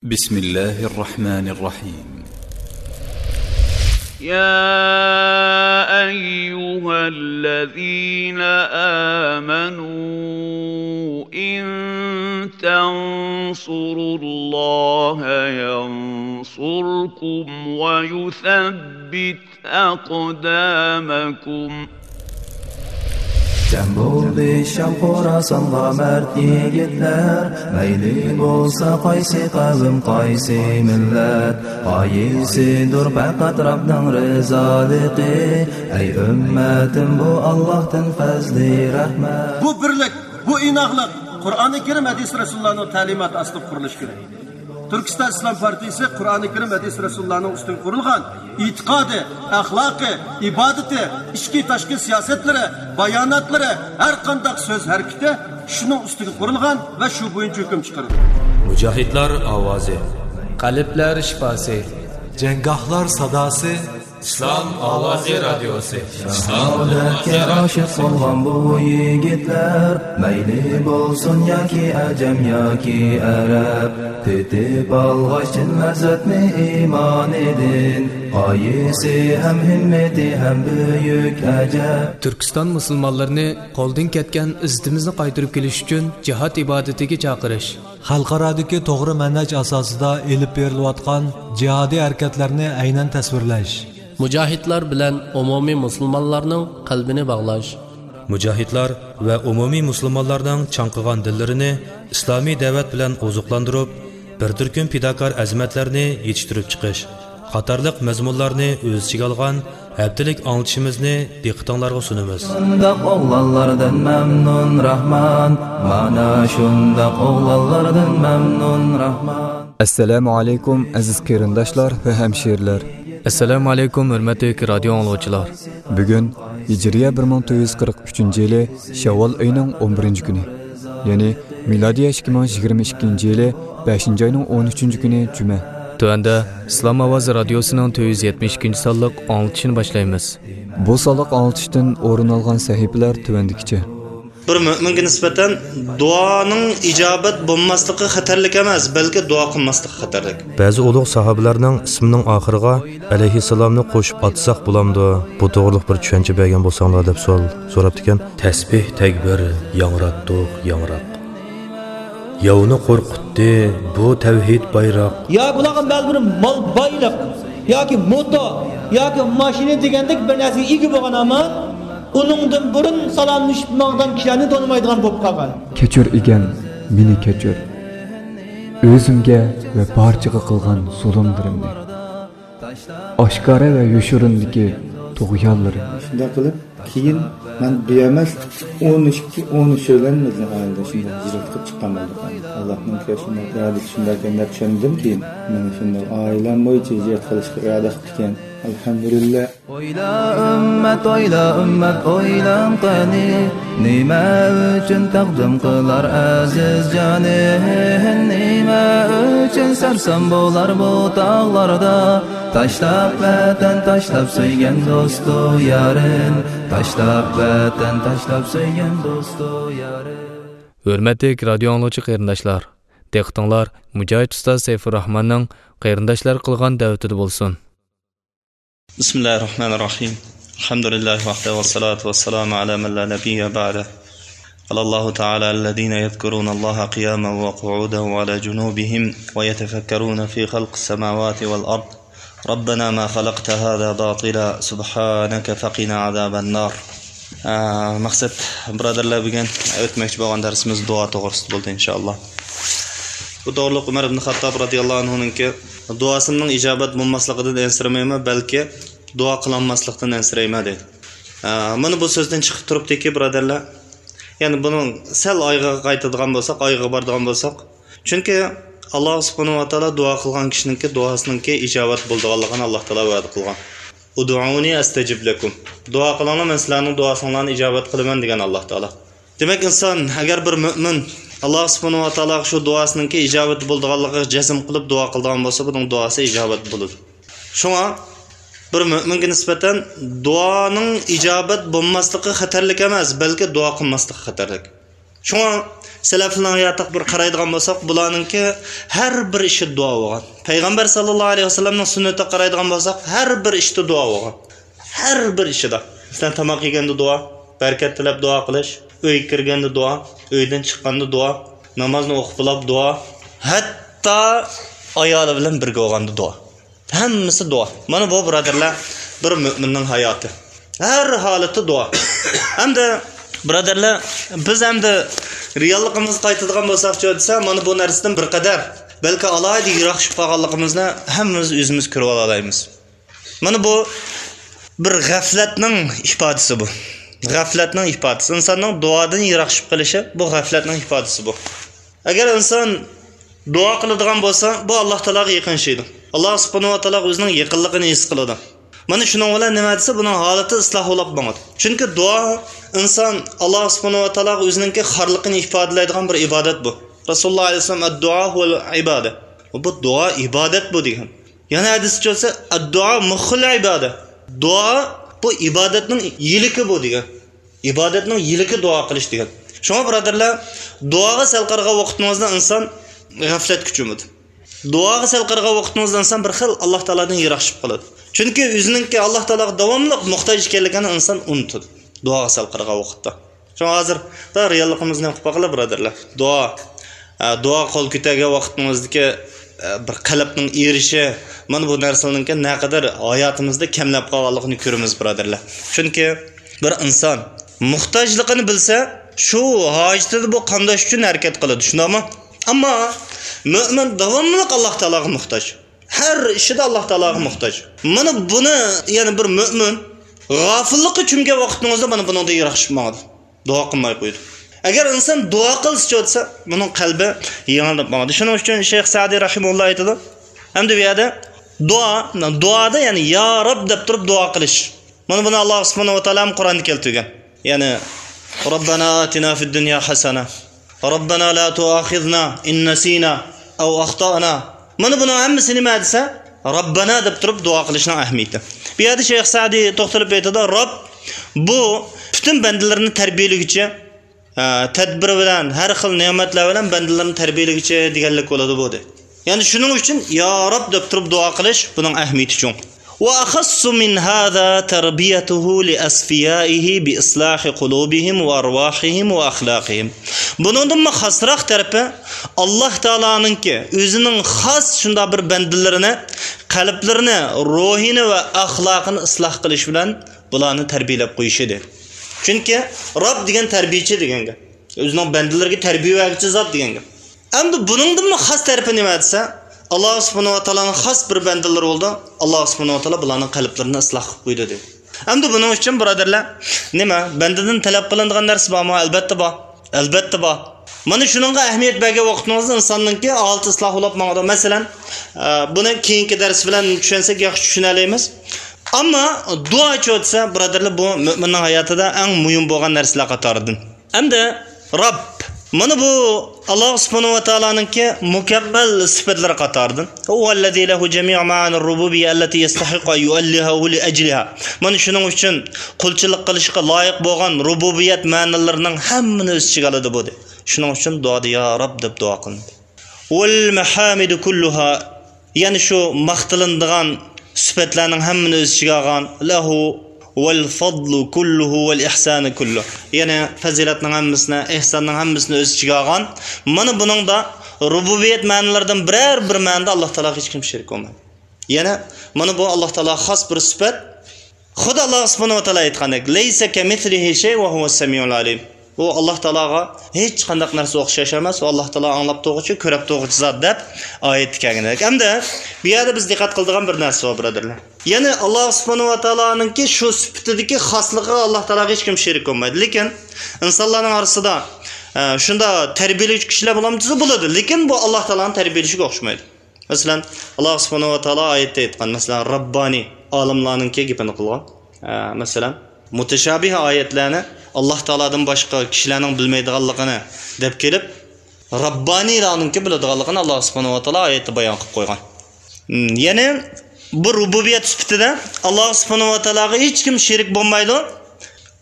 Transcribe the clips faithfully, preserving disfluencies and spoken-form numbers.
بسم الله الرحمن الرحيم. يا أيها الذين آمنوا إن تنصروا الله ينصركم ويثبت أقدامكم. جەم بولدى شام خوراسانغا مەرد يىگىتلەر، مەيلى بولسا قايسى قەۋم، قايسى مىللەت، غايىسىدۇر پەقەت رەبنىڭ رىزالىقى. ئەي ئۈممەتىم، بۇ ئاللاھتىن پەزلى رەھمەت. بۇ بىرلىك، بۇ ئىناقلىق قۇرئانى كەرىم، ھەدىس رەسۇلۇللانىڭ تەلىماتى ئاستىدا قۇرۇلۇشى كېرەك. تۈركىستان ئىسلام پارتىيىسى قۇرئانى كەرىم، ھەدىس رەسۇلۇللانىڭ ئۈستىگە قۇرۇلغان ئېتىقادى، ئەخلاقى، ئىبادىتى، ئىچكى تاشقى سىياسەتلىرى، باياناتلىرى، ھەر قانداق سۆز ھەرىكىتى شۇنىڭ ئۈستىگە قۇرۇلغان ۋە شۇ بويىچە ھۆكۈم چىقىرىدۇ. مۇجاھىدلار ئاۋازى. قەلبلەر شىپاسى. جەڭگاھلار ساداسى. ئىسلام ئاۋازى رادىيوسى. شاھادەتكە ئاشىق بولغان بۇ يىگىتلەر، مەيلى بولسۇن ياكى ئەجەم ياكى ئەرەب، تېتىپ ئالغاچ چىن لەززەتنى ئىمانىدىن، غايىسى ھەم ھىممىتى ھەم بۈيۈك ئەجەب. تۈركىستان مۇسۇلمانلىرىنى قولدىن كەتكەن ئىززىتىمىزنى قايتۇرۇپ كېلىش ئۈچۈن جىھاد ئىبادىتىگە چاقىرىش. خەلقئارادىكى توغرا مەنھەج ئاساسىدا ئېلىپ بېرىلىۋاتقان جىھادىي ھەرىكەتلەرنى ئەينەن تەسۋىرلەش. مۇجاھىدلار بىلەن ئومۇمىي مۇسۇلمانلارنىڭ قەلبىنى باغلاش. مۇجاھىدلار ۋە ئومۇمىي مۇسۇلمانلارنىڭ چاڭقىغان دىللىرىنى ئىسلامىي دەۋەت بىلەن ئوزۇقلاندۇرۇپ، بىر تۈركۈم پىداكار ئەزىمەتلەرنى يېتىشتۈرۈپ چىقىش قاتارلىق مەزمۇنلارنى ئۆز ئىچىگە ئالغان ھەپتىلىك ئاڭلىتىشىمىزنى دىققىتىڭلارغا سۇنىمىز. شۇنداق ئوغلانلاردىن مەمنۇن راھمان، مانا شۇنداق ئوغلانلاردىن مەمنۇن راھمان. ئەسسالامۇ ئەلەيكۇم، ئەزىز قېرىنداشلار ۋە ھەمشىرىلەر. ئەسسالامۇ ئەلەيكۇم، ھۆرمەتلىك رادىيو ئاڭلىغۇچىلار. بۈگۈن ھىجرىيە بىر مىڭ تۆت يۈز قىرىق ئۈچىنچى يىلى شەۋۋال ئېيىنىڭ ئون بىرىنچى كۈنى، يەنى مىلادىيە ئىككى مىڭ يىگىرمە ئىككىنچى يىلى بەشىنچى ئاينىڭ ئون ئۈچىنچى كۈنى جۈمە. تۆۋەندە ئىسلام ئاۋازى رادىيوسىنىڭ تۆت يۈز يەتمىش ئىككىنچى سانلىق ئاڭلىتىشىنى باشلايمىز. بۇ سانلىق ئاڭلىتىشتىن ئورۇن ئالغان سەھىپىلەر تۆۋەندىكىچە. بىر مۆمىنگە نىسبەتەن دۇئانىڭ ئىجابەت بولماسلىقى خەتەرلىك ئەمەس، بەلكى دۇئا قىلماسلىقى خەتەرلىك. بەزى ئۇلۇغ ساھابىلەرنىڭ ئىسمىنىڭ ئاخىرىغا ئەلەيھىسسالامنى قوشۇپ ئاتىساق بولامدۇ؟ بۇ توغرىلىق بىر چۈشەنچە بەرگەن بولساڭلار، دەپ سوئال سوراپتىكەن. تەسبىھ تەكبىر ياڭراتتۇق ياڭراق. ياۋنى قورقۇتتى بۇ تەۋھىد بايراق. يا بۇلارغا مەلۇم بىر مال بايلىق ياكى موتور ياكى ماشىنا دېگەندەك بىر نەرسىگە ئىگە بولغان ھامان، ئۇنىڭدىن بۇرۇن سالاملىشىپ ماڭغان كىشىلەرنى تونۇمايدىغان بولۇپ قالغان. كەچۈر ئىگەم، مېنى كەچۈر. ئۆزۈمگە ۋە بارچىغا قىلغان زۇلۇملىرىمنى، ئاشكارا ۋە يوشۇرۇندىكى تۇغيانلىرىمنى. شۇنداق قىلىپ، كېيىن مەن بىئەمەس ئون ئىككى، ئون ئۈچ بىلەن بىزنىڭ ئائىلىدە شۇنداق ھىجرەت قىلىپ چىققان بولدۇق. ئاللاھنىڭ شۇنداق ئىرادىسى شۇنداق ئىكەن دەپ چۈشەندىمكى، مېنى شۇنداق ئائىلەم بويىچە ھىجرەت قىلىشقا ئىرادە قىپتىكەن. ئەلھەمدۇلىللا. ئويلا ئۈممەت، ئويلا ئۈممەت، ئويلاڭ قېنى، نېمە ئۈچۈن تەقدىم قىلار ئەزىز جانى؟ نېمە ئۈچۈن سەرسان بولار بۇ تاغلاردا؟ تاشلاپ ۋەتەن، تاشلاپ سۆيگەن دوستۇ يارىن، تاشلاپ ۋەتەن، تاشلاپ سۆيگەن دوستۇ يارىن. ھۆرمەتلىك رادىيو ئاڭلىغۇچى قېرىنداشلار، دىققىتىڭلار مۇجاھىد ئۇستاز سەيپۇرراھماننىڭ قېرىنداشلار قىلغان دەۋىتىدە بولسۇن. بسم الله الرحمن الرحيم. الحمد لله وحده والصلاة والسلام على من لا نبي بعده. قال الله تعالى: الذين يذكرون الله قياما وقعودا وعلى جنوبهم ويتفكرون في خلق السماوات والأرض ربنا ما خلقت هذا باطلا سبحانك فقنا عذاب النار. ئە، مەقسەت، بۇرادەرلەر، بۈگۈن ئۆتمەكچى بولغان دەرسىمىز دۇئا توغرىسىدا بولدى، ئىنشائاللا. بۇ توغرىلىق ئۆمەر ئىبن خاتتاب رازىياللاھۇ ئەنھۇنىڭكى، دۇئاسىنىڭ ئىجابەت بولماسلىقىدىن ئەنسىرىمەيمەن، بەلكى دۇئا قىلالماسلىقتىن ئەنسىرەيمەن، دەيدۇ. ئە، مانا بۇ سۆزدىن چىقىپ تۇرۇپتۇكى، بۇرادەرلەر، يەنى بۇنىڭ سەل ئايىغىغا قايتىدىغان بولساق، ئايىغىغا بارىدىغان بولساق، چۈنكى ئاللا سۇبھانەھۇ ۋە تائالا دۇئا قىلغان كىشىنىڭكى دۇئاسىنىڭكى ئىجابەت بولىدىغانلىقىنى ئاللا تائالا ۋەدە قىلغان. ئۇدئۇنى ئەستەجىب لەكۇم. دۇئا قىلىڭلار، مەن سىلەرنىڭ دۇئاسىڭلارنى ئىجابەت قىلىمەن، دېگەن ئاللا تائالا. دېمەك، ئىنسان ئەگەر بىر مۆمىن ئاللا سۇبھانەھۇ ۋە تائالاغا شۇ دۇئاسىنىڭكى ئىجابەت بولىدىغانلىقىغا جەزم قىلىپ دۇئا قىلىدىغان بولسا، بۇنىڭ دۇئاسى ئىجابەت بولىدۇ. شۇڭا بىر مۆمىنگە نىسبەتەن دۇئانىڭ ئىجابەت بولماسلىقى خەتەرلىك ئەمەس، بەلكى دۇئا قىلماسلىقى خەتەرلىك. شۇڭا سەلەفلەرنىڭ ھاياتىغا بىر قارايدىغان بولساق، بۇلارنىڭكى ھەر بىر ئىشى دۇئا بولغان. پەيغەمبەر ساللاللاھۇ ئەلەيھى ۋەسەللەمنىڭ سۈننىتىگە قارايدىغان بولساق، ھەر بىر ئىشتا دۇئا بولغان. ھەر بىر ئىشىدا. مەسىلەن، تاماق يېگەندە دۇئا، بەرىكەت تىلەپ دۇئا قىلىش، ئۆيگە كىرگەندە دۇئا، ئۆيدىن چىققاندا دۇئا، نامازنى ئوقۇپ بولۇپ دۇئا، ھەتتا ئايالى بىلەن بىرگە بولغاندا دۇئا. ھەممىسى دۇئا. مانا بۇ، بۇرادەرلەر، بىر مۆمىننىڭ ھاياتى. ھەر ھالەتتە دۇئا. ئەمدى، بۇرادەرلەر، بىز ئەمدى رېئاللىقىمىزغا قايتىدىغان بولساقچۇ دېسە، مانا بۇ نەرسىدىن بىر قەدەر، بەلكى ئالاھىدە يىراقلىشىپ قالغانلىقىمىزنى ھەممىمىز ئۆزىمىز كۆرۈۋالالايمىز. مانا بۇ بىر غەفلەتنىڭ ئىپادىسى بۇ. غەفلەتنىڭ ئىپادىسى. ئىنساننىڭ دۇئادىن يىراقلىشىپ قېلىشى، بۇ غەفلەتنىڭ ئىپادىسى بۇ. ئەگەر ئىنسان دۇئا قىلىدىغان بولسا، بۇ ئاللاھ تائالاغا يېقىنلىشىدۇ. ئاللاھ سۇبھانەھۇ ۋە تائالا ئۆزىنىڭ يېقىنلىقىنى ھېس قىلىدۇ. مانا شۇنىڭ بىلەن نېمە دېسە، بۇنىڭ ھالىتى ئىسلاھ بولاپ ماڭىدۇ. چۈنكى دۇئا ئىنسان ئاللاھ سۇبھانەھۇ ۋە تائالاغا ئۆزىنىڭكى خارلىقىنى ئىپادىلەيدىغان بىر ئىبادەت بۇ. رەسۇلۇللاھ ئەلەيھىسسالام، «ئەددۇئا ھۇۋەل ئىبادە.» بۇ دۇئا ئىبادەت بۇ دېگەن. يەنە ھەدىستە كەلسە، «ئەددۇئا مۇخۇل ئىبادە.» دۇئا بۇ ئىبادەتنىڭ يىلىكى بۇ دېگەن. ئىبادەتنىڭ يىلىكى دۇئا قىلىش دېگەن. شۇڭا بۇرادەرلەر، دۇئاغا سەل قارىغان ۋاقتىڭىزدا ئىنسان غەفلەتكە چۆمىدۇ. دۇئاغا سەل قارىغان ۋاقتىڭىزدا ئىنسان بىر خىل ئاللاھ تائالادىن يىراقلىشىپ قالىدۇ. چۈنكى ئۆزىنىڭكى ئاللاھ تائالاغا داۋاملىق موھتاج ئىكەنلىكىنى ئىنسان ئۇنتىدۇ دۇئاغا سەل قارىغان ۋاقىتتا. شۇڭا ھازىر دا رېئاللىقىمىزنى ئوقۇپ باقىلى، بۇرادەرلەر. دۇئا، ئە، دۇئا قول كۆتەرگەن ۋاقتىڭىزدىكى، ئە، بىر قەلبنىڭ ئېرىشى، مانا بۇ نەرسىلەرنىڭكى نەقەدەر ھاياتىمىزدا كەملەپ قالغانلىقىنى كۆرىمىز، بۇرادەرلەر. چۈنكى بىر ئىنسان موھتاجلىقىنى بىلسە، شۇ ھاجىتىدە بۇ قامداش ئۈچۈن ھەرىكەت قىلىدۇ، شۇنداقمۇ؟ ئەمما مۆمىن داۋاملىق ئاللاھ تائالاغا موھتاج. ھەر ئىشىدا ئاللاھ تائالاغا موھتاج. مانا بۇنى، يەنى بىر مۆمىن غافىللىققا چۆمگەن ۋاقتىڭىزدا مانا بۇنىڭدىن يىراقلىشىپ ماڭىدۇ. دۇئا قىلماي قويىدۇ. ئەگەر ئىنسان دۇئا قىلسىچۇ دېسە، بۇنىڭ قەلبى يېڭىلىنىپ ماڭىدۇ. شۇنىڭ ئۈچۈن شەيخ سەئدى رەھىمەھۇللاھ ئېيتىدۇ. ئەمدى بۇ يەردە دۇئا، دۇئادا يەنى يا رەب دەپ تۇرۇپ دۇئا قىلىش. مانا بۇنى ئاللاھ سۇبھانەھۇ ۋە تائالا قۇرئاندا كەلتۈرگەن. يەنى، رەببەنا ئاتىنا فىد دۇنيا ھەسەنە، رەببەنا لا تۇئاخىزنا ئىن نەسىنا ئەۋ ئەختەئنا. مانا بۇنىڭ ھەممىسى نېمە دېسە، رەببەنا دەپ تۇرۇپ دۇئا قىلىشنىڭ ئەھمىيىتى. بۇ يەردە شەيخ سەئدى توختىلىپ ئېيتىدۇ، رەب بۇ پۈتۈن بەندىلىرىنى تەربىيەلىگۈچى، ئە، تەدبىر بىلەن، ھەر خىل نېمەتلەر بىلەن بەندىلىرىنى تەربىيەلىگۈچى دېگەنلىك بولىدۇ بۇ، دەيدۇ. يەنى شۇنىڭ ئۈچۈن يا رەب دەپ تۇرۇپ دۇئا قىلىش، بۇنىڭ ئەھمىيىتى چوڭ. وأخص من هذا تربيته لأصفيائه بإصلاح قلوبهم وأرواحهم وأخلاقهم. بۇنىڭدىنمۇ خاسراق تەرىپى، ئاللاھ تائالانىڭكى ئۆزىنىڭ خاس شۇنداق بىر بەندىلىرىنى، قەلبلىرىنى، روھىنى ۋە ئەخلاقىنى ئىسلاھ قىلىش بىلەن بۇلارنى تەربىيەلەپ قويۇشىدۇ. چۈنكى رەب دېگەن تەربىيەچى دېگەن گەپ. ئۆزىنىڭ بەندىلىرىگە تەربىيە بەرگۈچى زات دېگەن گەپ. ئەمدى بۇنىڭدىنمۇ خاس تەرىپى نېمە دېسە، ئاللاھ سۇبھانەھۇ ۋە تائالانىڭ خاس بىر بەندىلىرى بولدى. ئاللاھ سۇبھانەھۇ ۋە تائالا بۇلارنىڭ قەلبلىرىنى ئىسلاھ قىلىپ قويدى، دېدى. ئەمدى بۇنىڭ ئۈچۈن، بۇرادەرلەر، نېمە، بەندىدىن تەلەپ قىلىنىدىغان نەرسە بارمۇ؟ ئەلبەتتە بار. ئەلبەتتە بار. مانا شۇنىڭغا ئەھمىيەت بەرگەن ۋاقتىڭىزدا ئىنساننىڭكى ھالىتى ئىسلاھ بولۇپ ماڭىدۇ. مەسىلەن، ئە، بۇنى كېيىنكى دەرس بىلەن چۈشەنسەك ياخشى چۈشىنەلەيمىز. ئەمما دۇئاچۇ دېسە، بۇرادەرلەر، بۇ مۆمىننىڭ ھاياتىدا ئەڭ مۇھىم بولغان نەرسىلەر قاتارىدىن. ئەمدى رەب. مانا بۇ ئاللاھ سۇبھانەھۇ ۋە تائالانىڭكى مۇكەممەل سۈپەتلىرى قاتارىدىن. هو الذي له جميع معاني الربوبية التي يستحق أن يؤلهه لأجلها. مانا شۇنىڭ ئۈچۈن قۇلچىلىق قىلىشقا لايىق بولغان رۇبۇبىيەت مەنىلىرىنىڭ ھەممىنى ئۆز ئىچىگە ئالىدۇ بۇ، دەيدۇ. شۇنىڭ ئۈچۈن دۇئادا يا رەب دەپ دۇئا قىلىنىدۇ. والمحامد كلها، يەنى شۇ ماختىلىنىدىغان سۈپەتلەرنىڭ ھەممىنى ئۆز ئىچىگە ئالغان، له والفضل كله والإحسان كله، يەنى پەزىلەتنىڭ ھەممىسىنى، ئېھساننىڭ ھەممىسىنى ئۆز ئىچىگە ئالغان. مانا بۇنىڭدا رۇبۇبىيەت مەنىلىرىدىن بىرەر بىر مەنىدە ئاللاھ تائالاغا ھېچكىم شېرىك بولمايدۇ. يەنە مانا بۇ ئاللاھ تائالاغا خاس بىر سۈپەت. خۇددى ئاللاھ سۇبھانەھۇ ۋە تائالا ئېيتقاندەك، ليس كمثله شيء وهو السميع العليم. ئۇ ئاللاھ تائالاغا ھېچقانداق نەرسە ئوخشاش ئەمەس، ئۇ ئاللاھ تائالا ئاڭلاپ تۇرغۇچى، كۆرۈپ تۇرغۇچى زات، دەپ ئايەتتە كەلگەندەك. ئەمدى بۇ يەردە بىز دىققەت قىلىدىغان بىر نەرسە بار، بۇرادەرلەر. يەنى ئاللاھ سۇبھانەھۇ ۋە تائالانىڭكى شۇ سۈپىتىدىكى خاسلىقىغا ئاللاھ تائالاغا ھېچكىم شېرىك بولمايدۇ. لېكىن ئىنسانلارنىڭ ئارىسىدا، ئە، شۇنداق تەربىيەلىگۈچى كىشىلەر بولامدۇ دېسە بولىدۇ. لېكىن بۇ ئاللاھ تائالانىڭ تەربىيەلىشىگە ئوخشىمايدۇ. مەسىلەن، ئاللاھ سۇبھانەھۇ ۋە تائالا ئايەتتە ئېيتقان، مەسىلەن، رەببانىي ئالىملارنىڭكى گېپىنى قىلغان. ئە، مەسىلەن، مۇتەشابىھ ئايەتلەرنى ئاللاھ تائالادىن باشقا كىشىلەرنىڭ بىلمەيدىغانلىقىنى دەپ كېلىپ، رەببانىيلارنىڭكى بىلىدىغانلىقىنى ئاللاھ سۇبھانەھۇ ۋە تائالا ئايەتتە بايان قىلىپ قويغان. ھىم، يەنى بۇ رۇبۇبىيەت سۈپىتىدە ئاللاھ سۇبھانەھۇ ۋە تائالاغا ھېچكىم شېرىك بولمايدۇ.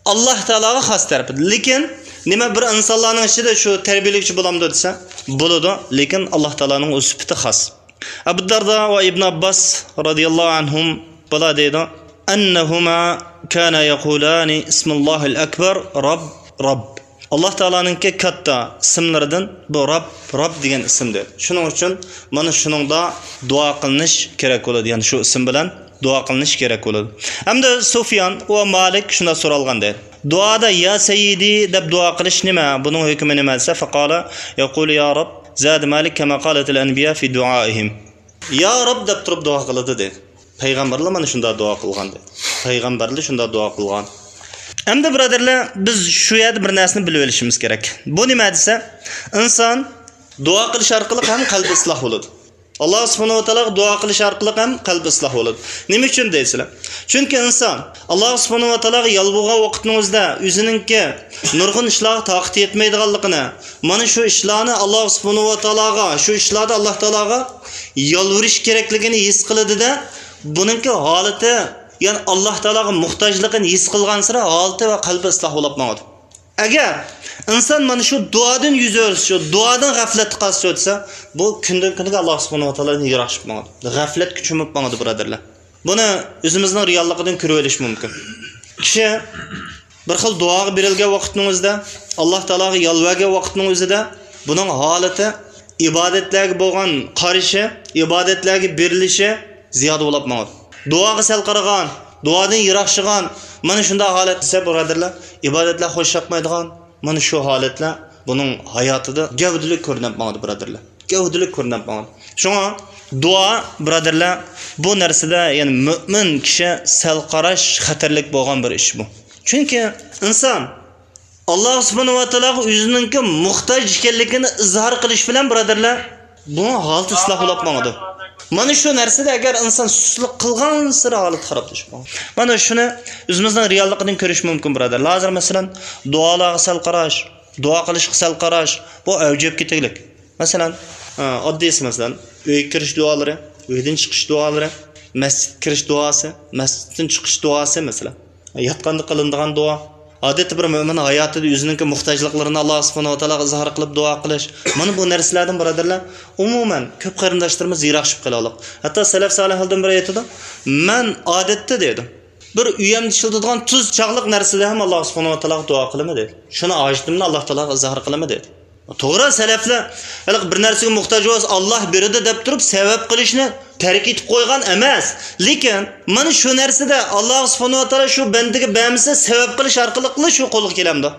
ئاللاھ تائالاغا خاس تەرىپى. لېكىن نېمە، بىر ئىنسانلارنىڭ ئىچىدە شۇ تەربىيەلىگۈچى بولامدۇ دېسە، بولىدۇ، لېكىن ئاللا تائالانىڭ ئۆز سۈپىتى خاس. ئەبۇ دەردا ۋە ئىبن ئابباس رازىياللاھۇ ئەنھۇم بۇلار دەيدۇ، «أنهما كانا يقولان اسم الله الأكبر رب، رب.» ئاللا تائالانىڭكى كاتتا ئىسىملىرىدىن بۇ رب، رب دېگەن ئىسىم دەيدۇ. شۇنىڭ ئۈچۈن مانا شۇنىڭدا دۇئا قىلىنىش كېرەك بولىدۇ، يەنى شۇ ئىسىم بىلەن دۇئا قىلىنىش كېرەك بولىدۇ. ئەمدى سۇفيان ۋە مالىك شۇنداق سورالغان دەيدۇ. دۇئادا «يا سەييىدى» دەپ دۇئا قىلىش نېمە؟ بۇنىڭ ھۆكمى نېمە دېسە، فقال يقول يا رب، زاد مالك كما قالت الأنبياء في دعائهم. «يا رب» دەپ تۇرۇپ دۇئا قىلىدۇ دەيدۇ. پەيغەمبەرلەر مانا شۇنداق دۇئا قىلغان دەيدۇ. پەيغەمبەرلەر شۇنداق دۇئا قىلغان. ئەمدى بۇرادەرلەر، بىز شۇ يەردە بىر نەرسىنى بىلىۋېلىشىمىز كېرەك. بۇ نېمە دېسە، ئىنسان دۇئا قىلىش ئارقىلىق ھەم قەلبى ئىسلاھ بولىدۇ. ئاللا سۇبھانەھۇ ۋە تائالاغا دۇئا قىلىش ئارقىلىق ھەم قەلبى ئىسلاھ بولىدۇ. نېمە ئۈچۈن دەيسىلەر؟ چۈنكى ئىنسان ئاللا سۇبھانەھۇ ۋە تائالاغا يالۋۇرغان ۋاقىتنىڭ ئۆزىدە ئۆزىنىڭكى نۇرغۇن ئىشلارغا تاقىتى يەتمەيدىغانلىقىنى، مانا شۇ ئىشلارنى ئاللا سۇبھانەھۇ ۋە تائالاغا، شۇ ئىشلاردا ئاللا تائالاغا يالۋۇرۇش كېرەكلىكىنى ھېس قىلىدۇ-دە، بۇنىڭكى ھالىتى، يەنى ئاللا تائالاغا موھتاجلىقىنى ھېس قىلغانسېرى ھالىتى ۋە قەلبى ئىسلاھ بولۇپ ماڭىدۇ. ئەگەر ئىنسان مانا شۇ دۇئادىن يۈز ئۆرۈسە، شۇ دۇئادىن غەپلەتتە قالسا دېسە، بۇ كۈندىن كۈنگە ئاللا سۇبھانەھۇ ۋە تائالادىن يىراقلىشىپ ماڭىدۇ. غەپلەتكە چۆمۈپ ماڭىدۇ، بۇرادەرلەر. بۇنى ئۆزىمىزنىڭ رېئاللىقىدىن كۆرۈۋېلىش مۇمكىن. كىشى بىر خىل دۇئاغا بېرىلگەن ۋاقىتنىڭ ئۆزىدە، ئاللا تائالاغا يالۋۇرغان ۋاقىتنىڭ ئۆزىدە بۇنىڭ ھالىتى، ئىبادەتلەرگە بولغان قارىشى، ئىبادەتلەرگە بېرىلىشى زىيادە بولۇپ ماڭىدۇ. دۇئاغا سەل قارىغان، دۇئادىن يىراقلىشىدىغان، مانا شۇنداق ھالەت دېسە، بۇرادەرلەر، ئىبادەتلەر خوش ياقمايدىغان، مانا شۇ ھالەتلەر بۇنىڭ ھاياتىدا گەۋدىلىك كۆرۈنۈپ ماڭىدۇ، بۇرادەرلەر. گەۋدىلىك كۆرۈنۈپ ماڭىدۇ. شۇڭا دۇئا، بۇرادەرلەر، بۇ نەرسىدە، يەنى مۆمىن كىشى سەل قاراش خەتەرلىك بولغان بىر ئىش بۇ. چۈنكى ئىنسان ئاللا سۇبھانەھۇ ۋە تائالاغا ئۆزىنىڭكى موھتاج ئىكەنلىكىنى ئىزھار قىلىش بىلەن، بۇرادەرلەر، بۇ ھالىتى ئىسلاھ بولۇپ ماڭىدۇ. مانا شۇ نەرسىدە ئەگەر ئىنسان سۇسلۇق قىلغانسېرى ھالىتى خارابلىشىپ ماڭىدۇ. مانا شۇنى ئۆزىمىزنىڭ رېئاللىقىدىن كۆرۈش مۇمكىن، بۇرادەرلەر. ھازىر، مەسىلەن، دۇئالارغا سەل قاراش، دۇئا قىلىشقا سەل قاراش، بۇ ئەۋجىگە كېتىگلىك. مەسىلەن، ئە، ئاددىيسى، مەسىلەن، ئۆيگە كىرىش دۇئالىرى، ئۆيدىن چىقىش دۇئالىرى، مەسچىتكە كىرىش دۇئاسى، مەسچىتتىن چىقىش دۇئاسى، مەسىلەن. ياتقاندا قىلىنىدىغان دۇئا. ئادەتتە بىر مۆمىن ھاياتىدا ئۆزىنىڭكى موھتاجلىقلىرىنى ئاللا سۇبھانەھۇ ۋە تائالاغا ئىزھار قىلىپ دۇئا قىلىش. مانا بۇ نەرسىلەردىن، بۇرادەرلەر، ئومۇمەن كۆپ قېرىنداشلىرىمىز يىراقلىشىپ قېلىۋاتىدۇ. ھەتتا سەلەف سالىھلاردىن بىرى ئېيتىدۇ، مەن ئادەتتە، دەيدۇ، بىر ئۆيەمدە ئىشلىتىدىغان تۇز چاغلىق نەرسىدە ھەم ئاللا سۇبھانەھۇ ۋە تائالاغا دۇئا قىلىمەن، دەيدۇ. شۇنى ھاجىتىمنى ئاللا تائالاغا ئىزھار قىلىمەن، دەيدۇ. توغرا، سەلەفلەر ھېلىقى بىر نەرسىگە موھتاج بولسا، ئاللا بېرىدۇ دەپ تۇرۇپ سەۋەب قىلىشنى تەرك ئېتىپ قويغان ئەمەس. لېكىن مانا شۇ نەرسىدە ئاللا سۇبھانەھۇ ۋە تائالا شۇ بەندىگە بەرمىسە، سەۋەب قىلىش ئارقىلىقلا شۇ قولغا كېلەمدۇ؟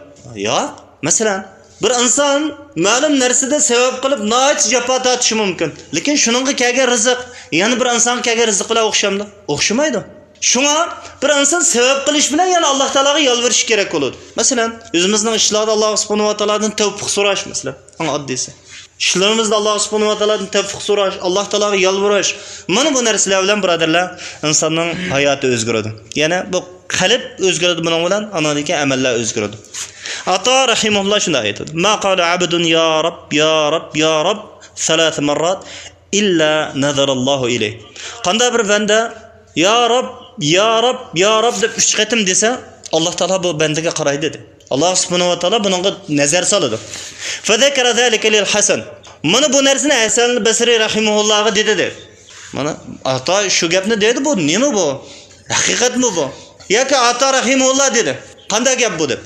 ياق. مەسىلەن، بىر ئىنسان مەلۇم نەرسىدە سەۋەب قىلىپ ناھايىتى جاپا تارتىشى مۇمكىن. لېكىن شۇنىڭغا كەلگەن رىزىق يەنە بىر ئىنسانغا كەلگەن رىزىق بىلەن ئوخشامدۇ؟ ئوخشىمايدۇ. شۇڭا بىر ئىنسان سەۋەب قىلىش بىلەن يەنە ئاللا تائالاغا يالۋۇرۇشى كېرەك بولىدۇ. مەسىلەن، ئۆزىمىزنىڭ ئىشلاردا ئاللا سۇبھانەھۇ ۋە تائالادىن تەۋپىق سوراش، مەسىلەن، ئەڭ ئاددىيسى. ئىشلىرىمىزدا ئاللا سۇبھانەھۇ ۋە تائالادىن تەۋپىق سوراش، ئاللا تائالاغا يالۋۇرۇش. مانا بۇ نەرسىلەر بىلەن، بۇرادەرلەر، ئىنساننىڭ ھاياتى ئۆزگىرىدۇ. يەنى بۇ قەلب ئۆزگىرىدۇ بۇنىڭ بىلەن، ئاندىن كېيىن ئەمەللەر ئۆزگىرىدۇ. ئاتا رەھىمەھۇللا شۇنداق ئېيتىدۇ، ما قال عبد يا رب، يا رب، يا رب ثلاث مرات إلا نظر الله إليه. قانداق بىر بەندە يا رب، يا رب، يا رب دەپ ئۈچ قېتىم دېسە، ئاللا تائالا بۇ بەندىگە قارايدۇ، دېدى. ئاللا سۇبھانەھۇ ۋە تائالا بۇنىڭغا نەزەر سالىدۇ. فذكر ذلك للحسن. مانا بۇ نەرسىنى ھەسەن بەسرى رەھىمەھۇللاغا دېدى، دەيدۇ. مانا ئاتا شۇ گەپنى دەيدۇ، بۇ نېمە بۇ؟ ھەقىقەتمۇ بۇ؟ ياكى ئاتا رەھىمەھۇللا دېدى، قانداق گەپ بۇ دەپ.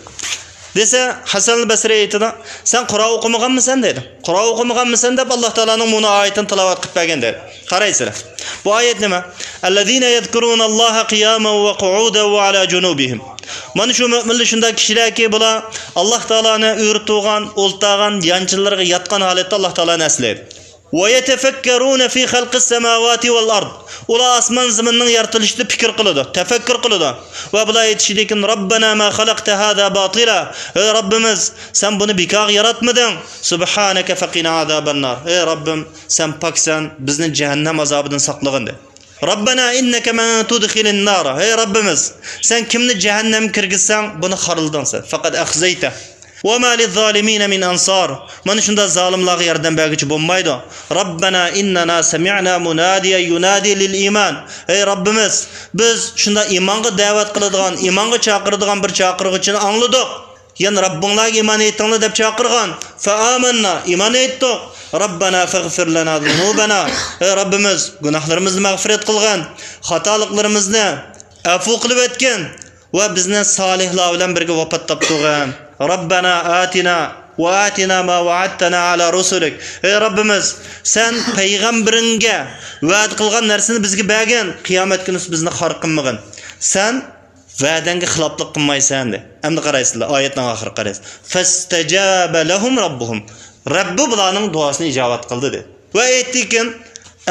دېسە، ھەسەن بەسرى ئېيتىدۇ، سەن قۇرئان ئوقۇمىغانمىسەن دەيدۇ. قۇرئان ئوقۇمىغانمىسەن دەپ ئاللا تائالانىڭ مۇنۇ ئايىتىنى تىلاۋەت قىلىپ بەرگەن دەيدۇ. قارايسىلەر. بۇ ئايەت نېمە؟ الذين يذكرون الله قياما وقعودا وعلى جنوبهم. مانا شۇ مۆمىنلەر شۇنداق كىشىلەركى، بۇلار ئاللا تائالانى ئۆرە تۇرغان، ئولتۇرغان، يانچىلىرىغا ياتقان ھالەتتە ئاللا تائالانى ئەسلەيدۇ. ويتفكرون في خلق السماوات والأرض. ئۇلار ئاسمان زېمىننىڭ يارىتىلىشىدا پىكىر قىلىدۇ، تەپەككۇر قىلىدۇ. ۋە بۇلار ئېيتىشىدىكىن، ربنا ما خلقت هذا باطلا. ئەي رەببىمىز، سەن بۇنى بىكارغا ياراتمىدىڭ. سبحانك فقنا عذاب النار. ئەي رەببىم، سەن پاكسەن، بىزنى جەھەننەم ئازابىدىن ساقلىغىن، دە. ربنا إنك من تدخل النار. ئەي رەببىمىز، سەن كىمنى جەھەننەمگە كىرگۈزسەڭ، بۇنى خارلىدىڭ سەن. فقد أخزيته. وما للظالمين من أنصار. مانا شۇنداق زالىملارغا ياردەم بەرگۈچى بولمايدۇ. ربنا إننا سمعنا مناديا ينادي للإيمان. ئەي رەببىمىز، بىز شۇنداق ئىمانغا دەۋەت قىلىدىغان، ئىمانغا چاقىرىدىغان بىر چاقىرغۇچىنى ئاڭلىدۇق. يەنى رەببىڭلارغا ئىمان ئېيتىڭلار دەپ چاقىرغان. فَآمَنَّا، ئىمان ئېيتتۇق. رَبَّنَا فَاغْفِرْ لَنَا ذُنُوبَنَا، ئەي رەببىمىز، گۇناھلىرىمىزنى مەغپىرەت قىلغىن، خاتالىقلىرىمىزنى ئەپۇ قىلىۋەتكىن ۋە بىزنى سالىھلار بىلەن بىرگە ۋاپات تاپتۇرغىن. رَبَّنَا آتِنَا وَآتِنَا مَا وَعَدْتَنَا عَلَى رُسُلِكَ، ئەي رەببىمىز، سەن پەيغەمبىرىڭگە ۋەدە قىلغان نەرسىنى بىزگە بەرگىن، قىيامەت كۈنى بىزنى خار قىلمىغىن. سەن ۋەدەڭگە خىلاپلىق قىلمايسەن، دە. ئەمدى قارايسىلەر، ئايەتنىڭ ئاخىرىغا قارايسىلەر. فَاسْتَجَابَ لَهُمْ رَبُّهُمْ، رەببى بۇلارنىڭ دۇئاسىنى ئىجابەت قىلدى، دە. ۋە ئېيتتىكىن،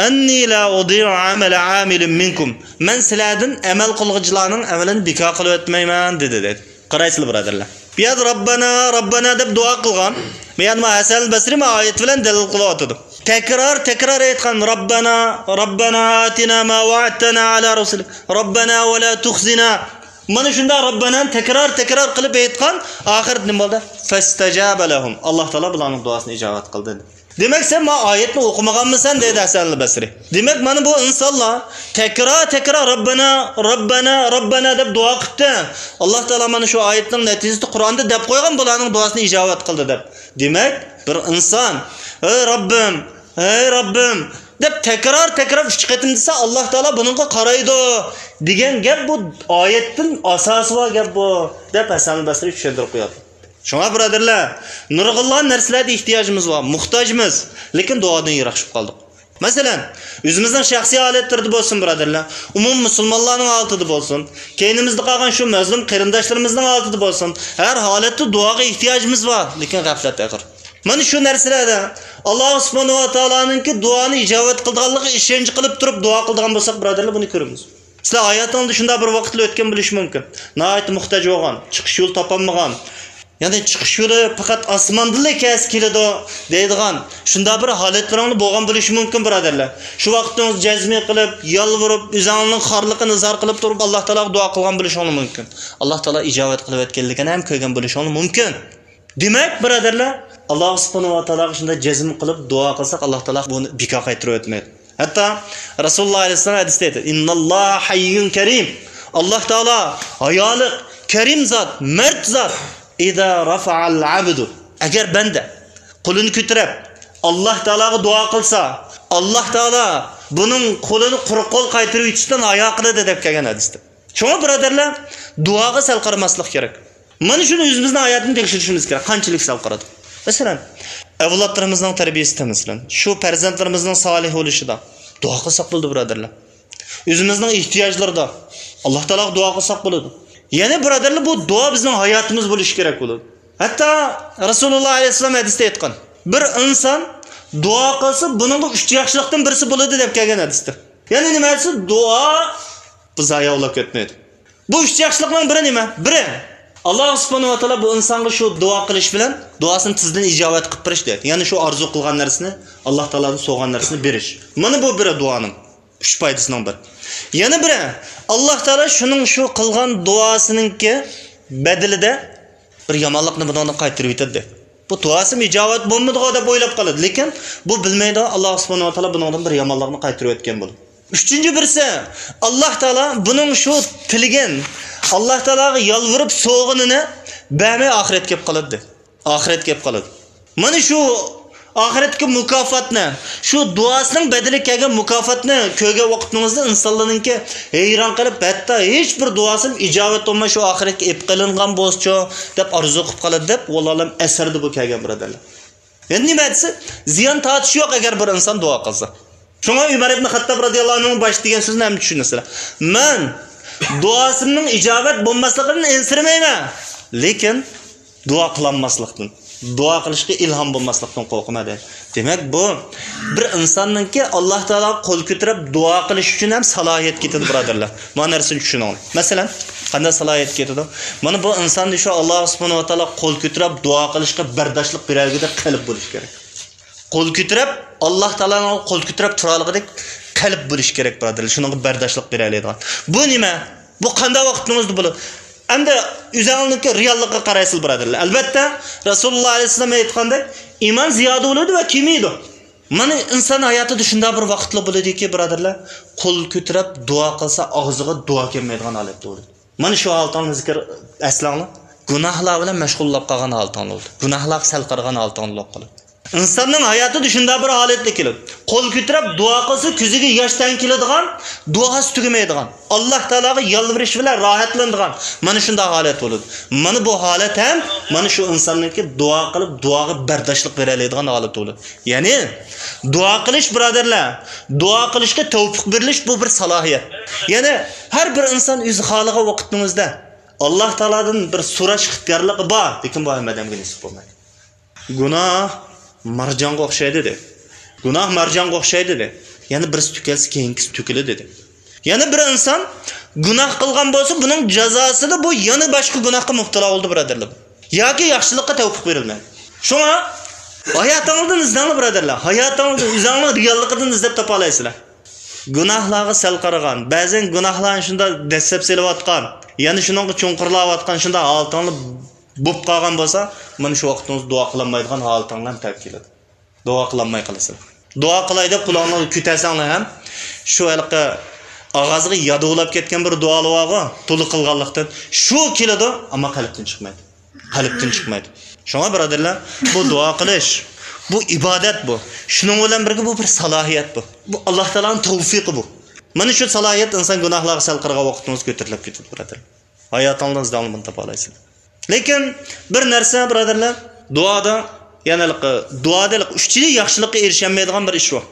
أَنِّي لَا أُضِيعُ عَمَلَ عَامِلٍ مِنْكُمْ، مەن سىلەردىن ئەمەل قىلغۇچىلارنىڭ ئەمىلىنى بىكار قىلىۋەتمەيمەن، دېدى، دەيدۇ. قارايسىلەر، بۇرادەرلەر. بۇ يەردە رەببەنا، رەببەنا دەپ دۇئا قىلغان. بۇ يەردە مانا ھەسەن بەسرى مانا ئايەت بىلەن دەلىل قىلىۋاتىدۇ. تەكرار، تەكرار ئېيتقان، رەببەنا، رەببەنا ئاتىنا ما ۋەئەدتەنا ئەلا رۇسۇلىك، رەببەنا ۋە لا تۇخزىنا. مانا شۇنداق رەببەنانى تەكرار، تەكرار قىلىپ ئېيتقان، ئاخىرىدا نېمە بولدى؟ فەستەجابە لەھۇم. ئاللا تائالا بۇلارنىڭ دۇئاسىنى ئىجابەت قىلدى. دېمەك، سەن مانا ئايەتنى ئوقۇمىغانمىسەن، دېدى ھەسەن ئەل بەسرى. دېمەك، مانا بۇ ئىنسانلار تەكرار، تەكرار رەببەنا، رەببەنا، رەببەنا دەپ دۇئا قىپتۇ. ئاللا تائالا مانا شۇ ئايەتنىڭ نەتىجىسىدە قۇرئاندا دەپ قويغان، بۇلارنىڭ دۇئاسىنى ئىجابەت قىلدى دەپ. دېمەك، بىر ئىنسان، ئەي رەببىم، ئەي رەببىم دەپ تەكرار، تەكرار ئۈچ قېتىم دېسە، ئاللا تائالا بۇنىڭغا قارايدۇ دېگەن گەپ بۇ. ئايەتتىن ئاساسى بار گەپ بۇ، دەپ ھەسەن ئەل بەسرى چۈشەندۈرۈپ قوياتتى. شۇڭا، بۇرادەرلەر، نۇرغۇنلىغان نەرسىلەردە ئېھتىياجىمىز بار، موھتاجمىز، لېكىن دۇئادىن يىراقلىشىپ قالدۇق. مەسىلەن، ئۆزىمىزنىڭ شەخسىي ھالەتلىرىدە بولسۇن، بۇرادەرلەر، ئومۇمىي مۇسۇلمانلارنىڭ ھالىتىدە بولسۇن، كەينىمىزدە قالغان شۇ مەزلۇم قېرىنداشلىرىمىزنىڭ ھالىتىدە بولسۇن، ھەر ھالەتتە دۇئاغا ئېھتىياجىمىز بار، لېكىن غەپلەت ئېغىر. مانا شۇ نەرسىلەردە ئاللا سۇبھانەھۇ ۋە تائالانىڭكى دۇئانى ئىجابەت قىلىدىغانلىقىغا ئىشەنچ قىلىپ تۇرۇپ دۇئا قىلىدىغان بولساق، بۇرادەرلەر، بۇنى كۆرىمىز. سىلەر ھاياتىڭلاردا شۇنداق بىر ۋاقىتلار ئۆتكەن بولۇشى مۇمكىن. ناھايىتى موھتاج بولغان، چىقىش يولى تاپالمىغان، يەنى چىقىش يولى پەقەت ئاسماندىنلا كەلسە كېلىدۇ دەيدىغان شۇنداق بىر ھالەتلىرىڭلار بولغان بولۇشى مۇمكىن، بۇرادەرلەر. شۇ ۋاقىتتا جەزمە قىلىپ، يالۋۇرۇپ، ئۆزۈڭنىڭ خارلىقىنى ئىزھار قىلىپ تۇرۇپ، ئاللا تائالاغا دۇئا قىلغان بولۇشۇڭلار مۇمكىن. ئاللا تائالا ئىجابەت قىلىۋەتكەنلىكىنى ھەم كۆرگەن بولۇشۇڭلار مۇمكىن. دېمەك، بۇرادەرلەر، ئاللا سۇبھانەھۇ ۋە تائالاغا شۇنداق جەزم قىلىپ دۇئا قىلساق، ئاللا تائالا بۇنى بىكار قايتۇرۇۋەتمەيدۇ. ھەتتا رەسۇلۇللا ئەلەيھىسسالام ھەدىستە ئېيتتى، ئىنناللاھە ھەييۇن كەرىم. ئاللا تائالا ھايالىق، كەرىم زات، مەرد زات. ئىزا رەفەئەل ئەبدۇ. ئەگەر بەندە قولىنى كۆتۈرۈپ، ئاللا تائالاغا دۇئا قىلسا، ئاللا تائالا بۇنىڭ قولىنى قۇرۇق قول قايتۇرۇۋېتىشتىن ھايا قىلىدۇ دەپ كەلگەن ھەدىستە. شۇڭا، بۇرادەرلەر، دۇئاغا سەل قارىماسلىق كېرەك. مانا شۇنى ئۆزىمىزنىڭ ھاياتىنى تەكشۈرۈشىمىز كېرەك. قانچىلىك سەل قارىدۇق؟ مەسىلەن، ئەۋلادلىرىمىزنىڭ تەربىيىسىدە، مەسىلەن، شۇ پەرزەنتلىرىمىزنىڭ سالىھ بولۇشىدا دۇئا قىلساق بولىدۇ، بۇرادەرلەر. ئۆزىمىزنىڭ ئېھتىياجلىرىدا ئاللا تائالاغا دۇئا قىلساق بولىدۇ. يەنى، بۇرادەرلەر، بۇ دۇئا بىزنىڭ ھاياتىمىز بولۇشى كېرەك بولىدۇ. ھەتتا رەسۇلۇللا ئەلەيھىسسالام ھەدىستە ئېيتقان، بىر ئىنسان دۇئا قىلسا، بۇنىڭغا ئۈچ ياخشىلىقتىن بىرسى بولىدۇ دەپ كەلگەن ھەدىستە. يەنى نېمە دېسە، دۇئا بۇ زايە بولۇپ كەتمەيدۇ. بۇ ئۈچ ياخشىلىقنىڭ بىرى نېمە؟ بىرى، ئاللا سۇبھانەھۇ ۋە تائالا بۇ ئىنسانغا شۇ دۇئا قىلىش بىلەن دۇئاسىنى تېزدىن ئىجابەت قىلىپ بېرىش دەيدۇ. يەنى شۇ ئارزۇ قىلغان نەرسىنى ئاللا تائالادىن سورىغان نەرسىنى بېرىش. مانا بۇ بىرى دۇئانىڭ ئۈچ پايدىسىنىڭ بىرى. يەنە بىرى، ئاللا تائالا شۇنىڭ شۇ قىلغان دۇئاسىنىڭكى بەدىلىدە بىر يامانلىقنى بۇنىڭدىن قايتۇرۇۋېتىدۇ. بۇ دۇئاسىمۇ ئىجابەت بولمىدىغۇ دەپ ئويلاپ قالىدۇ. لېكىن بۇ بىلمەيدۇ، ئاللا سۇبھانەھۇ ۋە تائالا بۇنىڭدىن بىر يامانلىقنى قايتۇرۇۋەتكەن بولىدۇ. ئۈچىنچى بىرسى، ئاللا تائالا بۇنىڭ شۇ تىلىگەن، ئاللا تائالاغا يالۋۇرۇپ سوغىنىنى بەرمەي ئاخىرەتكە كېلىپ قالىدۇ. ئاخىرەتكە كېلىپ قالىدۇ. مانا شۇ ئاخىرەتتىكى مۇكاپاتنى، شۇ دۇئاسىنىڭ بەدىلىگە كەلگەن مۇكاپاتنى كۆرگەن ۋاقتىڭىزدا ئىنسانلارنىڭكى ھەيران قېلىپ، ھەتتا ھېچ بىر دۇئاسىم ئىجابەت بولماي شۇ ئاخىرەتكە ئېلىپ قېلىنغان بولسىچۇ دەپ ئارزۇ قىلىپ قالىدۇ دەپ، ۋاللاھۇ ئەلەم، ئەسەردە بۇ كەلگەن، بۇرادەرلەر. يەنى نېمە دېسە، زىيان تارتىشى يوق، ئەگەر بىر ئىنسان دۇئا قىلسا. شۇڭا ئۆمەر ئىبنى خەتتاب رەزىياللاھۇ ئەنھۇنىڭ باشتا دېگەن سۆزىنى ھەممە چۈشىنىسىلەر. مەن دۇئاسىمنىڭ ئىجابەت بولماسلىقىدىن ئەنسىرىمەيمەن، لېكىن دۇئا قىلالماسلىقتىن، دۇئا قىلىشقا ئىلھام بولماسلىقتىن قورقىمەن، دەيدۇ. دېمەك، بۇ بىر ئىنساننىڭكى ئاللا تائالاغا قول كۆتۈرۈپ دۇئا قىلىش ئۈچۈن ھەم سالاھىيەت كېتىدۇ، بۇرادەرلەر. مانا نەرسىنى چۈشىنىڭلار. مەسىلەن، قانداق سالاھىيەت كېتىدۇ؟ مانا بۇ ئىنسان شۇ ئاللا سۇبھانەھۇ ۋە تائالاغا قول كۆتۈرۈپ دۇئا قىلىشقا بەرداشلىق بېرەلىگۈدەك قەلب بولۇش كېرەك. قول كۆتۈرۈپ، ئاللا تائالانىڭ قول كۆتۈرۈپ تۇرالىغۇدەك قەلب بولۇش كېرەك، بۇرادەرلەر. شۇنىڭغا بەرداشلىق بېرەلەيدىغان. بۇ نېمە؟ بۇ قانداق ۋاقىتنىڭ ئۆزىدە بولىدۇ؟ ئەمدى ئۆزۈڭلارنىڭكى رېئاللىققا قارايسىلەر، بۇرادەرلەر. ئەلۋەتتە، رەسۇلۇللا ئەلەيھىسسالام ئېيتقاندەك، ئىمان زىيادە بولىدۇ ۋە كېمىيىدۇ. مانا ئىنسان ھاياتىدا شۇنداق بىر ۋاقىتلار بولىدۇكى، بۇرادەرلەر، قول كۆتۈرۈپ دۇئا قىلسا، ئاغزىغا دۇئا كەلمەيدىغان ھالەتتە بولىدۇ. مانا شۇ ھالىتىڭلارنى زىكىر ئەسلەڭلار. گۇناھلار بىلەن مەشغۇللاپ قالغان ھالىتىڭلار بولىدۇ. گۇناھلارغا سەل قارىغان ھالىتىڭلار بولۇپ قالىدۇ. ئىنساننىڭ ھاياتىدا شۇنداق بىر ھالەتلەر كېلىدۇ. قول كۆتۈرۈپ دۇئا قىلسا، كۆزىگە ياش تەڭ كېلىدىغان، دۇئاسى تۈگىمەيدىغان، ئاللا تائالاغا يالۋۇرۇش بىلەن راھەتلىنىدىغان، مانا شۇنداق ھالەت بولىدۇ. مانا بۇ ھالەت ھەم مانا شۇ ئىنساننىڭكى دۇئا قىلىپ، دۇئاغا بەرداشلىق بېرەلەيدىغان ھالىتى بولىدۇ. يەنى دۇئا قىلىش، بۇرادەرلەر، دۇئا قىلىشقا تەۋپىق بېرىلىش، بۇ بىر سالاھىيەت. يەنى ھەر بىر ئىنسان ئۆزى خالىغان ۋاقىتنىڭ ئۆزىدە ئاللا تائالادىن بىر سوراش ئىختىيارلىقى بار، لېكىن بۇ ھەممە ئادەمگە نېسىپ بولمايدۇ. گۇناھ مارجانغا ئوخشايدۇ، دېدى. گۇناھ مارجانغا ئوخشايدۇ، دېدى. يەنى بىرسى تۆكۈلسە، كېيىنكىسى تۆكۈلىدۇ، دېدى. يەنە بىر ئىنسان گۇناھ قىلغان بولسا، بۇنىڭ جازاسىدا بۇ يەنە باشقا گۇناھقا مۇپتىلا بولدى، بۇرادەرلەر. ياكى ياخشىلىققا تەۋپىق بېرىلمەيدۇ. شۇڭا ھاياتىڭىزدىن ئىزدەڭلار، بۇرادەرلەر. ھاياتىڭىزدىن، ئۆزۈڭلار رېئاللىقىدىن ئىزدەپ تاپالايسىلەر. گۇناھلارغا سەل قارىغان، بەزەن گۇناھلارنى شۇنداق دەسسەپ سېلىۋاتقان، يەنە شۇنىڭغا چوڭقۇرلاۋاتقان شۇنداق ھالىتىڭلار بولۇپ قالغان بولسا، مانا شۇ ۋاقىتىڭىز دۇئا قىلالمايدىغان ھالىتىڭلار ھەم تەۋە كېلىدۇ. دۇئا قىلالماي قالىسىلەر. دۇئا قىلاي دەپ قولۇڭلارنى كۆتەرسەڭلار ھەم، شۇ ھېلىقى ئاغزىغا يادۇۋلاپ كەتكەن بىر دۇئالار بارغۇ، تولا قىلغانلىقتىن، شۇ كېلىدۇ، ئەمما قەلبتىن چىقمايدۇ. قەلبتىن چىقمايدۇ. شۇڭا بۇرادەرلەر، بۇ دۇئا قىلىش، بۇ ئىبادەت بۇ. شۇنىڭ بىلەن بىرگە بۇ بىر سالاھىيەت بۇ. بۇ ئاللا تائالانىڭ تەۋپىقى بۇ. مانا شۇ سالاھىيەت ئىنسان گۇناھلارغا سەل قارىغان ۋاقتىڭىز كۆتۈرۈلۈپ كېتىدۇ، بۇرادەر. ھاياتىڭلاردا ئىزدەڭلار، بۇنى تاپالايسىز. لېكىن بىر نەرسە، بۇرادەرلەر، دۇئادا، يەنى ھېلىقى، دۇئادا ھېلىقى ئۈچىلا ياخشىلىققا ئېرىشەلمەيدىغان بىر ئىش بار.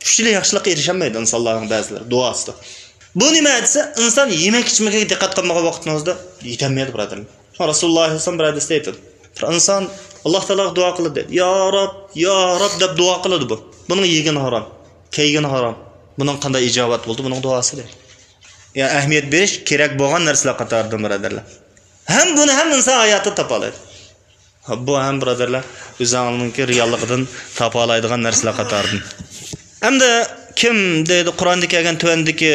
ئۈچىلا ياخشىلىققا ئېرىشەلمەيدۇ ئىنسانلارنىڭ بەزىلىرى دۇئاسىدا. بۇ نېمە دېسە، ئىنسان يېمەك ئىچمىكىگە دىققەت قىلمىغان ۋاقتىڭىزدا يېتەلمەيدۇ، بۇرادەرلەر. شۇڭا رەسۇلۇللا ئەلەيھىسسالام بىر ھەدىستە ئېيتىدۇ. بىر ئىنسان ئاللا تائالاغا دۇئا قىلىدۇ، دەيدۇ. يا رەب، يا رەب دەپ دۇئا قىلىدۇ بۇ. بۇنىڭ يېگىنى ھارام، كىيگىنى ھارام. بۇنىڭ قانداق ئىجابەت بولدى بۇنىڭ دۇئاسى، دەيدۇ. يا ئەھمىيەت بېرىش كېرەك بولغان نەرسىلەر قاتارىدىن، بۇرادەرلەر. ھەم بۇنى ھەم ئىنسان ھاياتتا تاپالايدۇ. بۇ ھەم، بۇرادەرلەر، ئۆزىڭىزنىڭكى رېئاللىقىدىن تاپالايدىغان نەرسىلەر قاتارىدىن. ئەمدى كىم دەيدۇ، قۇرئاندا كەلگەن تۆۋەندىكى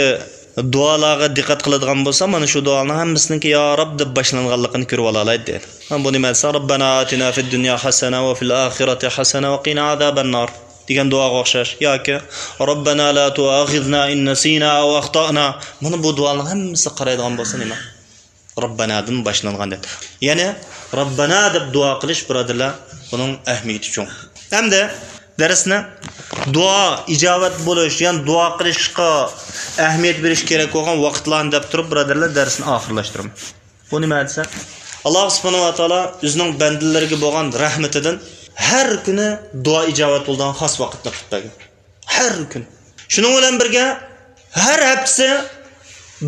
دۇئالارغا دىققەت قىلىدىغان بولسا، مانا شۇ دۇئانىڭ ھەممىسىنىڭكى يا رەب دەپ باشلانغانلىقىنى كۆرۈۋالالايدۇ، دەيدۇ. ھە، بۇ نېمە دېسە، رەببەنا ئاتىنا فىد دۇنيا ھەسەنە ۋە فىل ئاخىرەتى ھەسەنە ۋە قىنا ئازابەننار دېگەن دۇئاغا ئوخشاش. ياكى رەببەنا لا تۇئاخىزنا ئىن نەسىنا ئەۋ ئەختەئنا. مانا بۇ دۇئانىڭ ھەممىسىگە قارايدىغان بولسا نېمە؟ رەببەنادىن باشلانغان دەپ. يەنى رەببەنا دەپ دۇئا قىلىش، بۇرادەرلەر، بۇنىڭ ئەھمىيىتى چوڭ. ئەمدى دەرسنى دۇئا ئىجابەت بولۇش، يەنى دۇئا قىلىشقا ئەھمىيەت بېرىش كېرەك بولغان ۋاقىتلارنى دەپ تۇرۇپ، بۇرادەرلەر، دەرسنى ئاخىرلاشتۇرىمەن. بۇ نېمە دېسە، ئاللا سۇبھانەھۇ ۋە تائالا ئۆزىنىڭ بەندىلىرىگە بولغان رەھمىتىدىن ھەر كۈنى دۇئا ئىجابەت بولىدىغان خاس ۋاقىتنى قىلىپ بەرگەن. ھەر كۈن. شۇنىڭ بىلەن بىرگە، ھەر ھەپتىسى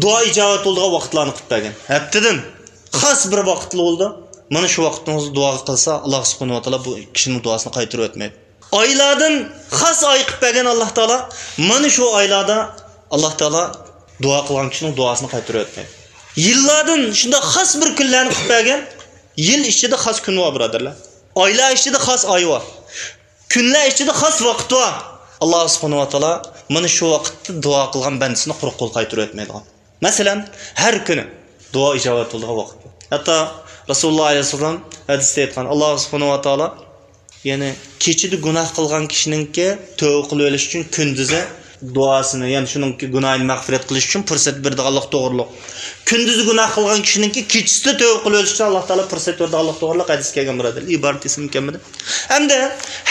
دۇئا ئىجابەت بولىدىغان ۋاقىتلارنى قىلىپ بەرگەن. ھەپتىدىن خاس بىر ۋاقىتلا بولىدۇ. مانا شۇ ۋاقىتنىڭ ئۆزىدە دۇئاغا قىلسا، ئاللا سۇبھانەھۇ ۋە تائالا بۇ كىشىنىڭ دۇئاسىنى قايتۇرۇۋەتمەيدۇ. ئايلاردىن خاس ئاي قىلىپ بەرگەن ئاللا تائالا، مانا شۇ ئايلاردا ئاللا تائالا دۇئا قىلغان كىشىنىڭ دۇئاسىنى قايتۇرۇۋەتمەيدۇ. يىللاردىن شۇنداق خاس بىر كۈنلەرنى قىلىپ بەرگەن. يىل ئىچىدە خاس كۈن بار، بۇرادەرلەر. ئايلار ئىچىدە خاس ئاي بار. كۈنلەر ئىچىدە خاس ۋاقىت بار. ئاللا سۇبھانەھۇ ۋە تائالا مانا شۇ ۋاقىتتا دۇئا قىلغان بەندىسىنى قۇرۇق قول قايتۇرۇۋەتمەيدىغان. مەسىلەن، ھەر كۈنى دۇئا ئىجابەت بولىدىغان ۋاقىت بار. ھەتتا رەسۇلۇللا ئەلەيھىسسالام ھەدىستە ئېيتقان، ئاللا سۇبھانەھۇ ۋە تائالا، يەنى كېچىدە گۇناھ قىلغان كىشىنىڭكى تۆبە قىلىۋېلىش ئۈچۈن كۈندۈزى دۇئاسىنى، يەنى شۇنىڭكى گۇناھىنى مەغپىرەت قىلىش ئۈچۈن پۇرسەت بېرىدىغانلىق توغرۇلۇق. كۈندۈزى گۇناھ قىلغان كىشىنىڭكى كېچىسىدە تۆبە قىلىۋېلىش ئۈچۈن ئاللا تائالا پۇرسەت بېرىدىغانلىق توغرۇلۇق ھەدىس كەلگەن، بۇرادەر. ئىبارىتى ئېسىمگە كەلمىدى. ئەمدى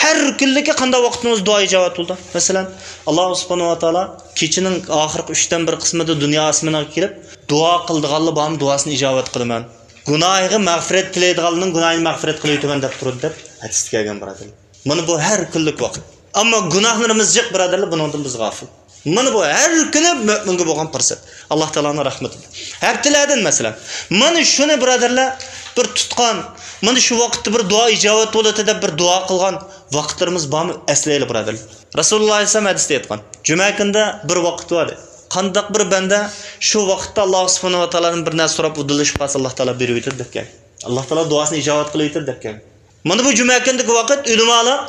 ھەر كۈنلۈكى قانداق ۋاقتىڭىز دۇئا ئىجابەت بولىدۇ؟ مەسىلەن، ئاللا سۇبھانەھۇ ۋە تائالا كېچىنىڭ ئاخىرقى ئۈچتىن بىر قىسمىدا دۇنيا ئاسمىنىغا كېلىپ، دۇئا قىلىدىغانلار بارمۇ، دۇئاسىنى ئىجابەت قىلىمەن. گۇناھىغا مەغپىرەت تىلەيدىغانلارنىڭ گۇناھىنى مەغپىرەت قىلىۋېتىمەن دەپ تۇرىدۇ، دەپ ھەدىستە كەلگەن، بۇرادەر. مانا بۇ ھەر كۈنلۈك ۋاقىت. ئەمما گۇناھلىرىمىز جىق، بۇرادەرلەر، بۇنىڭدىن بىز غاپىل. مانا بۇ ھەر كۈنى مۆمىنگە بولغان پۇرسەت. ئاللا تائالانىڭ رەھمىتى. ھەپتىلەردىن، مەسىلەن، مانا شۇنى، بۇرادەرلەر، بىر تۇتقان، مانا شۇ ۋاقىتتا بىر دۇئا ئىجابەت بولىدۇ دەپ بىر دۇئا قىلغان ۋاقىتلىرىمىز بارمۇ؟ ئەسلەيلى، بۇرادەرلەر. رەسۇلۇللا ئەلەيھىسسالام ھەدىستە ئېيتقان، جۈمە كۈنىدە بىر ۋاقىت بار، دەيدۇ. قانداق بىر بەندە شۇ ۋاقىتتا ئاللا سۇبھانەھۇ ۋە تائالادىن بىر نەرسە سوراپ، ئۇدۇللىشىپ قالسا، ئاللا تائالا بېرىۋېتىدۇ، دەپ كەلگەن. ئاللا تائالا دۇئاسىنى ئىجابەت قىلىۋېتىدۇ، دەپ كەلگەن. مانا بۇ جۈمە كۈنىدىكى ۋاقىت، ئۆلىمالار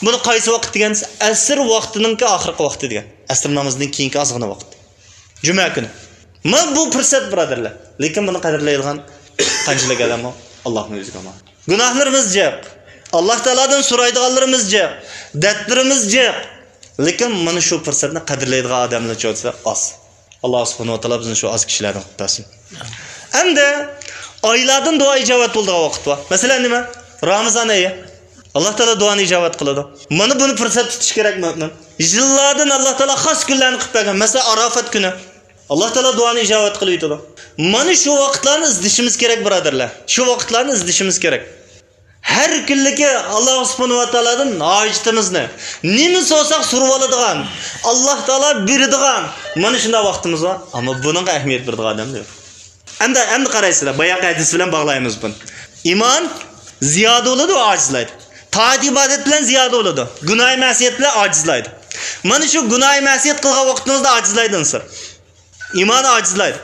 بۇنى قايسى ۋاقىت دېگەن دېسە، ئەسىر ۋاقتىنىڭكى ئاخىرقى ۋاقتى دېگەن. ئەسىر نامىزىدىن كېيىنكى ئازغىنە ۋاقىت. جۈمە كۈنى. مانا بۇ پۇرسەت، بۇرادەرلەر. لېكىن بۇنى قەدىرلەيدىغان قانچىلىك ئادەم بار؟ ئاللانىڭ ئۆزىگە ئامانەت. گۇناھلىرىمىز جىق. ئاللا تائالادىن سورايدىغانلىرىمىز جىق. دەردلىرىمىز جىق. لېكىن مانا شۇ پۇرسەتنى قەدىرلەيدىغان ئادەملەر چوتىسى ئاز. ئاللا سۇبھانەھۇ ۋە تائالا بىزنى شۇ ئاز كىشىلەردىن قىلىپ بەرسۇن. ئەمدى ئايلاردىن دۇئا ئىجابەت بولىدىغان ۋاقىت بار. مەسىلەن، نېمە؟ رامىزان ئېيى. ئاللا تائالا دۇئانى ئىجابەت قىلىدۇ. مانا بۇنى پۇرسەت تۇتۇش كېرەك مۆمىن. يىللاردىن ئاللا تائالا خاس كۈنلەرنى قىلىپ بەرگەن. مەسىلەن، ئاراپات كۈنى. ئاللا تائالا دۇئانى ئىجابەت قىلىۋېتىدۇ. مانا شۇ ۋاقىتلارنى ئىزدىشىمىز كېرەك، بۇرادەرلەر. شۇ ۋاقىتلارنى ئىزدىشىمىز كېرەك. ھەر كۈنلۈكى ئاللا سۇبھانەھۇ ۋە تائالادىن ھاجىتىمىزنى، نېمە سورىساق سورىۋالىدىغان، ئاللا تائالا بېرىدىغان، مانا شۇنداق ۋاقتىمىز بار. ئەمما بۇنىڭغا ئەھمىيەت بېرىدىغان ئادەم يوق. ئەمدى، ئەمدى قارايسىلەر، باياقى ھەدىس بىلەن باغلايمىز بۇنى. ئىمان زىيادە بولىدۇ، ئاجىزلايدۇ. تائەت ئىبادەت بىلەن زىيادە بولىدۇ. گۇناھى مەسىيەت بىلەن ئاجىزلايدۇ. مانا شۇ گۇناھى مەسىيەت قىلغان ۋاقتىمىزدا ئاجىزلايدۇ ئىنسان. ئىمانى ئاجىزلايدۇ.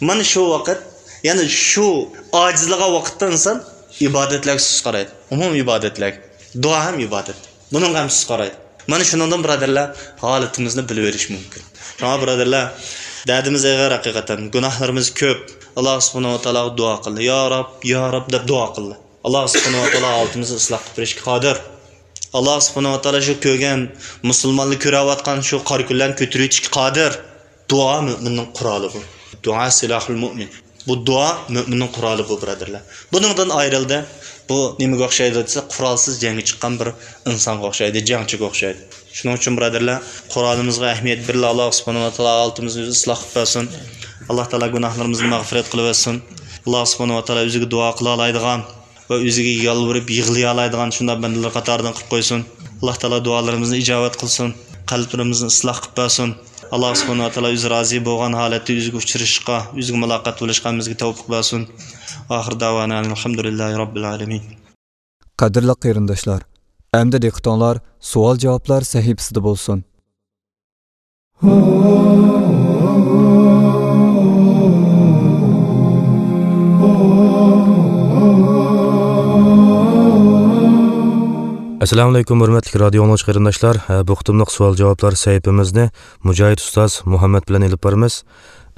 مانا شۇ ۋاقىت، يەنى شۇ ئاجىزلىغان ۋاقىتتا ئىنسان ئىبادەتلەرگە سۇس قارايدۇ. ئومۇمىي ئىبادەتلەرگە. دۇئا ھەم ئىبادەت. بۇنىڭغا ھەم سۇس قارايدۇ. مانا شۇنىڭدىن، بۇرادەرلەر، ھالىتىمىزنى بىلىۋېلىش مۇمكىن. شۇڭا، بۇرادەرلەر، دەردىمىز ئېغىر ھەقىقەتەن. گۇناھلىرىمىز كۆپ. ئاللا سۇبھانەھۇ ۋە تائالاغا دۇئا قىلدى. يا رەب، يا رەب دەپ دۇئا قىلدى. ئاللا سۇبھانەھۇ ۋە تائالا ھالىتىمىزنى ئىسلاھ قىلىپ بېرىشكە قادىر. ئاللا سۇبھانەھۇ ۋە تائالا شۇ كۆرگەن مۇسۇلمانلار كۆرۈۋاتقان شۇ قارا كۈنلەرنى كۆتۈرۈۋېتىشكە قادىر. دۇئا مۆمىننىڭ قورالى بۇ. دۇئا سىلاھۇل مۇئمىن. بۇ دۇئا مۆمىننىڭ قورالى بۇ، بۇرادەرلەر. بۇنىڭدىن ئايرىلدى. بۇ نېمىگە ئوخشايدۇ دېسە، قورالسىز جەڭگە چىققان بىر ئىنسانغا ئوخشايدۇ، جەڭچىگە ئوخشايدۇ. شۇنىڭ ئۈچۈن، بۇرادەرلەر، قورالىمىزغا ئەھمىيەت بېرىلە. ئاللا سۇبھانەھۇ ۋە تائالا ھالىتىمىزنى ئۆزى ئىسلاھ قىلىپ بەرسۇن. ئاللا تائالا گۇناھلىرىمىزنى مەغپىرەت قىلىۋەتسۇن. ئاللا سۇبھانەھۇ ۋە تائالا ئۆزىگە دۇئا قىلالايدىغان ۋە ئۆزىگە يالۋۇرۇپ يىغلىيالايدىغان شۇنداق بەندىلەر قاتارىدىن قىلىپ قويسۇن. ئاللا تائالا دۇئالىرىمىزنى ئىجابەت قىلسۇن. قەلبلىرىمىزنى ئىسلاھ قىلىپ بەرسۇن. ئاللا سۇبھانەھۇ ۋە تائالا ئۆزى رازى بولغان ھالەتتە ئۆزىگە ئۇچرىشىشقا، ئۆزىگە مۇلاقات بولۇشقا ھەممىمىزگە تەۋپىق بەرسۇن. ئاخىر داۋانا ئەنىلھەمدۇلىللاھى رەببىل ئالەمىن. قەدىرلىك قېرىنداشلار، ئەمدى دىققىتىڭلار سوئال-جاۋابلار سەھىپىسىدە بولسۇن. ئەسسالامۇئەلەيكۇم، ھۆرمەتلىك رادىيو ئاڭلىغۇچى قېرىنداشلار. ھە، بۇ قېتىملىق سوئال-جاۋابلار سەھىپىمىزنى مۇجاھىد ئۇستاز مۇھەممەد بىلەن ئېلىپ بارىمىز.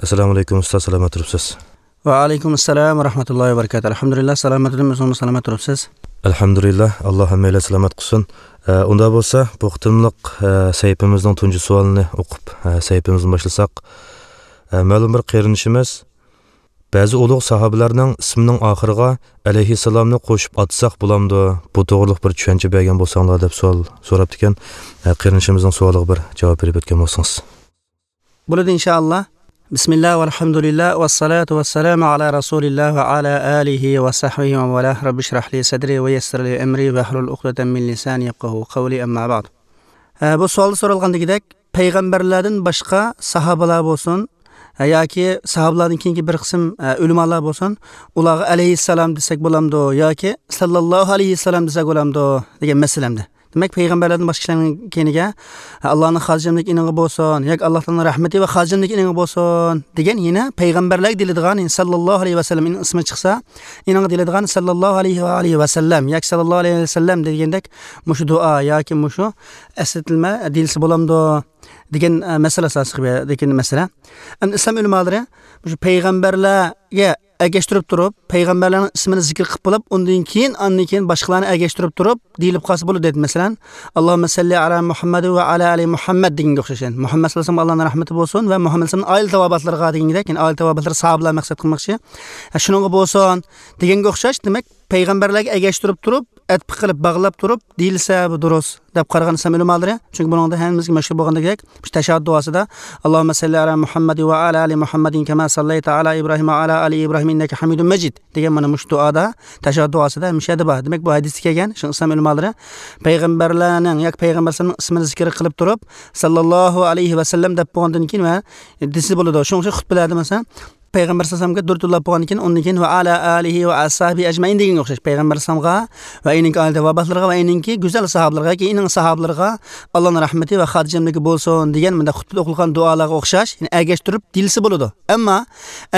ئەسسالامۇئەلەيكۇم ئۇستاز، سالامەت تۇرۇپسىز؟ ۋەئەلەيكۇم ئەسسالام ۋە رەھمەتۇللاھى ۋە بەرىكاتۇھ. ئەلھەمدۇلىللا، سالامەت تۇردۇم، ئۆزىڭىزمۇ سالامەت تۇرۇپسىز؟ ئەلھەمدۇلىللا، ئاللا ھەممەيلەن سالامەت قىلسۇن. ئە، ئۇنداق بولسا، بۇ قېتىملىق، ئە، سەھىپىمىزنىڭ تۇنجى سوئالىنى ئوقۇپ، ئە، سەھىپىمىزنى باشلىساق. ئە، مەلۇم بىر قېرىندىشىمىز، بەزى ئۇلۇغ ساھابىلەرنىڭ ئىسمىنىڭ ئاخىرىغا ئەلەيھىسسالامنى قوشۇپ ئاتىساق بولامدۇ؟ بۇ توغرىلىق بىر چۈشەنچە بەرگەن بولساڭلار، دەپ سوئال سوراپتىكەن. ئە، قېرىندىشىمىزنىڭ سوئالىغا بىر جاۋاب بېرىپ ئۆتكەن بولسىڭىز. بولىدۇ، ئىنشائاللا. بىسمىللا ۋەلھەمدۇلىللا ۋەسسالاتۇ ۋەسسالامۇ ئالا رەسۇلىللا ۋە ئالا ئالىھى ۋە سەھبىھى ۋە مەن ۋالاھ. رەببىشرەھلى سەدرى ۋە يەسسىرلى ئەمرى ۋەھلۇل ئۇقدەتەم مىن لىسانى يەپقەھۇ قەۋلى، ئەمما بەئد. ئە، بۇ سوئالدا سورالغان دېگۈدەك، پەيغەمبەرلەردىن باشقا ساھابىلار بولسۇن، ئە، ياكى ساھابىلەردىن كېيىنكى بىر قىسىم، ئە، ئۆلىمالار بولسۇن، ئۇلارغا ئەلەيھىسسالام دېسەك بولامدۇ ياكى ساللاللاھۇ ئەلەيھىۋەسەللەم دېسەك بولامدۇ دېگەن مەسىلەمدە. دېمەك، پەيغەمبەرلەردىن باشقا كىشىلەرنىڭ كەينىگە، ئاللانىڭ خاتىرجەملىكى ئېنىڭغا بولسۇن ياكى ئاللا تائالانىڭ رەھمىتى ۋە خاتىرجەملىكى ئېنىڭغا بولسۇن دېگەن يەنە پەيغەمبەرلەرگە دېيىلىدىغان، يەنى ساللاللاھۇ ئەلەيھى ۋەسەللەم ئېنىڭ ئىسمى چىقسا، ئېنىڭغا دېيىلىدىغان ساللاللاھۇ ئەلەيھى ۋە ئالىھى ۋەسەللەم ياكى ساللاللاھۇ ئەلەيھى ۋەسەللەم دېگەندەك مۇشۇ دۇئا ياكى مۇشۇ ئەسلىتىلمە دېيىلسە بولامدۇ دېگەن، ئە، مەسىلە ئاساسلىق بۇ يەردىكى مەسىلە. ئەمدى ئىسلام ئۆلىمالىرى مۇشۇ پەيغەمبەرلەرگە ئەگەشتۈرۈپ تۇرۇپ، پەيغەمبەرلەرنىڭ ئىسمىنى زىكىر قىلىپ بولۇپ، ئۇندىن كېيىن، ئاندىن كېيىن باشقىلارنى ئەگەشتۈرۈپ تۇرۇپ دېيىلىپ قالسا بولىدۇ دەيدۇ. مەسىلەن، ئاللاھۇممە سەللى ئەلا مۇھەممەد ۋە ئەلا ئالى مۇھەممەد دېگەنگە ئوخشاش. يەنى مۇھەممەد ساللاللاھۇ ئەلەيھى ۋەسەللەمگە ئاللانىڭ رەھمىتى بولسۇن ۋە مۇھەممەد ساللاللاھۇ ئەلەيھى ۋەسەللەم ئائىلە تاۋابىئاتلىرىغا دېگەندەك، يەنى ئائىلە تاۋابىئاتلىرى ساھابىلەر مەقسەت قىلماقچى. ھە، شۇنىڭغا بولسۇن دېگەنگە ئوخشاش، دېمەك، پەيغەمبەرلەرگە ئەگەشتۈرۈپ تۇرۇپ، ئەتپە قىلىپ، باغلاپ تۇرۇپ دېيىلسە، بۇ دۇرۇس دەپ قارىغان ئىسلام ئۆلىمالىرى. چۈنكى بۇنىڭدا ھەممىمىزگە مەشھۇر بولغاندەك، مۇشۇ تەشەھھۇد دۇئاسىدا، «ئاللاھۇممە سەللى ئەلا مۇھەممەد ۋە ئەلا ئالى مۇھەممەدىن كەما سەللەيتە ئەلا ئىبراھىم ۋە ئەلا ئالى ئىبراھىم ئىننەكە ھەمىدۇم مەجىد» دېگەن مانا مۇشۇ دۇئادا، تەشەھھۇد دۇئاسىدا ھەمىشە دە بار. دېمەك، بۇ ھەدىستە كەلگەن شۇ ئىسلام ئۆلىمالىرى پەيغەمبەرلەرنىڭ ياكى پەيغەمبەر ئەلەيھىسسالامنىڭ ئىسمىنى زىكىر قىلىپ تۇرۇپ، سەللەللاھۇ ئەلەيھى ۋەسەللەم دەپ بولغاندىن كېيىن ۋە دېسە بولىدۇ. شۇنىڭ ئۈچۈن خۇتبىلەردە، مەسىلەن، پەيغەمبەر سەللەللاھۇ ئەلەيھى ۋەسەللەمگە دۇرۇت يوللاپ بولغاندىن كېيىن، ئۇندىن كېيىن «ۋە ئەلا ئالىھى ۋە ئەسھابىھى ئەجمەئىن» دېگەنگە ئوخشاش، پەيغەمبەر ئەلەيھىسسالامغا ۋە ئېنىڭكى ئائىلە تاۋابىئاتلىرىغا ۋە ئېنىڭكى گۈزەل ساھابىلىرىغا، كېيىن ئېنىڭ ساھابىلىرىغا ئاللانىڭ رەھمىتى ۋە خاتىرجەملىكى بولسۇن دېگەن مۇنداق خۇتبىدە ئوقۇلغان دۇئالارغا ئوخشاش، يەنى ئەگەشتۈرۈپ دېيىلسە بولىدۇ. ئەمما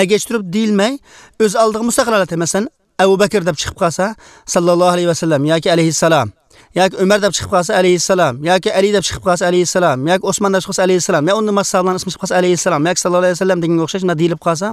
ئەگەشتۈرۈپ دېيىلمەي، ئۆز ئالدىغا مۇستەقىل ھالەتتە، مەسىلەن، ئەبۇ بەكىر دەپ چىقىپ قالسا، سەللەللاھۇ ئەلەيھى ۋەسەللەم ياكى ئەلەيھىسسالام ياكى ئۆمەر دەپ چىقىپ قالسا، ئەلەيھىسسالام، ياكى ئەلى دەپ چىقىپ قالسا، ئەلەيھىسسالام، ياكى ئوسمان دەپ چىقىپ قالسا، ئەلەيھىسسالام، يا ئۇندىن باشقا ساھابىلارنىڭ ئىسمى چىقىپ قالسا، ئەلەيھىسسالام، ياكى ساللاللاھۇ ئەلەيھى ۋەسەللەم دېگەنگە ئوخشاش، مۇنداق دېيىلىپ قالسا،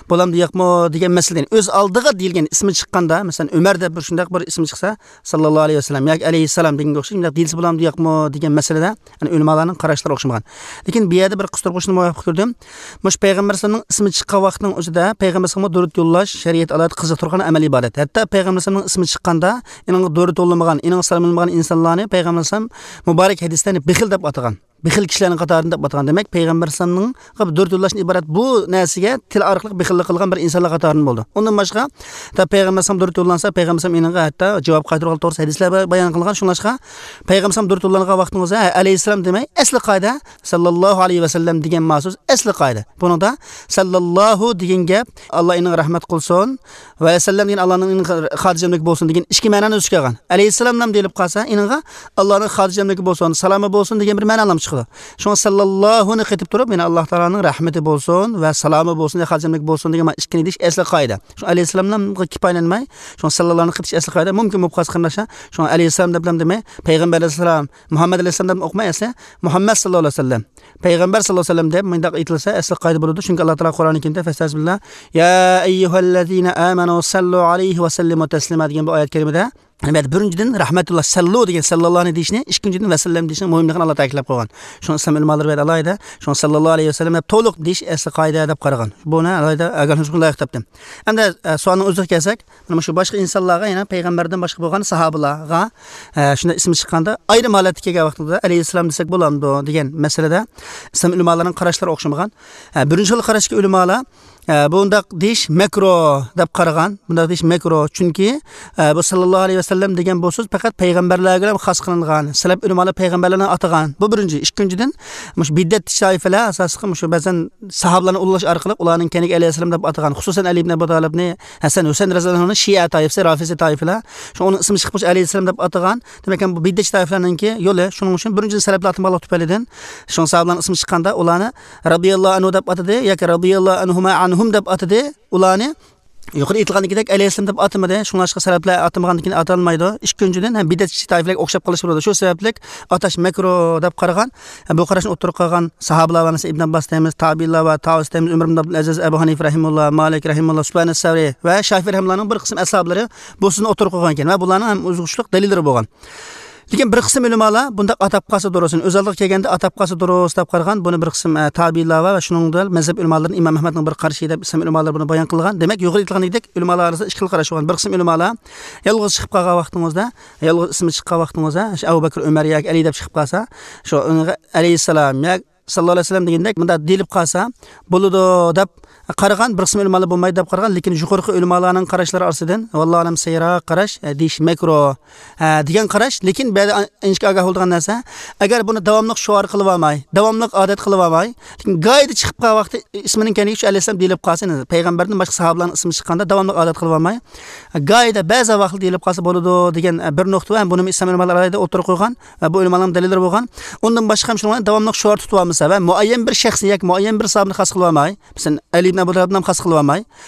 بولامدۇ، يوقمۇ دېگەن مەسىلە. يەنى ئۆز ئالدىغا دېيىلگەن ئىسمى چىققاندا، مەسىلەن، ئۆمەر دەپ بىر شۇنداق بىر ئىسمى چىقسا، ساللاللاھۇ ئەلەيھى ۋەسەللەم ياكى ئەلەيھىسسالام دېگەنگە ئوخشاش، مۇنداق دېيىلسە بولامدۇ، يوقمۇ دېگەن مەسىلىدە، يەنى ئۆلىمالارنىڭ قاراشلىرى ئوخشىمىغان. لېكىن بۇ يەردە بىر قىستۇرغۇچنى مۇۋاپىق كۆردۈم. مۇشۇ پەيغەمبەر ئەلەيھىسسالامنىڭ ئىسمى چىققان ۋاقىتنىڭ ئۆزىدە پەيغەمبەر ئەلەيھىسسالامغا دۇرۇت يوللاش شەرىئەت ئالاھىدە قىزىقتۇرغان ئەمەل ئىبادەت. ھەتتا پەيغەمبەر ئەلەيھىسسالامنىڭ ئىسمى چىققاندا، ئېنىڭغا دۇرۇت يوللىمىغان، ئېنىڭغا سالام يوللىمىغان ئىنسانلارنى پەيغەمبەر ئەلەيھىسسالام مۇبارەك ھەدىستە بېخىل دەپ ئاتىغان. بېخىل كىشىلەرنىڭ قاتارىدىن دەپ ئاتىغان. دېمەك، پەيغەمبەر ئەلەيھىسسالامغا دۇرۇت يوللاشتىن ئىبارەت بۇ نەرسىگە تىل ئارقىلىق بېخىللىق قىلغان بىر ئىنسانلار قاتارىدىن بولدى. ئۇندىن باشقا، ھەتتا پەيغەمبەر ئەلەيھىسسالام دۇرۇت يوللانسا، پەيغەمبەر ئەلەيھىسسالام ئېنىڭغا ھەتتا جاۋاب قايتۇرغان توغرىسىدا ھەدىسلەر بايان قىلغان. شۇڭلاشقا، پەيغەمبەر ئەلەيھىسسالام دۇرۇت يوللانغان ۋاقتىڭىزدا، ھە، ئەلەيھىسسالام دېمەي، ئەسلى قائىدە، ساللاللاھۇ ئەلەيھى ۋەسەللەم دېگەن مەخسۇس ئەسلى قائىدە. بۇنىڭدا ساللاللاھۇ دېگەن گەپ، ئاللا ئېنىڭغا رەھمەت قىلسۇن، ۋەسەللەم دېگەن ئاللانىڭ خاتىرجەملىكى بولسۇن دېگەن ئىككى مەنانى ئۆز ئىچىگە ئالغان. ئەلەيھىسسالاملام دېيىلىپ قالسا، ئېنىڭغا ئاللانىڭ خاتىرجەملىكى بولسۇن، سالامى بولسۇن دېگەن بىر مەنالام چىقىدۇ. شۇڭا ساللاللاھۇنى قېتىپ تۇرۇپ، يەنە ئاللا تائالانىڭ رەھمىتى بولسۇن ۋە سالامى بولسۇن، يا خاتىرجەملىكى بولسۇن دېگەن مانا ئىككىنى دېيىش ئەسلى قائىدە. شۇڭا ئەلەيھىسسالاملامغا كىپايىلەنمەي، شۇڭا ساللاللاھۇنى قېتىش ئەسلى قائىدە. مۇمكىن بولۇپ قالسا قېرىنداشلار، شۇڭا ئەلەيھىسسالام دەپلام دېمەي، پەيغەمبەر ئەلەيھىسسالام، مۇھەممەد ئەلەيھىسسالام دەپ ئوقۇماي، ئەسلى مۇھەممەد ساللاللاھۇ ئەلەيھى ۋەسەللەم. پەيغەمبەر ساللاللاھۇ ئەلەيھى ۋەسەللەم دەپ مۇنداق ئېيتىلسا، ئەسلى قائىدە بولىدۇ. چۈنكى ئاللا تائالا قۇرئانى كەرىمدە، فەستەئىزبىللا، يا ئەييۇھەللەزىنە ئامەنۇ سەللۇ ئەلەيھى ۋەسەللىمۇ تەسلىما دېگەن بۇ ئايەت كەرىمىدە، ئەلۋەتتە، بىرىنچىدىن، رەھمەتۇللا، سەللۇ دېگەن ساللاللاھۇنى دېيىشنى، ئىككىنچىدىن، ۋەسەللەم دېيىشنىڭ مۇھىملىقىنى ئاللا تەكىتلەپ قويغان. شۇڭا ئىسلام ئۆلىمالىرى بەدە ئالاھىدە، شۇڭا ساللاللاھۇ ئەلەيھى ۋەسەللەم دەپ تولۇق دېيىش ئەسلى قائىدە دەپ قارىغان. بۇنى ئالاھىدە ئاگاھلاندۇرۇشقا لايىق تاپتىم. ئەمدى، ئە، سوئالنىڭ ئۆزىگە كەلسەك، مانا شۇ باشقا ئىنسانلارغا، يەنە پەيغەمبەردىن باشقا بولغان ساھابىلارغا، ئە، شۇنداق ئىسمى چىققاندا، ئايرىم ھالەتتە كەلگەن ۋاقتىدا ئەلەيھىسسالام دېسەك بولامدۇ دېگەن مەسىلىدە ئىسلام ئۆلىمالىرىنىڭ قاراشلىرى ئوخشىمىغان. ئە، بىرىنچى خىل قاراشتىكى ئۆلىمالار، ئە، بۇنداق دېيىش مەكرۇ دەپ قارىغان. بۇنداق دېيىش مەكرۇ. چۈنكى، ئە، بۇ ساللاللاھۇ ئەلەيھى ۋەسەللەم دېگەن بۇ سۆز پەقەت پەيغەمبەرلەرگىلا خاس قىلىنغان. سەلەپ ئۆلىمالار پەيغەمبەرلەرنى ئاتىغان. بۇ بىرىنچى. ئىككىنچىدىن، مۇشۇ بىدئەتچى تائىپىلەر ئاساسلىقى مۇشۇ بەزەن ساھابىلارنى ئۇلۇغلاش ئارقىلىق ئۇلارنىڭ كەينىگە ئەلەيھىسسالام دەپ ئاتىغان. خۇسۇسەن، ئەلى ئىبن ئەبۇ تالىپنى، ھەسەن، ھۈسەيىن رەزىياللاھۇ ئەنھۇنى شىئە تائىپىسى، رافىزى تائىپىلەر. شۇ ئۇنىڭ ئىسمى چىققاچ ئەلەيھىسسالام دەپ ئاتىغان. دېمەك، بۇ بىدئەتچى تائىپىلەرنىڭكى يولى. شۇنىڭ ئۈچۈن بىرىنچىدىن، سەلەپلەر ئاتىمىغانلىق تۈپەيلىدىن، شۇڭا ساھابىلارنىڭ ئىسمى چىققاندا ئۇلارنى رەزىياللاھۇ ئەنھۇ دەپ ئاتىدى ياكى رەزىياللاھۇ ئەنھۇما ئەنھۇم دەپ ئاتىدى. ئۇلارنى يۇقىرىدا ئېيتىلغاندىكىدەك ئەلەيھىسسالام دەپ ئاتىمىدى. شۇڭلاشقا سەلەپلەر ئاتىمىغاندىن كېيىن ئاتالمايدۇ. ئىككىنچىدىن، ھەم بىدئەتچى تائىپىلەرگە ئوخشاپ قېلىشى بولىدۇ. شۇ سەۋەبلىك ئاتاش مەكرۇ دەپ قارىغان. بۇ قاراشنى ئوتتۇرىغا قويغان ساھابىلار بار، مەسىلەن، ئىبن ئابباس دەيمىز، تابىئىنلار بار، تاۋۇس دەيمىز، ئۆمەر ئىبن ئابدۇلئەزىز، ئەبۇ ھەنىفە رەھىمۇللا، مالىك رەھىمۇللا، سۇپيان سەۋرى ۋە شافىئى رەھىمۇللانىڭ بىر قىسىم ئەسھابلىرى بۇ سۆزنى ئوتتۇرىغا قويغان ئىكەن ۋە بۇلارنىڭ ھەم ئوزۇقلۇق دەلىللىرى بولغان. لېكىن بىر قىسىم ئۆلىمالار بۇنداق ئاتاپ قالسا دۇرۇس، ئۆز ئالدىغا كەلگەندە ئاتاپ قالسا دۇرۇس دەپ قارىغان. بۇنى بىر قىسىم، ئە، تابىئىنلار ۋە شۇنىڭ بىلەن مەزھەپ ئۆلىمالىرىدىن ئىمام ئەھمەدنىڭ بىر قارىشى دەپ ئىسلام ئۆلىمالىرى بۇنى بايان قىلغان. دېمەك، يۇقىرىدا ئېيتىلغاندەك ئۆلىمالار ئارىسىدا ئىككى خىل قاراش بولغان. بىر قىسىم ئۆلىمالار يالغۇز چىقىپ قالغان ۋاقتىڭىزدا، يالغۇز ئىسمى چىققان ۋاقتىڭىزدا، شۇ ئەبۇ بەكرى، ئۆمەر ياكى ئەلى دەپ چىقىپ قالسا، شۇ ئەلەيھىسسالام ياكى ساللاللاھۇ ئەلەيھى ۋەسەللەم دېگەندەك مۇنداق دېيىلىپ قالسا بولىدۇ دەپ قارىغان، بىر قىسىم ئۆلىمالار بولمايدۇ دەپ قارىغان، لېكىن يۇقىرىقى ئۆلىمالارنىڭ قاراشلىرى ئارىسىدىن، ۋاللاھۇ ئەلەم، سەھىيراق قاراش، ئە، دېيىش مەكرۇ، ئە، دېگەن قاراش. لېكىن بۇ يەردە ئىنچىكە ئاگاھ بولىدىغان نەرسە، ئەگەر بۇنى داۋاملىق شوئار قىلىۋالماي، داۋاملىق ئادەت قىلىۋالماي، لېكىن گاھىدا چىقىپ قالغان ۋاقتى ئىسمىنىڭ كەينىگە شۇ ئەلەيھىسسالام دېيىلىپ قالسا، يەنى پەيغەمبەردىن باشقا ساھابىلارنىڭ ئىسمى چىققاندا داۋاملىق ئادەت قىلىۋالماي، گاھىدا بەزى ۋاقىتتا دېيىلىپ قالسا بولىدۇ دېگەن، ئە، بىر نۇقتا ۋە بۇنىمۇ ئىسلام ئۆلىمالىرى ئالاھىدە ئوتتۇرىغا قويغان ۋە بۇ ئۆلىمالارنىڭ دەلىللىرى بولغان. ئۇندىن باشقا شۇنىڭ بىلەن داۋاملىق شوئار تۇتۇۋالمىسا ۋە مۇئەييەن بىر شەخسنى ياكى مۇئەييەن بىر ساھابىنى خاس قىلىۋالماي، مەسىلەن، ئەلى ئىبن ئەبۇ تالىپنى خاس قىلىۋالماي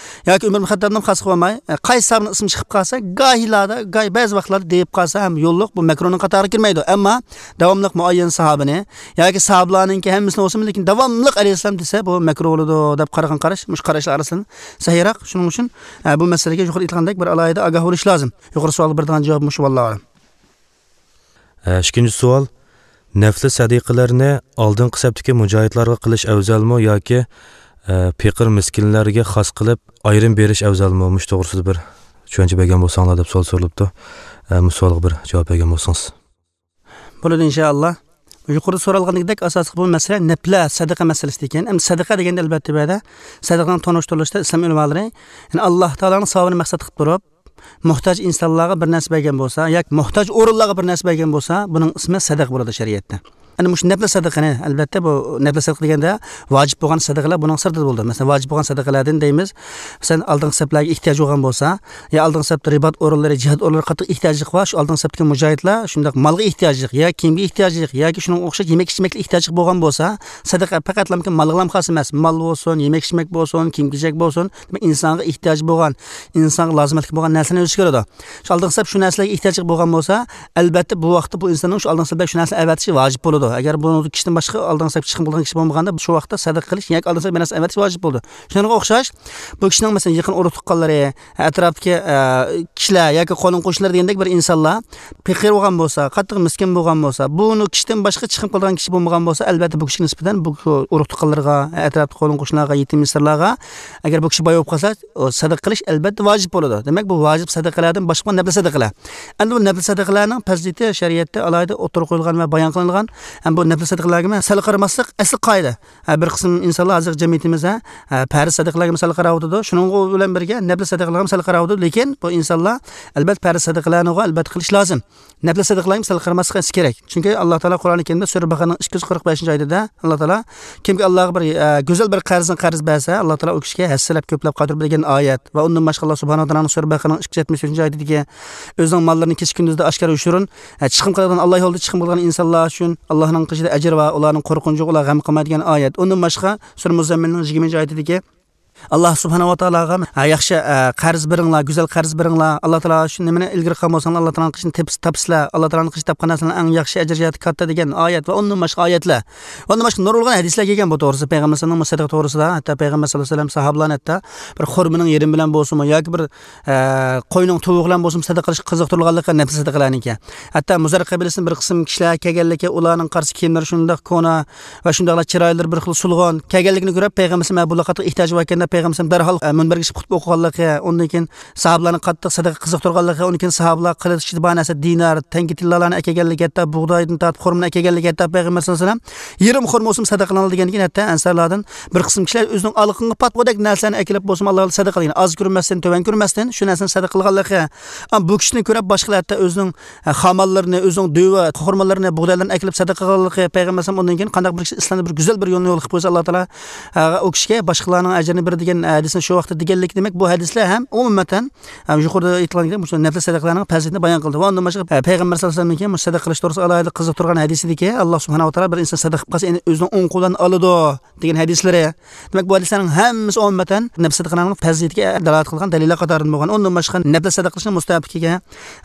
ياكى ئۆمەر ئىبن خەتتابنى خاس قىلىۋالماي، ئە، قايسى ساھابىنىڭ ئىسمى چىقىپ قالسا، گاھىلاردا، گاھى بەزى ۋاقىتلاردا دېيىپ قالسا ھەم يوللۇق، بۇ مەكرۇنىڭ قاتارىغا كىرمەيدۇ. ئەمما داۋاملىق مۇئەييەن ساھابىنى ياكى ساھابىلارنىڭكى ھەممىسىنى بولسىمۇ، لېكىن داۋاملىق ئەلەيھىسسالام دېسە، بۇ مەكرۇ بولىدۇ دەپ قارىغان قاراش مۇشۇ قاراشلار ئارىسىدىن سەھىيراق. شۇنىڭ ئۈچۈن، ئە، بۇ مەسىلىگە يۇقىرىدا ئېيتىلغاندەك بىر ئالاھىدە ئاگاھ بولۇش لازىم. يۇقىرى سوئالغا بېرىدىغان جاۋاب مۇشۇ، ۋاللاھۇ ئەلەم. ئە، ئىككىنچى سوئال، نەپلى سەدىقىلەرنى ئالدىنقى سەپتىكى مۇجاھىدلارغا قىلىش ئەۋزەلمۇ ياكى، ئە، پېقىر مىسكىنلەرگە خاس قىلىپ ئايرىم بېرىش ئەۋزەلمۇ؟ مۇشۇ توغرىسىدا بىر چۈشەنچە بەرگەن بولساڭلار دەپ سوئال سورىلىپتۇ. ئە، مۇشۇ سوئالغا بىر جاۋاب بەرگەن بولسىڭىز. بولىدۇ، ئىنشائاللا. يۇقىرىدا سورالغىنىدەك ئاساسلىق بۇ مەسىلە نەپلە سەدىقە مەسىلىسى ئىكەن. ئەمدى سەدىقە دېگەندە، ئەلۋەتتە، بۇ يەردە سەدىقىنىڭ تونۇشتۇرۇلۇشىدا ئىسلام ئۆلىمالىرى، يەنى ئاللا تائالانىڭ ساۋابىنى مەقسەت قىلىپ تۇرۇپ، موھتاج ئىنسانلارغا بىر نەرسە بەرگەن بولسا ياكى موھتاج ئورۇنلارغا بىر نەرسە بەرگەن بولسا، بۇنىڭ ئىسمى سەدىقە بولىدۇ شەرىئەتتە. ئەنە مۇشۇ نەپلە سەدىقىنى، ئەلۋەتتە، بۇ نەپلە سەدىقە دېگەندە ۋاجىپ بولغان سەدىقىلەر بۇنىڭ سىرتىدا بولىدۇ. مەسىلەن، ۋاجىپ بولغان سەدىقىلەردىن دەيمىز، مەسىلەن، ئالدىنقى سەپلەرگە ئېھتىياج بولغان بولسا، يا ئالدىنقى سەپتە رىبات ئورۇنلىرى، جىھاد ئورۇنلىرى قاتتىق ئېھتىياجلىق بار، شۇ ئالدىنقى سەپتىكى مۇجاھىدلار شۇنداق مالغا ئېھتىياجلىق، يا كىيىمگە ئېھتىياجلىق، ياكى شۇنىڭغا ئوخشاش يېمەك ئىچمەكلىك ئېھتىياجلىق بولغان بولسا، سەدىقە پەقەتلا مال بىلەن خاس ئەمەس، مال بولسۇن، يېمەك ئىچمەك بولسۇن، كىيىم كېچەك بولسۇن، دېمەك، ئىنسانغا ئېھتىياجى بولغان، ئىنسانغا لازىمەتلىك بولغان نەرسىلەرنى ئۆز ئىچىگە ئالىدۇ. شۇ ئالدىنقى سەپ شۇ نەرسىلەرگە ئېھتىياجلىق بولغان بولسا، ئەلۋەتتە، بۇ ۋاقىتتا بۇ ئىنساننىڭ شۇ ئالدىنقى سەپلەرگە شۇ نەرسىنى ئەۋەتىشى ۋاجىپ بولىدۇ. ئەگەر بۇ كىشىدىن باشقا ئالدىنقى سەپكە چىقىم قىلىدىغان كىشى بولمىغاندا، شۇ ۋاقىتتا سەدىقە قىلىش ياكى ئالدىنقى سەپكە بىر نەرسە ئەۋەتىش ۋاجىپ بولىدۇ. شۇنىڭغا ئوخشاش، بۇ كىشىنىڭ، مەسىلەن، يېقىن ئۇرۇق تۇغقانلىرى، ئەتراپتىكى، ئە، كىشىلەر ياكى قولۇم قوشنىلار دېگەندەك بىر ئىنسانلار پېقىر بولغان بولسا، قاتتىق مىسكىن بولغان بولسا، بۇ كىشىدىن باشقا چىقىم قىلىدىغان كىشى بولمىغان بولسا، ئەلۋەتتە، بۇ كىشىگە نىسبەتەن بۇ ئۇرۇق تۇغقانلىرىغا، ئەتراپتىكى قولۇم قوشنىلارغا، يېتىم يېسىرلارغا، ئەگەر بۇ كىشى باي بولۇپ قالسا، ئۇ سەدىقە قىلىش ئەلۋەتتە ۋاجىپ بولىدۇ. دېمەك، بۇ ۋاجىپ سەدىقىلەردىن باشقا نەپلە سەدىقىلەر. ئەمدى بۇ نەپلە سەدىقىلەرنىڭ پەزىلىتى شەرىئەتتە ئالاھىدە ئوتتۇرىغا قويۇلغان ۋە بايان قىلىنغان. ھەم بۇ نەپلە سەدىقىلەرگىمۇ سەل قارىماسلىق ئەسلى قائىدە. ھە، بىر قىسىم ئىنسانلار ھازىرقى جەمئىيىتىمىزدە، ھە، پەرز سەدىقىلەرگىمۇ سەل قاراۋاتىدۇ. شۇنىڭغا بىلەن بىرگە نەپلە سەدىقىلەرگىمۇ سەل قاراۋاتىدۇ. لېكىن بۇ ئىنسانلار ئەلۋەتتە پەرز سەدىقىلەرنىغۇ ئەلۋەتتە قىلىش لازىم. نەپلە سەدىقىلەرگە سەل قارىماسلىق كېرەك. چۈنكى ئاللا تائالا قۇرئانى كەرىمدە سۈرە بەقەرەنىڭ ئىككى يۈز قىرىق بەشىنچى ئايىتىدە ئاللا تائالا كىمكى ئاللاغا بىر، ئە، گۈزەل بىر قەرزنى قەرز بەرسە، ئاللا تائالا ئۇ كىشىگە ھەسسىلەپ كۆپلەپ قايتۇرىدۇ دېگەن ئايەت. ۋە ئۇندىن باشقا ئاللا سۇبھانەھۇ ۋە تائالانىڭ سۈرە بەقەرەنىڭ ئىككى يۈز يەتمىش ئۈچىنچى ئايىتىدىكى ئۆزىنىڭ ماللىرىنى كېچە كۈندۈزدە ئاشكارا يوشۇرۇن، ئە، چىقىم قىلىدىغان، ئاللا يولىدا چىقىم قىلىدىغان ئىنسانلار ئۈچۈن ئاللانىڭ قېشىدا ئەجىر بار، ئۇلارنىڭ قورقۇنچىغا ئۇلار غەم قىلمايدۇ دېگەن ئايەت. ئۇندىن باشقا سۈرە مۇزەممىلنىڭ يىگىرمىنچى ئايىتىدىكى ئاللا سۇبھانەھۇ ۋە تائالاغا، ھە، ياخشى، ئە، قەرز بېرىڭلار، گۈزەل قەرز بېرىڭلار. ئاللا تائالا شۇ نېمىنى ئىلگىرى قىلغان بولساڭلار، ئاللا تائالانىڭ قېشىنى تېپىس-، تاپىسىلەر. ئاللا تائالانىڭ قېشىدا تاپقان نەرسىلەرنىڭ ئەڭ ياخشى ئەجرى جەھەتتە كاتتا دېگەن ئايەت ۋە ئۇندىن باشقا ئايەتلەر. ۋە ئۇندىن باشقا نۇرغۇنلىغان ھەدىسلەر كەلگەن بۇ توغرىسىدا. پەيغەمبەر ئەلەيھىسسالامنىڭ سەدىقە توغرىسىدا، ھەتتا پەيغەمبەر سەللەللاھۇ ئەلەيھى ۋەسەللەم ساھابىلارنى ھەتتا بىر خورمىنىڭ يېرىمى بىلەن بولسىمۇ ياكى بىر، ئە، قوينىڭ تۇۋىقى بىلەن بولسىمۇ سەدىقە قىلىشقا قىزىقتۇرغانلىقى نەپلى سەدىقىلەرنىڭكى. ھەتتا مۇزەر قەبىلىسىدىن بىر قىسىم كىشىلەر كەلگەنلىكى، ئۇلارنىڭ قارىسا كىيىملىرى شۇنداق كونا، ۋە شۇنداقلا چىرايلىرى بىر خىل سولغۇن كەلگەنلىكىنى كۆرۈپ، پەيغەمبەر ئەلەيھىسسالام بۇلار قاتتىق ئېھتىياجى بار ئىكەن دەپ، پەيغەمبەر ئەلەيھىسسالام دەرھال، ئە، مۇنبەرگە چىقىپ خۇتبە ئوقۇغانلىقى، ئۇندىن كېيىن ساھابىلارنى قاتتىق سەدىقە قىزىقتۇرغانلىقى، ئۇندىن كېيىن ساھابىلار قىلىچ ئىچىدە بار نەرسە دىنار، تەڭگە تىللالارنى ئەكەلگەنلىكى، ھەتتا بۇغدايدىن تارتىپ خورمىنى ئەكەلگەنلىكى، ھەتتا پەيغەمبەر ئەلەيھىسسالام يېرىم خورما بولسىمۇ سەدىقە قىلىڭلار دېگەندىكىن، ھەتتا ئەنسارلاردىن بىر قىسىم كىشىلەر ئۆزىنىڭ ئالىقىنىغا پاتقۇدەك نەرسىلەرنى ئەكېلىپ بولسىمۇ، ئاللا سەدىقە قىلغان، ئاز كۆرمەستىن، تۆۋەن كۆرمەستىن شۇ نەرسىنى سەدىقە قىلغانلىقى. ئەمما بۇ كىشىنى كۆرۈپ باشقىلار ھەتتا ئۆزىنىڭ ئە، خامانلىرىنى، ئۆزىنىڭ دۆۋە، خورمىلىرىنى، بۇغدايلىرىنى ئەكېلىپ سەدىقە قىلغانلىقى، پەيغەمبەر ئەلەيھىسسالام ئۇندىن كېيىن قانداق بىر كىشى ئىسلامدا بىر گۈزەل بىر يولنى يول قىلىپ قويسا، ئاللا تائالا، ئە، ئۇ كىشىگە باشقىلارنىڭ ئەجرىنى بېرىدۇ دېگەن، ئە، ھەدىسنى شۇ ۋاقىتتا دېگەنلىكى. دېمەك، بۇ ھەدىسلەر ھەم ئومۇمەن، ھەم يۇقىرىدا ئېيتىلغان مۇشۇ نەپلى سەدىقىلەرنىڭ پەزىلىتىنى بايان قىلدى. ۋە ئۇندىن باشقا، ئە، پەيغەمبەر سەللەللاھۇ ئەلەيھى ۋەسەللەمنىڭكى مۇشۇ سەدىقە قىلىش توغرىسىدا ئالاھىدە قىزىقتۇرغان ھەدىسىدىكى، ئاللا سۇبھانەھۇ ۋە تائالا بىر ئىنسان سەدىقە قىلىپ قالسا، يەنى ئۆزىنىڭ ئوڭ قولى بىلەن ئالىدۇ دېگەن ھەدىسلىرى. دېمەك، بۇ ھەدىسلەرنىڭ ھەممىسى ئومۇمەن نەپلى سەدىقىنىڭ پەزىلىتىگە دالالەت قىلغان دەلىللەر قاتارىدىن بولغان. ئۇندىن باشقا نەپلى سەدىقە قىلىشنىڭ مۇستەھەبلىكىگە،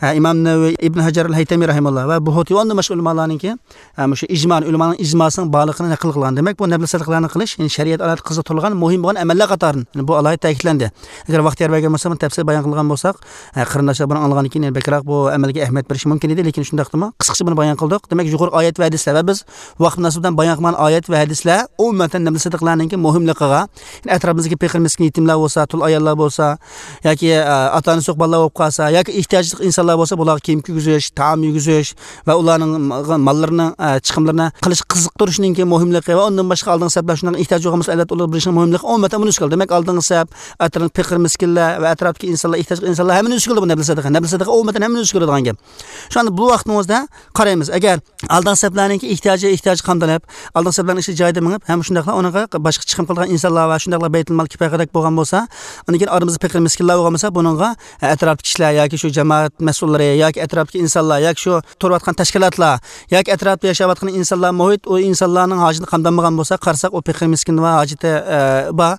ھە، ئىمام نەۋەۋى، ئىبن ھەجەر ئەل ھەيتەمى رەھىمەھۇللا ۋە بۇھۇتى ۋە ئۇندىن باشقا ئۆلىمالارنىڭكى، ھە، مۇشۇ ئىجما، ئۆلىمانىڭ ئىجماسىنىڭ بارلىقىنى نەقىل قىلغان. دېمەك، بۇ نەپلى سەدىقىلەرنى قىلىش، يەنى شەرىئەت ئالاھىدە قىزىقتۇرۇلغان مۇھىم بولغان ئەمەللەر قاتارىدىن. يەنى بۇ ئالاھىدە تەكىتلەندى. ئەگەر ۋاقىت يار بەرگەن بولسا، بۇنى تەپسىلىي بايان قىلغان بولساق، ھە، قېرىنداشلار بۇنى ئاڭلىغاندىن كېيىن يەنە بەكرەك بۇ ئەمەلگە ئەھمىيەت بېرىشى مۇمكىن ئىدى، لېكىن شۇنداقتىمۇ قىسقىچە بۇنى بايان قىلدۇق. دېمەك، يۇقىرىقى ئايەت ۋە ھەدىسلەر ۋە بىز ۋاقىت مۇناسىۋىتى بىلەن بايان قىلغان ئايەت ۋە ھەدىسلەر ئومۇمەن نەپلى سەدىقىلەرنىڭكى مۇھىملىقىغا، يەنى ئەتراپىمىزدىكى پېقىر مىسكىن يېتىملەر بولسا، تۇل ئاياللار بولسا، ياكى، ئە، ئاتا-ئانىسى يوق بالىلار بولۇپ قالسا، ياكى ئېھتىياجلىق ئىنسانلار بولسا، بۇلارغا كىيىم كىيگۈزۈش، تائام يېگۈزۈش ۋە ئۇلارنىڭ ماللىرىنىڭ، ئە، چىقىملىرىنى قىلىش قىزىقتۇرۇشنىڭكى مۇھىملىقى ۋە ئۇندىن باشقا ئالدىنقى سەپلەر شۇنداق ئېھتىياجى بولغان بولسا، ئەلۋەتتە ئۇلارغا بېرىشنىڭ مۇھىملىقى ئومۇمەن بۇنى ئۈستىگە ئالدى. دېمەك، ئالدىنقى سەپ، ئەتراپتىكى پېقىر مىسكىنلەر ۋە ئەتراپتىكى ئىنسانلار، ئېھتىياجلىق ئىنسانلار ھەممىنى ئۈستىگە ئالدى بۇ نەپلى سەدىقە. نەپلى سەدىقە ئومۇمەن ھەممىنى ئۈستىگە ئالىدىغان گەپ. شۇ ئاندىن بۇ ۋاقتىمىزدا قارايمىز. ئەگەر ئالدىنقى سەپلەرنىڭكى ئېھتىياجى ئېھتىياجغا قامدىلىپ، ئالدىنقى سەپلەرنىڭ ئىشى جايىدا مېڭىپ، ھەم شۇنداقلا ئۇنىڭغا باشقا چىقىم قىلىدىغان ئىنسانلار ۋە شۇنداقلا بەيتۇلمال كىپايەدەك بولغان بولسا، ئۇندىن كېيىن ئارىمىزدا پېقىر مىسكىنلار بولغان بولسا، بۇنىڭغا ئەتراپتىكى كىشىلەر ياكى شۇ جامائەت مەسئۇللىرى ياكى ئەتراپتىكى ئىنسانلار ياكى شۇ تۇرۇۋاتقان تەشكىلاتلار ياكى ئەتراپتا ياشاۋاتقان ئىنسانلار، مۇھىت، ئۇ ئىنسانلارنىڭ ھاجىتى قامدالمىغان بولسا، قارىساق، ئۇ پېقىر مىسكىن ۋە ھاجىتى، ئە، بار،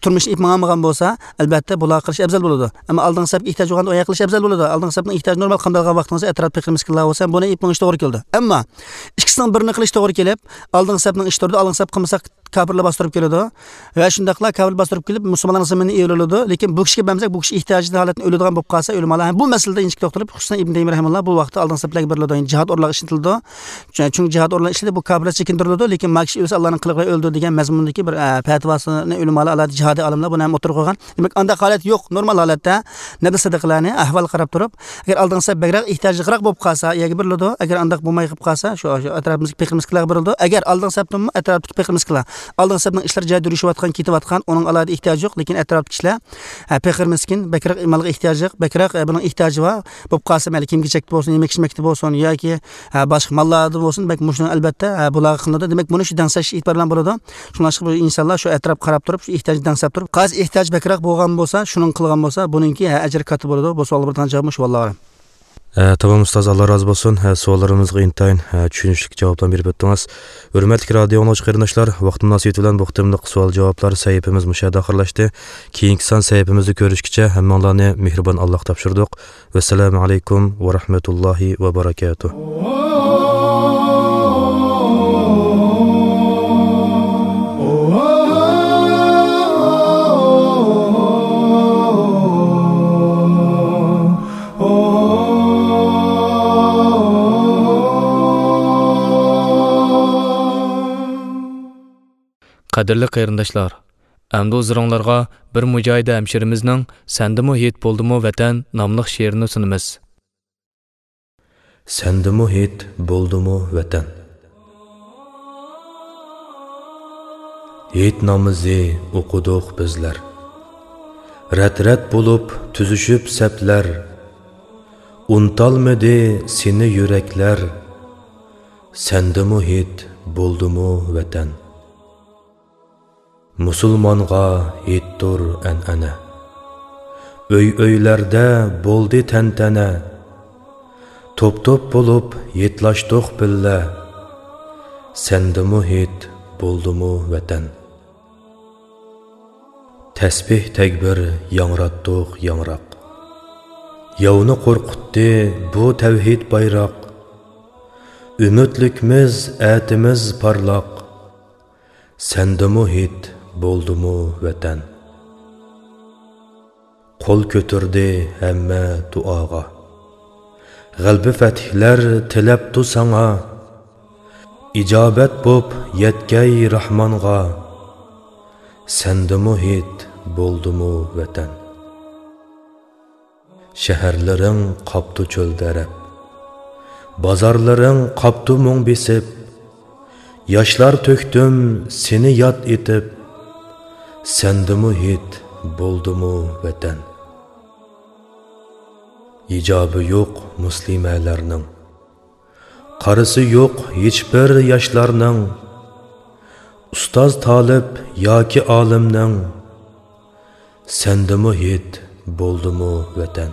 تۇرمۇشىنى ئېلىپ ماڭالمىغان بولسا، ئەلۋەتتە، بۇلارغا قىلىش ئەۋزەل بولىدۇ. ئەمما ئالدىنقى سەپكە ئېھتىياج بولغاندا ئۇ يەرگە قىلىش ئەۋزەل بولىدۇ. ئالدىنقى سەپنىڭ ئېھتىياجى نورمال قامدالغان ۋاقتىڭىزدا ئەتراپتا پېقىر مىسكىنلار بولسا، بۇنى ئېلىپ مېڭىش توغرا كېلىدۇ. ئەمما ئىككىسىنىڭ بىرىنى قىلىش توغرا كېلىپ، ئالدىنقى سەپنىڭ ئىشى تۇرىدۇ، ئالدىنقى سەپ قىلمىساق، كاپىرلار باستۇرۇپ كېلىدۇ. ۋە شۇنداقلا كاپىر باستۇرۇپ كېلىپ، مۇسۇلمانلارنىڭ زېمىنىنى ئېلىۋالىدۇ. لېكىن بۇ كىشىگە بەرمىسەك، بۇ كىشى ئېھتىياجىدىن ھالەتتىن ئۆلىدىغان بولۇپ قالسا، ئۆلىمالار ھەم بۇ مەسىلىدە ئىنچىكە توختىلىپ، خۇسۇسەن ئىبن تەيمىيە رەھىمەھۇللا بۇ ۋاقىتتا ئالدىنقى سەپلەرگە بېرىلىدۇ. يەنى جىھاد ئورۇنلىرىغا ئىشلىتىلىدۇ. چۈ-، چۈنكى جىھاد ئورۇنلىرىغا ئىشلىتىلىدۇ، بۇ كاپىرلار چېكىندۈرۈلىدۇ. لېكىن ما كىشى ئۆلسە، ئاللانىڭ قىلىقى بىلەن ئۆلىدۇ دېگەن مەزمۇندىكى بىر، ئە، پەتىۋاسىنى ئۆلىمالار ئالاھىدە جىھادىي ئالىملار بۇنى ھەم ئوتتۇرىغا قويغان. دېمەك، ئانداق ھالەت يوق. نورمال ھالەتتە نەپلى سەدىقىلەرنى ئەھۋالغا قاراپ تۇرۇپ، ئەگەر ئالدىنقى سەپ بەكرەك ئېھتىياجلىقراق بولۇپ قالسا، ئۇ يەرگە بېرىلىدۇ. ئەگەر ئانداق بولماي قېلىپ قالسا، شۇ، شۇ ئەتراپىمىزدىكى پېقىر مىسكىنلارغا بېرىلىدۇ. ئەگەر ئالدىنقى سەپتىنمۇ ئەتراپتىكى پېقىر مىسكىنلار، ئالدىنقى سەپنىڭ ئىشلىرى جايىدا يۈرۈشۈۋاتقان، كېتىۋاتقان، ئۇنىڭ ئالاھىدە ئېھتىياجى يوق، لېكىن ئەتراپتىكى كىشىلەر، ھە، پېقىر مىسكىن، بەكرەك مالغا ئېھتىياجى يوق، بەكرەك، ھە، بۇنىڭ ئېھتىياجى بار بولۇپ قالسا، مەيلى كىيىم-كېچەكتە بولسۇن، يېمەك-ئىچمەكتە بولسۇن ياكى، ھە، باشقا ماللاردا بولسۇن، دېمەك، مۇشۇنىڭ ئەلۋەتتە، ھە، بۇلارغا قىلىنىدۇ. دېمەك، بۇنى شۇ دەڭسەش ئېتىبار بىلەن بولىدۇ. شۇڭلاشقا بۇ ئىنسانلار شۇ ئەتراپقا قاراپ تۇرۇپ، شۇ ئېھتىياجنى دەڭسەپ تۇرۇپ، قايسى ئېھتىياج بەكرەك بولغان بولسا، شۇنىڭ قىلغان بولسا، بۇنىڭكى، ھە، ئەجرى كاتتا بولىدۇ. بۇ سوئالغا بېرىدىغان جاۋابىمۇ شۇ، ۋاللاھۇ ئەلەم. ئە، تامام ئۇستاز، ئاللا رازى بولسۇن. ھە، سوئاللىرىمىزغا ئىنتايىن، ھە، چۈشىنىشلىك جاۋابلارنى بېرىپ ئۆتتىڭىز. ھۆرمەتلىك رادىيو ئاڭلىغۇچى قېرىنداشلار، ۋاقىت مۇناسىۋىتى بىلەن بۇ قېتىملىق سوئال جاۋابلار سەھىپىمىز مۇشۇ يەردە ئاخىرلاشتى. كېيىنكى سان سەھىپىمىزدە كۆرۈشكىچە ھەممىڭلارنى مېھرىبان ئاللاغا تاپشۇردۇق. ۋەسسالامۇ ئەلەيكۇم ۋە رەھمەتۇللاھى ۋە بەرەكاتۇھ. قەدىرلىك قېرىنداشلار، ئەمدى ھۇزۇرۇڭلارغا بىر مۇجاھىدە ھەمشىرىمىزنىڭ سەندىمۇ ھېيت بولدىمۇ ۋەتەن ناملىق شېئىرىنى سۇنىمىز. سەندىمۇ ھېيت بولدىمۇ ۋەتەن؟ ھېيت نامىزى ئوقۇدۇق بىزلەر. رەت-رەت بولۇپ تۈزۈشۈپ سەپلەر. ئۇنتالمىدى سېنى يۈرەكلەر. سەندىمۇ ھېيت بولدىمۇ ۋەتەن؟ مۇسۇلمانغا ھېيتتۇر ئەنئەنە. ئۆي-ئۆيلەردە بولدى تەنتەنە. توپ-توپ بولۇپ ھېيتلاشتۇق بىللە. سەندىمۇ ھېيت بولدىمۇ ۋەتەن؟ تەسبىھ تەكبىر ياڭراتتۇق ياڭراق. ياۋنى قورقۇتتى بۇ تەۋھىد بايراق. ئۈمىدلىكمىز ئەتىمىز پارلاق. سەندىمۇ ھېيت بولدىمۇ ۋەتەن؟ قول كۆتۈردى ھەممە دۇئاغا. غەلىبە پەتھلەر تىلەپتۇ ساڭا. ئىجابەت بوپ يەتكەي راھمانغا. سەندىمۇ ھېيت بولدىمۇ ۋەتەن؟ شەھەرلىرىڭ قاپتۇ چۆلدە رەپ. بازارلىرىڭ قاپتۇ مۇڭ بېسىپ. ياشلار تۆكتۈم سېنى ياد ئېتىپ. سەندىمۇ ھېيت بولدىمۇ ۋەتەن؟ ھىجابى يوق مۇسلىمەلەرنىڭ. قارىسى يوق ھېچبىر ياشلارنىڭ. ئۇستاز تالىپ ياكى ئالىمنىڭ. سەندىمۇ ھېيت بولدىمۇ ۋەتەن؟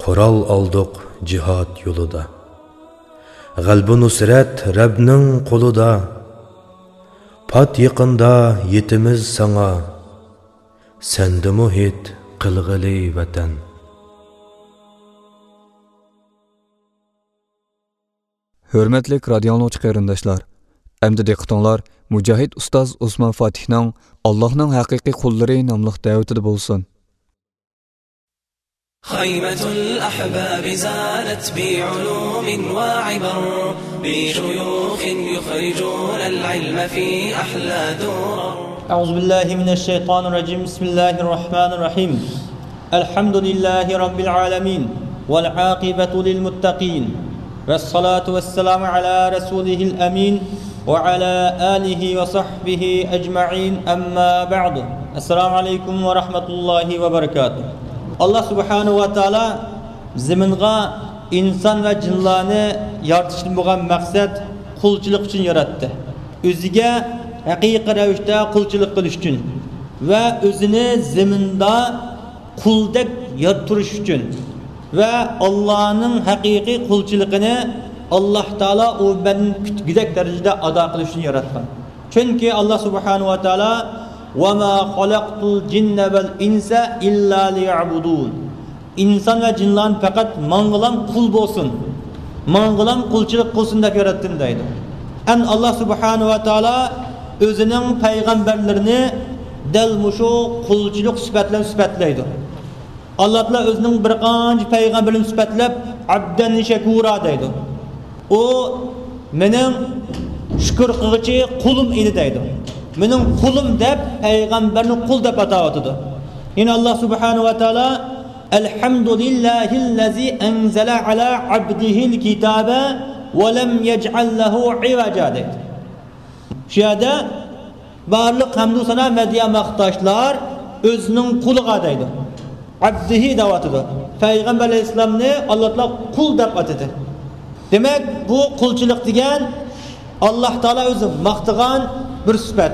قورال ئالدۇق جىھاد يولىدا. غەلىبە نۇسرەت رەبنىڭ قولىدا. پات يېقىندا يېتىمىز ساڭا. سەندىمۇ ھېيت قىلغىلى ۋەتەن؟ ھۆرمەتلىك رادىيو ئاڭلىغۇچى قېرىنداشلار، ئەمدى دىققىتىڭلار مۇجاھىد ئۇستاز ئوسمان فاتىھنىڭ «ئاللاھنىڭ ھەقىقىي قۇللىرى» ناملىق دەۋىتىدە بولسۇن. خيمة الأحباب زانت بعلوم وعبر، بشيوخ يخرجون العلم في أحلى درر. أعوذ بالله من الشيطان الرجيم. بسم الله الرحمن الرحيم. الحمد لله رب العالمين، والعاقبة للمتقين، والصلاة والسلام على رسوله الأمين، وعلى آله وصحبه أجمعين، أما بعد. السلام عليكم ورحمة الله وبركاته. ئاللا سۇبھانەھۇ ۋە تائالا زېمىنغا ئىنسان ۋە جىنلارنى يارىتىشتىن بولغان مەقسەت قۇلچىلىق ئۈچۈن ياراتتى. ئۆزىگە ھەقىقىي رەۋىشتە قۇلچىلىق قىلىش ئۈچۈن ۋە ئۆزىنى زېمىندا قۇلدەك يارىتىپ تۇرۇش ئۈچۈن ۋە ئاللانىڭ ھەقىقىي قۇلچىلىقىنى ئاللا تائالا ئۇ بەندىنى كۈتكۈدەك دەرىجىدە ئادا قىلىش ئۈچۈن ياراتقان. چۈنكى ئاللا سۇبھانەھۇ ۋە تائالا، «وما خلقت الجن والإنس إلا ليعبدون.» ئىنسان ۋە جىنلارنى پەقەت ماڭغىلام قۇل بولسۇن، ماڭغىلام قۇلچىلىق قىلسۇن دەپ ياراتتىم دەيدۇ. ئەن ئاللا سۇبھانەھۇ ۋە تائالا ئۆزىنىڭ پەيغەمبەرلىرىنى دەل مۇشۇ قۇلچىلىق سۈپەت بىلەن سۈپەتلەيدۇ. ئاللا تائالا ئۆزىنىڭ بىر قانچە پەيغەمبىرىنى سۈپەتلەپ، «ئەبدەن شەكۇرا» دەيدۇ. ئۇ مېنىڭ شۈكۈر قىلغۇچى قۇلۇم ئىدى دەيدۇ. مېنىڭ قۇلۇم دەپ پەيغەمبەرنى قۇل دەپ ئاتاۋاتىدۇ. يەنە ئاللا سۇبھانەھۇ ۋە تائالا، «الحمد لله الذي أنزل على عبده الكتاب ولم يجعل له عوجا» دەيدۇ. شۇ يەردە بارلىق ھەمدۇ سانا، مەدھىيە، ماختاشلار ئۆزىنىڭ قۇلىغا دەيدۇ. ئابدىھى دەۋاتىدۇ. پەيغەمبەر ئەلەيھىسسالامنى ئاللا تائالا قۇل دەپ ئاتىدى. دېمەك، بۇ قۇلچىلىق دېگەن ئاللا تائالا ئۆزى ماختىغان بىر سۈپەت.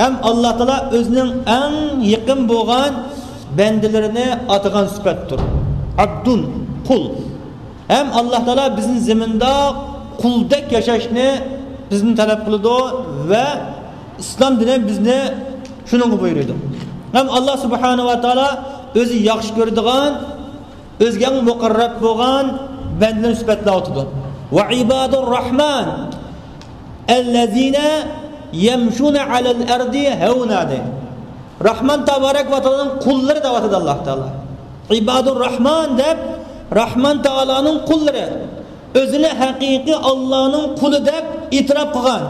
ھەم ئاللا تائالا ئۆزىنىڭ ئەڭ يېقىن بولغان بەندىلىرىنى ئاتىغان سۈپەتتۇر. ئابدۇن، قۇل. ھەم ئاللا تائالا بىزنى زېمىندا قۇلدەك ياشاشنى بىزدىن تەلەپ قىلىدۇ ۋە ئىسلام دىنى بىزنى شۇنىڭغا بۇيرۇيدۇ. ھەم ئاللا سۇبھانەھۇ ۋە تائالا ئۆزى ياخشى كۆرىدىغان، ئۆزىگە ئەڭ مۇقەررەب بولغان بەندىلەرنى سۈپەتلەۋاتىدۇ. ۋە ئىبادۇر راھمان ئەللەزىنە يەمشۇنە ئەلەل ئەردى ھەۋنا دەيدۇ. راھمان تابارەك ۋە تائالانىڭ قۇللىرى دەۋاتىدۇ ئاللا تائالا. ئىبادۇر راھمان دەپ، راھمان تائالانىڭ قۇللىرى. ئۆزىنى ھەقىقىي ئاللانىڭ قۇلى دەپ ئېتىراپ قىلغان.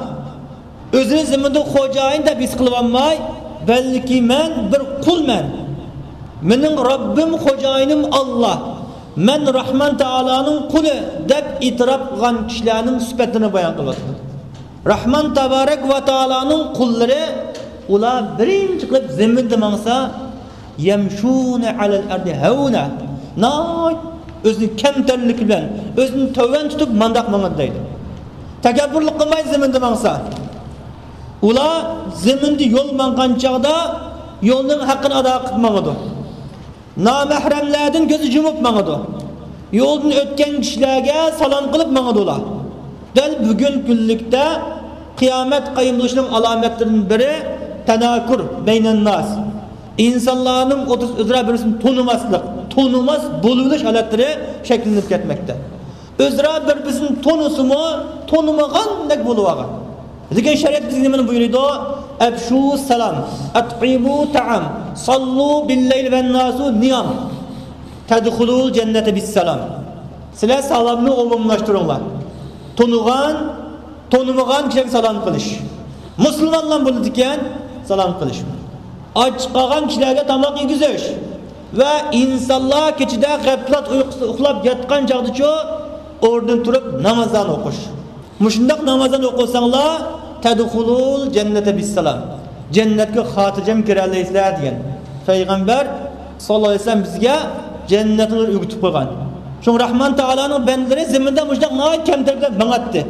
ئۆزىنى زېمىندا خوجايىن دەپ ھېس قىلىۋالماي، بەلكى مەن بىر قۇلمەن. مېنىڭ رەببىم، خوجايىنىم ئاللا. مەن راھمان تائالانىڭ قۇلى دەپ ئېتىراپ قىلغان كىشىلەرنىڭ سۈپەتلىرىنى بايان قىلىۋاتىدۇ. راھمان تابارەك ۋە تائالانىڭ قۇللىرى، ئۇلار بىرىنچى قىلىپ زېمىندا ماڭسا، يەمشۇنە ئەلەل ئەردى ھەۋنە. ناھايىتى ئۆزىنى كەمتەرلىك بىلەن، ئۆزىنى تۆۋەن تۇتۇپ مانداق ماڭىدۇ دەيدۇ. تەكەببۇرلۇق قىلماي زېمىندا ماڭسا، ئۇلار زېمىندا يول ماڭغان چاغدا يولنىڭ ھەققىنى ئادا قىلىپ ماڭىدۇ. نامەھرەملەردىن كۆزى يۇمۇپ ماڭىدۇ. يولدىن ئۆتكەن كىشىلەرگە سالام قىلىپ ماڭىدۇ ئۇلار. دەل بۈگۈنكى كۈنلۈكتە قىيامەت قايىم بولۇشىنىڭ ئالامەتلىرىدىن بىرى تەناكۇر بەينەنناس. ئىنسانلارنىڭ ئوتتۇرىسىدا ئۆزئارا بىر-بىرسىنى تونۇماسلىق، تونۇماس بولۇۋېلىش ھالەتلىرى شەكىللىنىپ كەتمەكتە. ئۆزئارا بىر-بىرسىنى تونۇسىمۇ، تونۇمىغاندەك بولۇۋالغان. لېكىن شەرىئەت بىزگە نېمىنى بۇيرۇيدۇ؟ ئەپشۇ سالام، ئەتئىمۇ تائام، ساللۇ بىللەيل ۋەنناسۇ نىيام، تەدخۇلۇل جەننەتە بىسسالام. سىلەر سالامنى ئومۇملاشتۇرۇڭلار. تونۇغان، تونۇمىغان كىشىلەرگە سالام قىلىش. مۇسۇلمانلار بولىدىكەن، سالام قىلىش. ئاچ قالغان كىشىلەرگە تاماق يېگۈزۈش ۋە ئىنسانلار كېچىدە غەپلەت ئۇيقۇسىدا ئۇخلاپ ياتقان چاغدىچۇ ئورنىدىن تۇرۇپ نامازلارنى ئوقۇش. مۇشۇنداق نامازلارنى ئوقۇساڭلار، تەدخۇلۇل جەننەتە بىسسالام. جەننەتكە خاتىرجەم كىرەلەيسىلەر دېگەن. پەيغەمبەر ساللاللاھۇ ئەلەيھى ۋەسەللەم بىزگە جەننەتنى ئۆگىتىپ قويغان. شۇڭا راھمان تائالانىڭ بەندىلىرى زېمىندا مۇشۇنداق ناھايىتى كەمتەرلىك بىلەن ماڭاتتى.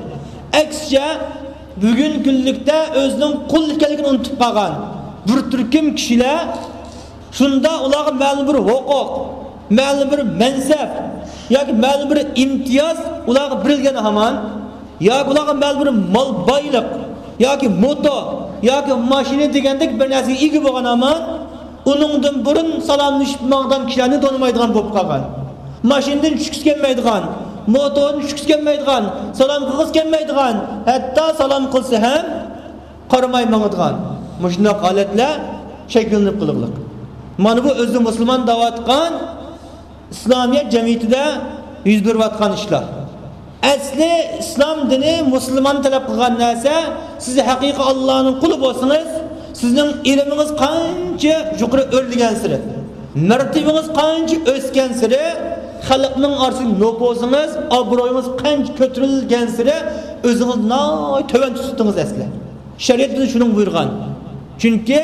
ئەكسىچە، بۈگۈنكى كۈنلۈكتە ئۆزىنىڭ قۇل ئىكەنلىكىنى ئۇنتۇپ قالغان بىر تۈركۈم كىشىلەر شۇندا ئۇلارغا مەلۇم بىر ھوقۇق، مەلۇم بىر مەنسەپ ياكى مەلۇم بىر ئىمتىياز ئۇلارغا بېرىلگەن ھامان، ياكى ئۇلارغا مەلۇم بىر مال بايلىق ياكى موتور ياكى ماشىنا دېگەندەك بىر نەرسىگە ئىگە بولغان ھامان، ئۇنىڭدىن بۇرۇن سالاملىشىپ ماڭغان كىشىلەرنى تونۇمايدىغان بولۇپ قالغان. ماشىنىدىن چۈشكۈسى كەلمەيدىغان، موتوردىن چۈشكۈسى كەلمەيدىغان، سالام قىلغۇسى كەلمەيدىغان، ھەتتا سالام قىلسا ھەم قارىماي ماڭىدىغان مۇشۇنداق ھالەتلەر شەكىللىنىپ قېلىغلىق. مانا بۇ ئۆزى مۇسۇلمان دەۋاتقان ئىسلامىيەت جەمئىيىتىدە يۈز بېرىۋاتقان ئىشلار. ئەسلى ئىسلام دىنى، مۇسۇلمان تەلەپ قىلغان نەرسە، سىز ھەقىقىي ئاللانىڭ قۇلى بولسىڭىز، سىزنىڭ ئىلمىڭىز قانچە يۇقىرى ئۆرلىگەنسېرى، مەرتىۋىڭىز قانچە ئۆسكەنسېرى، خەلقنىڭ ئارىسىدىكى نوپۇزىڭىز، ئابرۇيىڭىز قانچە كۆتۈرۈلگەنسېرى، ئۆزىڭىزنى ناھايىتى تۆۋەن تۇتتىڭىز ئەسلى. شەرىئەت بىزگە شۇنىڭغا بۇيرۇغان. چۈنكى،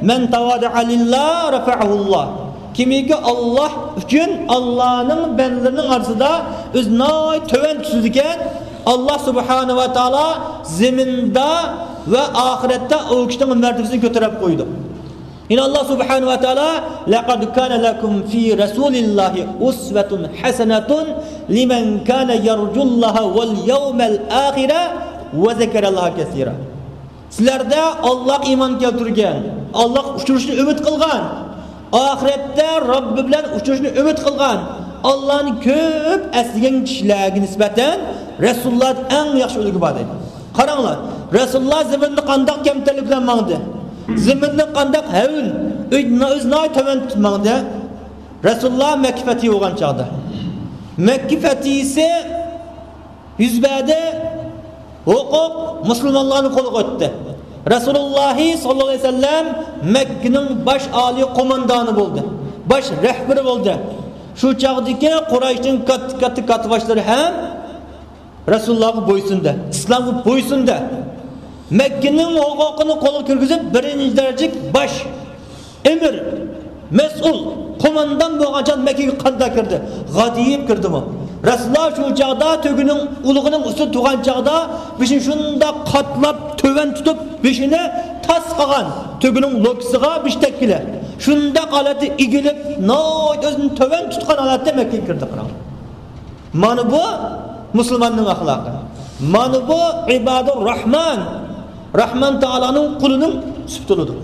مەن تەۋادەئە لىللا رەفەئەھۇللا. كىمكى ئاللا ئۈچۈن، ئاللانىڭ بەندىلىرىنىڭ ئارىسىدا ئۆزىنى ناھايىتى تۆۋەن تۇتىدىكەن، ئاللا سۇبھانەھۇ ۋە تائالا زېمىندا ۋە ئاخىرەتتە ئۇ كىشىنىڭ مەرتىۋىسىنى كۆتۈرۈپ قويىدۇ. يەنە ئاللا سۇبھانەھۇ ۋە تائالا، لەقەد كانە لەكۇم فى رەسۇلىللاھى ئۇسۋەتۇن ھەسەنەتۇن لىمەن كانە يەرجۇللاھە ۋەل يەۋمەل ئاخىرە ۋە زەكەرەللاھە كەسىرا. سىلەردە ئاللاغا ئىمان كەلتۈرگەن، ئاللاغا ئۇچرىشىشنى ئۈمىد قىلغان، ئاخىرەتتە رەببى بىلەن ئۇچرىشىشنى ئۈمىد قىلغان، ئاللانى كۆپ ئەسلىگەن كىشىلەرگە نىسبەتەن رەسۇلۇللادا ئەڭ ياخشى ئۈلگە بار دەيدۇ. قاراڭلار، رەسۇلۇللا زېمىندا قانداق كەمتەرلىك بىلەن ماڭدى؟ زېمىندا قانداق ھەۋن، ئۆزىنى ناھايىتى تۆۋەن تۇتۇپ ماڭدى؟ رەسۇلۇللا مەككە فەتھى بولغان چاغدا. مەككە فەتھىسى يۈز بەردى، ھوقۇق مۇسۇلمانلارنىڭ قولىغا ئۆتتى. رەسۇلۇللاھى ساللاللاھۇ ئەلەيھى ۋەسەللەم مەككىنىڭ باش ئالىي قوماندانى بولدى. باش رەھبىرى بولدى. شۇ چاغدىكى قۇرەيشنىڭ كاتتا، كاتتا كاتتىباشلىرى ھەم رەسۇلۇللاھقا بويسۇندى، ئىسلامغا بويسۇندى. مەككىنىڭ ھوقۇقىنى قولغا كىرگۈزۈپ، بىرىنچى دەرىجىلىك باش ئەمىر، مەسئۇل، قوماندان بولغان چاغدا مەككىگە قانداق كىردى؟ غادىيىپ كىردىمۇ؟ رەسۇلۇللا شۇ چاغدا تۆگىنىڭ ئۇلىقىنىڭ ئۈستىدە تۇرغان چاغدا بېشىنى شۇنداق قاتلاپ، تۆۋەن تۇتۇپ، بېشىنى تاس قىلغان تۆگىنىڭ لوكىسىغا بېشى تەگكىلى. شۇنداق ھالەتتە ئېگىلىپ، ناھايىتى ئۆزىنى تۆۋەن تۇتقان ھالەتتە مەككىگە كىردى، قاراڭ. مانا بۇ مۇسۇلماننىڭ ئەخلاقى. مانا بۇ ئىبادۇر راھمان، راھمان تائالانىڭ قۇلىنىڭ سۈپىتى بولىدۇ.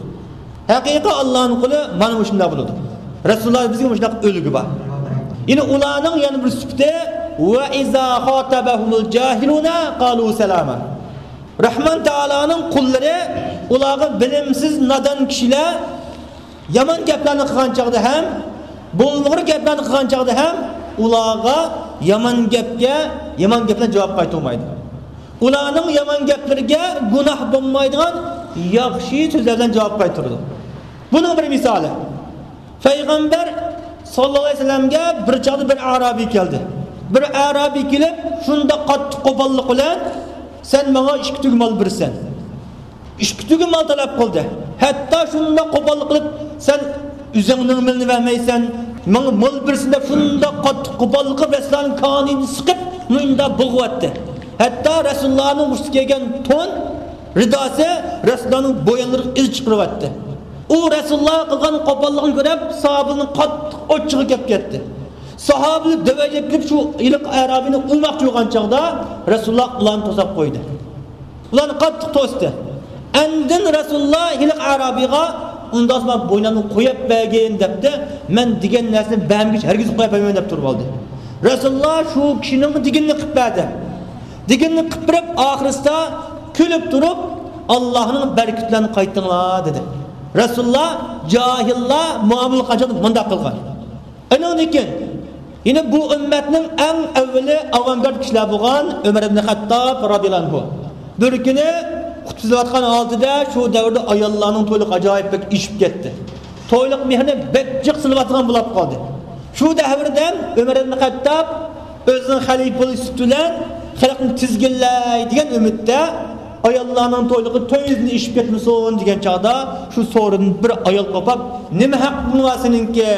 ھەقىقىي ئاللانىڭ قۇلى مانا مۇشۇنداق بولىدۇ. رەسۇلۇللا بىزگە مۇشۇنداق ئۈلگە بار. يەنە ئۇلارنىڭ يەنە بىر سۈپىتى، ۋە ئىزا خاتەبەھۇمۇل جاھىلۇنە قالۇ سالاما. راھمان تائالانىڭ قۇللىرى، ئۇلارغا بىلىمسىز، نادان كىشىلەر يامان گەپلەرنى قىلغان چاغدا ھەم، بولمىغۇر گەپلەرنى قىلغان چاغدا ھەم ئۇلارغا يامان گەپكە يامان گەپ بىلەن جاۋاب قايتۇرمايدۇ. ئۇلارنىڭ يامان گەپلىرىگە گۇناھ بولمايدىغان ياخشى سۆزلەر بىلەن جاۋاب قايتۇرىدۇ. بۇنىڭ بىر مىسالى. پەيغەمبەر ساللاللاھۇ ئەلەيھى ۋەسەللەمگە بىر چاغدا بىر ئەرابىي كەلدى. بىر ئەرابىي كېلىپ، شۇنداق قاتتىق قوپاللىق بىلەن، سەن ماڭا ئىككى تۈگە مال بېرىسەن. ئىككى تۈگە مال تەلەپ قىلدى. ھەتتا شۇنداق قوپاللىق قىلىپ، سەن ئۆزۈڭنىڭ مېلىنى بەرمەيسەن، ماڭا مال بېرىسەن دەپ شۇنداق قاتتىق قوپاللىق قىلىپ، رەسۇلۇللانىڭ كانىيىنى سىقىپ، مۇنداق بوغۇۋەتتى. ھەتتا رەسۇلۇللانىڭ ئۈستىگە كىيگەن تون رىداسى رەسۇلۇللانىڭ بويۇنلىرىغا ئىز چىقىرىۋەتتى. ئۇ رەسۇلۇللا قىلغان قوپاللىقنى كۆرۈپ، ساھابىلەرنىڭ قاتتىق ئوچىقى كېلىپ كەتتى. ساھابىلەر دەۋەيلەپ كېلىپ، شۇ ھېلىقى ئەرابىينى ئۇرماقچى بولغان چاغدا، رەسۇلۇللا ئۇلارنى توساپ قويدى. ئۇلارنى قاتتىق توستى. ئاندىن رەسۇلۇللا ھېلىقى ئەرابىيغا، ئۇنداقسا مانا بوينۇمنى قويۇپ بەرگىن دەپتۇ. مەن دېگەن نەرسىنى بەرمىگۈچە ھەرگىز قويۇپ بەرمەيمەن دەپ تۇرۇپ ئالدى. رەسۇلۇللا شۇ كىشىنىڭ دېگىنىنى قىلىپ بەردى. دېگىنىنى قىلىپ بېرىپ، ئاخىرسىدا كۈلۈپ تۇرۇپ، ئاللاھنىڭ بەرىكىتى بىلەن قايتىڭلار دېدى. رەسۇلۇللا جاھىللار مۇئامىلە قىلغان چاغدا مۇنداق قىلغان. ئاندىن كېيىن يەنە بۇ ئۈممەتنىڭ ئەڭ ئەۋۋىلى ئاۋانگارت كىشىلەر بولغان ئۆمەر ئىبن خەتتاب رازىياللاھۇ ئەنھۇ بىر كۈنى خۇتبە سۆزلەۋاتقان ھالىتىدە شۇ دەۋردە ئاياللارنىڭ تويلۇقى ئاجايىپ بەك ئېشىپ كەتتى. تويلۇق مېھرىنى بەك جىق سېلىۋاتىدىغان بولۇپ قالدى. شۇ دەۋردە ئۆمەر ئىبن خەتتاب ئۆزىنىڭ خەلىپە بولۇش سۈپىتى بىلەن خەلقنى تىزگىنلەي دېگەن ئۈمىدتە، ئاياللارنىڭ تويلۇقى تۆت يۈزدىن ئېشىپ كەتمىسۇن دېگەن چاغدا، شۇ سورۇندىن بىر ئايال قوپاپ، نېمە ھەققىڭ بار سېنىڭكى؟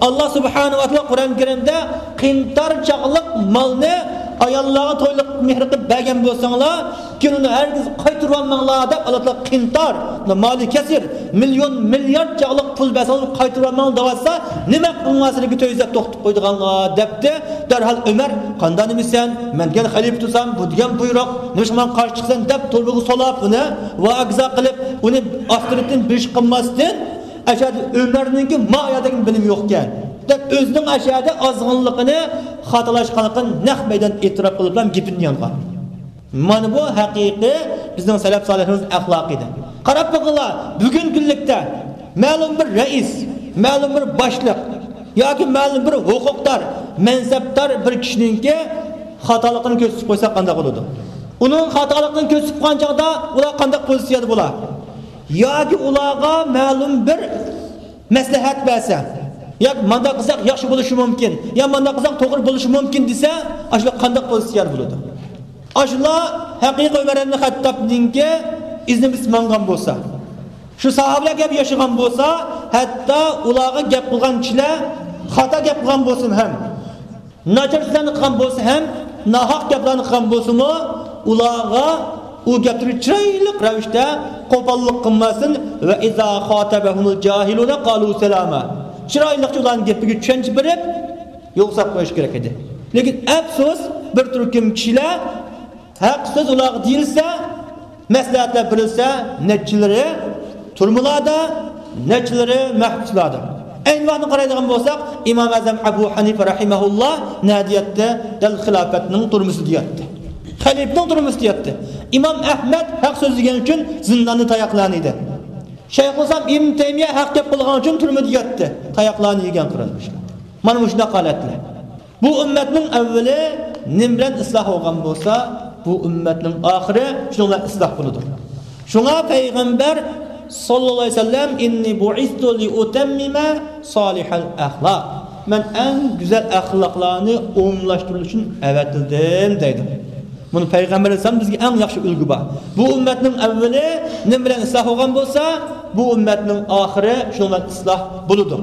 ئاللا سۇبھانەھۇ ۋە تائالا قۇرئان كەرىمدە قىنتار چاغلىق مالنى ئاياللارغا تويلۇق مېھرى قىلىپ بەرگەن بولساڭلار، كېيىن ئۇنى ھەرگىز قايتۇرۇۋالماڭلار دەپ، ئاللا تائالا قىنتار، مالى كەسىر، مىليون، مىليارد چاغلىق پۇل بەرسەڭلار قايتۇرۇۋالماڭلار دەۋاتسا، نېمە ھەققىڭ بار سېنىڭكى تۆت يۈز دەپ توختىتىپ قويىدىغانغا دەپتۇ. دەرھال ئۆمەر، قانداق نېمىسەن؟ مەن دېگەن خەلىپە تۇرسام، بۇ دېگەن بۇيرۇق، نېمىشقا ماڭا قارشى چىقىسەن دەپ تۇرۇبىغا سولاپ ئۇنى ۋاگزا قىلىپ، ئۇنى ئاستىرتىن بىر ئىش قىلماستىن، ئەشەدە ئۆمەرنىڭكى ما ئايالدىكى بىلىمى يوقكەن دەپ، ئۆزىنىڭ ئەشەدە ئازغىنلىقىنى، خاتالاشقانلىقىنى نەق مەيدان ئېتىراپ قىلىپ بىلەن گېپىنى يانغان. مانا بۇ ھەقىقىي بىزنىڭ سەلەف سالىھلىرىمىزنىڭ ئەخلاقى ئىدى. قاراپ بېقىڭلار، بۈگۈنكى كۈنلۈكتە مەلۇم بىر رەئىس، مەلۇم بىر باشلىق ياكى مەلۇم بىر ھوقۇقدار، مەنسەپدار بىر كىشىنىڭكى خاتالىقىنى كۆرسىتىپ قويسا قانداق بولىدۇ؟ ئۇنىڭ خاتالىقىنى كۆرسىتىپ قويغان چاغدا ئۇلار قانداق پوزىتسىيەدە بولا؟ ياكى ئۇلارغا مەلۇم بىر مەسلىھەت بەرسە، ياكى مانداق قىلساق ياخشى بولۇشى مۇمكىن، يا مانداق قىلساق توغرا بولۇشى مۇمكىن دېسە، ئاشۇلار قانداق پوزىتسىيەدە بولىدۇ؟ ئاشۇلار ھەقىقىي ئۆمەر ئىبن خەتتابنىڭكى ئىزىنى بېسىپ ماڭغان بولسا، شۇ ساھابىلەر كەبى ياشىغان بولسا، ھەتتا ئۇلارغا گەپ قىلغان كىشىلەر خاتا گەپ قىلغان بولسىمۇ ھەم، ناچار سۆزلەرنى قىلغان بولسا ھەم، ناھەق گەپلەرنى قىلغان بولسىمۇ، ئۇلارغا ئۇ گەپلىرى چىرايلىق رەۋىشتە قوپاللىق قىلماستىن، ۋە ئىزا خاتەبەھۇمۇل جاھىلۇنە قالۇ سالاما، چىرايلىقچە ئۇلارنىڭ گېپىگە چۈشەنچە بېرىپ، يول ساپ قويۇش كېرەك ئىدى. لېكىن ئەپسۇس، بىر تۈركۈم كىشىلەر ھەق سۆز ئۇلارغا دېيىلسە، مەسلىھەتلەر بېرىلسە، نەچچىلىرى تۈرمىلەردە، نەچچىلىرى مەھبۇسلاردا. ئەينى ۋاقىتنى قارايدىغان بولساق، ئىمام ئەزەم ئەبۇ ھەنىفە رەھىمەھۇللا نەدە ياتتى؟ دەل خىلاپەتنىڭ تۈرمىسىدە ياتتى. خەلىپىنىڭ تۈرمىسىدە ياتتى. ئىمام ئەھمەد ھەق سۆزلىگەن ئۈچۈن زىنداندا تاياقلارنى يېدى. شەيخۇلئىسلام ئىبن تەيمىيە ھەق گەپ قىلغان ئۈچۈن تۈرمىدە ياتتى. تاياقلارنى يېگەن قېرىنداشلار. مانا مۇشۇنداق ھالەتلەر. بۇ ئۈممەتنىڭ ئەۋۋىلى نېمە بىلەن ئىسلاھ بولغان بولسا، بۇ ئۈممەتنىڭ ئاخىرى شۇنىڭ بىلەن ئىسلاھ بولىدۇ. شۇڭا پەيغەمبەر ساللاللاھۇ ئەلەيھى ۋەسەللەم، «ئىننى بۇئىستۇ لىئۇتەممىمە سالىھەل ئەخلاق.» مەن ئەڭ گۈزەل ئەخلاقلارنى ئومۇملاشتۇرۇش ئۈچۈن ئەۋەتىلدىم، دەيدۇ. بۇنى پەيغەمبەر ئەلەيھىسسالام بىزگە ئەڭ ياخشى ئۈلگە بار. بۇ ئۈممەتنىڭ ئەۋۋىلى نېمە بىلەن ئىسلاھ بولغان بولسا، بۇ ئۈممەتنىڭ ئاخىرى شۇنىڭ بىلەن ئىسلاھ بولىدۇ.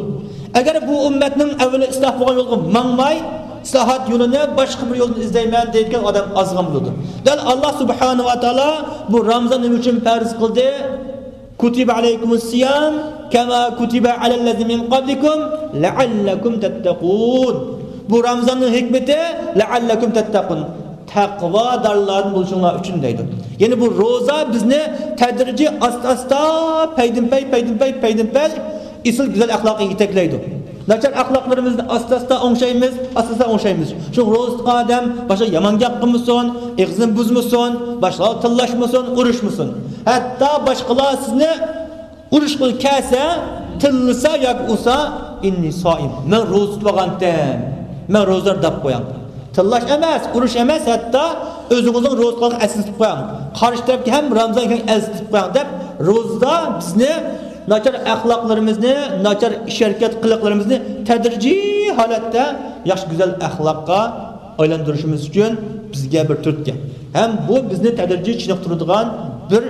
ئەگەر بۇ ئۈممەتنىڭ ئەۋۋىلى ئىسلاھ بولغان يولغا ماڭماي، ئىسلاھات يولىنى باشقا بىر يولدىن ئىزدەيمەن دەيدىغان ئادەم ئازغان بولىدۇ. دەل ئاللا سۇبھانەھۇ ۋە تائالا بۇ رامزان نېمە ئۈچۈن پەرز قىلدى؟ كتب عليكم الصيام كما كتب على الذين من قبلكم لعلكم تتقون. بۇ رامزاننىڭ ھېكمىتى لەئەللەكۇم تەتتەقۇن. تەقۋادارلاردىن بولۇشۇڭلار ئۈچۈن دەيدۇ. يەنى بۇ روزا بىزنى تەدرىجىي ئاستا-ئاستا، پەيدىنپەي، پەيدىنپەي، پەيدىنپەي ئېسىل گۈزەل ئەخلاققا يېتەكلەيدۇ. ناچار ئەخلاقلىرىمىزنى ئاستا-ئاستا ئوڭشايمىز، ئاستا-ئاستا ئوڭشايمىز. شۇ روزا تۇتقان ئادەم باشقا يامان گەپ قىلمىسۇن، ئېغىزىنى بۇزمىسۇن، باشقىلارغا تىللاشمىسۇن، ئۇرۇشمىسۇن. ھەتتا باشقىلار سىزنى ئۇرۇشقا كەلسە، تىللىسا ياكى ئۇرسا، «ئىننى سائىم، مەن روزا تۇتۇۋالغانتىم، مەن روزىدار» دەپ قويۇڭ. تىللاش ئەمەس، ئۇرۇش ئەمەس، ھەتتا ئۆزىڭىزنىڭ روزا تۇتقانلىقىنى ئەسلىتىپ قويۇڭ. قارشى تەرەپكە ھەم رامزان ئىكەنلىكىنى ئەسلىتىپ قويۇڭ دەپ، روزىدا بىزنى ناچار ئەخلاقلىرىمىزنى، ناچار ئىش-ھەرىكەت قىلىقلىرىمىزنى تەدرىجىي ھالەتتە ياخشى گۈزەل ئەخلاققا ئايلاندۇرۇشىمىز ئۈچۈن بىزگە بىر تۈرتكە. ھەم بۇ بىزنى تەدرىجىي چېنىقتۇرىدىغان بىر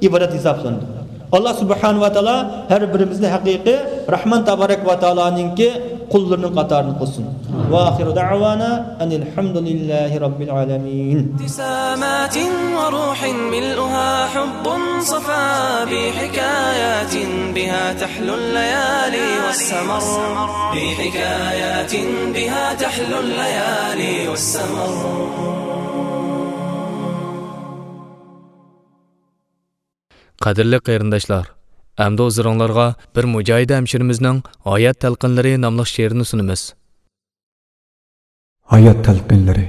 ئىبادەت ھېسابلىنىدۇ. ئاللا سۇبھانەھۇ ۋە تائالا ھەر بىرىمىزنى ھەقىقىي راھمان تابارەك ۋە تائالانىڭكى قۇللىرىنىڭ قاتارىدا قىلسۇن. ۋە ئاخىرۇ دەئۋانا ئەنىل ھەمدۇلىللاھى رەببىل ئالەمىن. ابتسامات وروح ملؤها حب صفا بحكايات بها تحلو الليالي والسمر بحكايات بها تحلو الليالي والسمر. قەدىرلىك قېرىنداشلار، ئەمدى ھۇزۇرۇڭلارغا بىر مۇجاھىدە ھەمشىرىمىزنىڭ ھايات تەلقىنلىرى ناملىق شېئىرىنى سۇنىمىز. ھايات تەلقىنلىرى.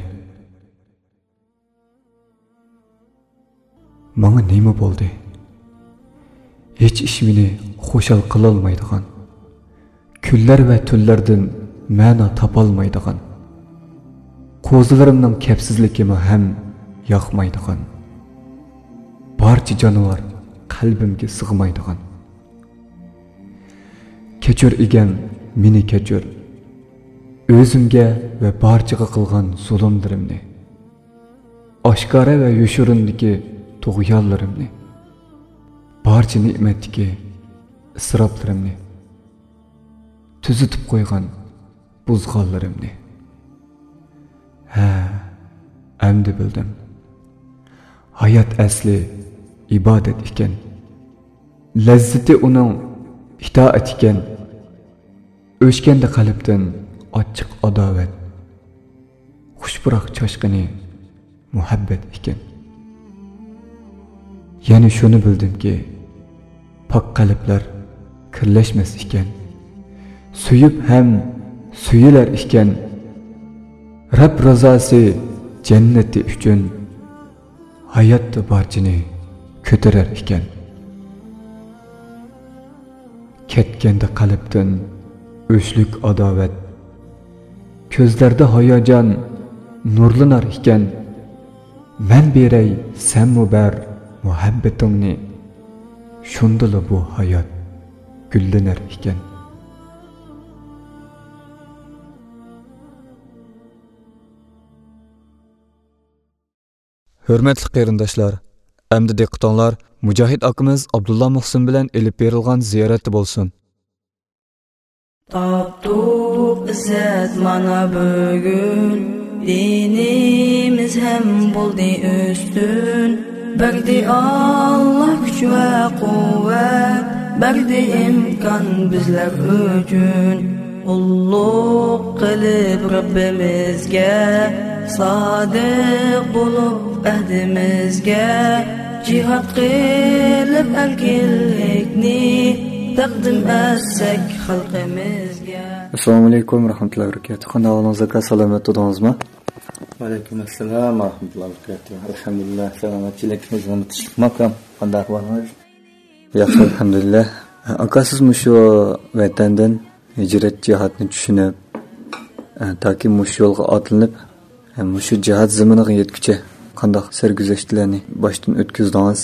ماڭا نېمە بولدى؟ ھېچ ئىش مېنى خۇشال قىلالمايدىغان، كۈنلەر ۋە تۈنلەردىن مەنا تاپالمايدىغان، قوزىلىرىمنىڭ كەپسىزلىكىمۇ ھەم ياقمايدىغان، بارچە جانىۋار قەلبىمگە سىغمايدىغان. كەچۈر ئىگەم، مېنى كەچۈر، ئۆزۈمگە ۋە بارچىغا قىلغان زۇلۇملىرىمنى، ئاشكارا ۋە يوشۇرۇندىكى تۇغيانلىرىمنى، بارچە نېمەتتىكى ئىسراپلىرىمنى، تۈزىتىپ قويغان بۇزغانلىرىمنى. ھە، ئەمدى بىلدىم. ھايات ئەسلى ئىبادەت ئىكەن. لەززىتى ئۇنىڭ ئىتائەت ئىكەن. ئۆچكەندە قەلبتىن ئاچچىق ئاداۋەت، خۇش پۇراق چاچقىنى مۇھەببەت ئىكەن. يەنە شۇنى بىلدىمكى، پاك قەلبلەر كىرلەشمەس ئىكەن. سۆيۈپ ھەم سۆيۈلەر ئىكەن. رەب رىزاسى جەننىتى ئۈچۈن ھاياتتا بارچىنى كۆتۈرەر ئىكەن. كەتكەندە قەلبتىن ئۆچلۈك ئاداۋەت، كۆزلەردە ھاياجان نۇرلىنار ئىكەن. مەن بېرەي، سەنمۇ بەر مۇھەببىتىڭنى، شۇندىلا بۇ ھايات گۈللىنەر ئىكەن. ھۆرمەتلىك قېرىنداشلار، ئەمدى دىققىتىڭلار مۇجاھىد ئاكىمىز ئابدۇللا مۇھسىن بىلەن ئېلىپ بېرىلغان زىيارەتتە بولسۇن. تاپتۇق ئىززەت مانا بۈگۈن، دىنىمىز ھەم بولدى ئۈستۈن. بەردى ئاللا كۈچ ۋە قۇۋۋەت، بەردى ئىمكان بىزلەر ئۈچۈن. قۇللۇق قىلىپ رەببىمىزگە، سادىق بولۇپ ئەھدىمىزگە، جىھاد قىلىپ ئەركىنلىكنى تەقدىم ئەتسەك خەلقىمىزگە. ئەسسالامۇ ئەلەيكۇم ۋە رەھمەتۇللاھى ۋە بەرىكاتۇھ. قانداق ئەھۋالىڭىز ئاكا، سالامەت تۇردىڭىزمۇ؟ ۋەئەلەيكۇم ئەسسالام ۋە رەھمەتۇللاھى ۋە بەرىكاتۇھ. ئەلھەمدۇلىللا، سالامەتچىلىك، خىزمىتى شۇنداقمۇ ئاكام؟ قانداق ئەھۋالىڭىز؟ ياخشى، ئەلھەمدۇلىللا. ئاكا، سىز مۇشۇ ۋەتەندىن ھىجرەت جىھادنى چۈشىنىپ، تاكى مۇشۇ يولغا ئاتلىنىپ، مۇشۇ جىھاد زېمىنىغا يەتكۈچە قانداق سەرگۈزەشتلەرنى باشتىن ئۆتكۈزدىڭىز؟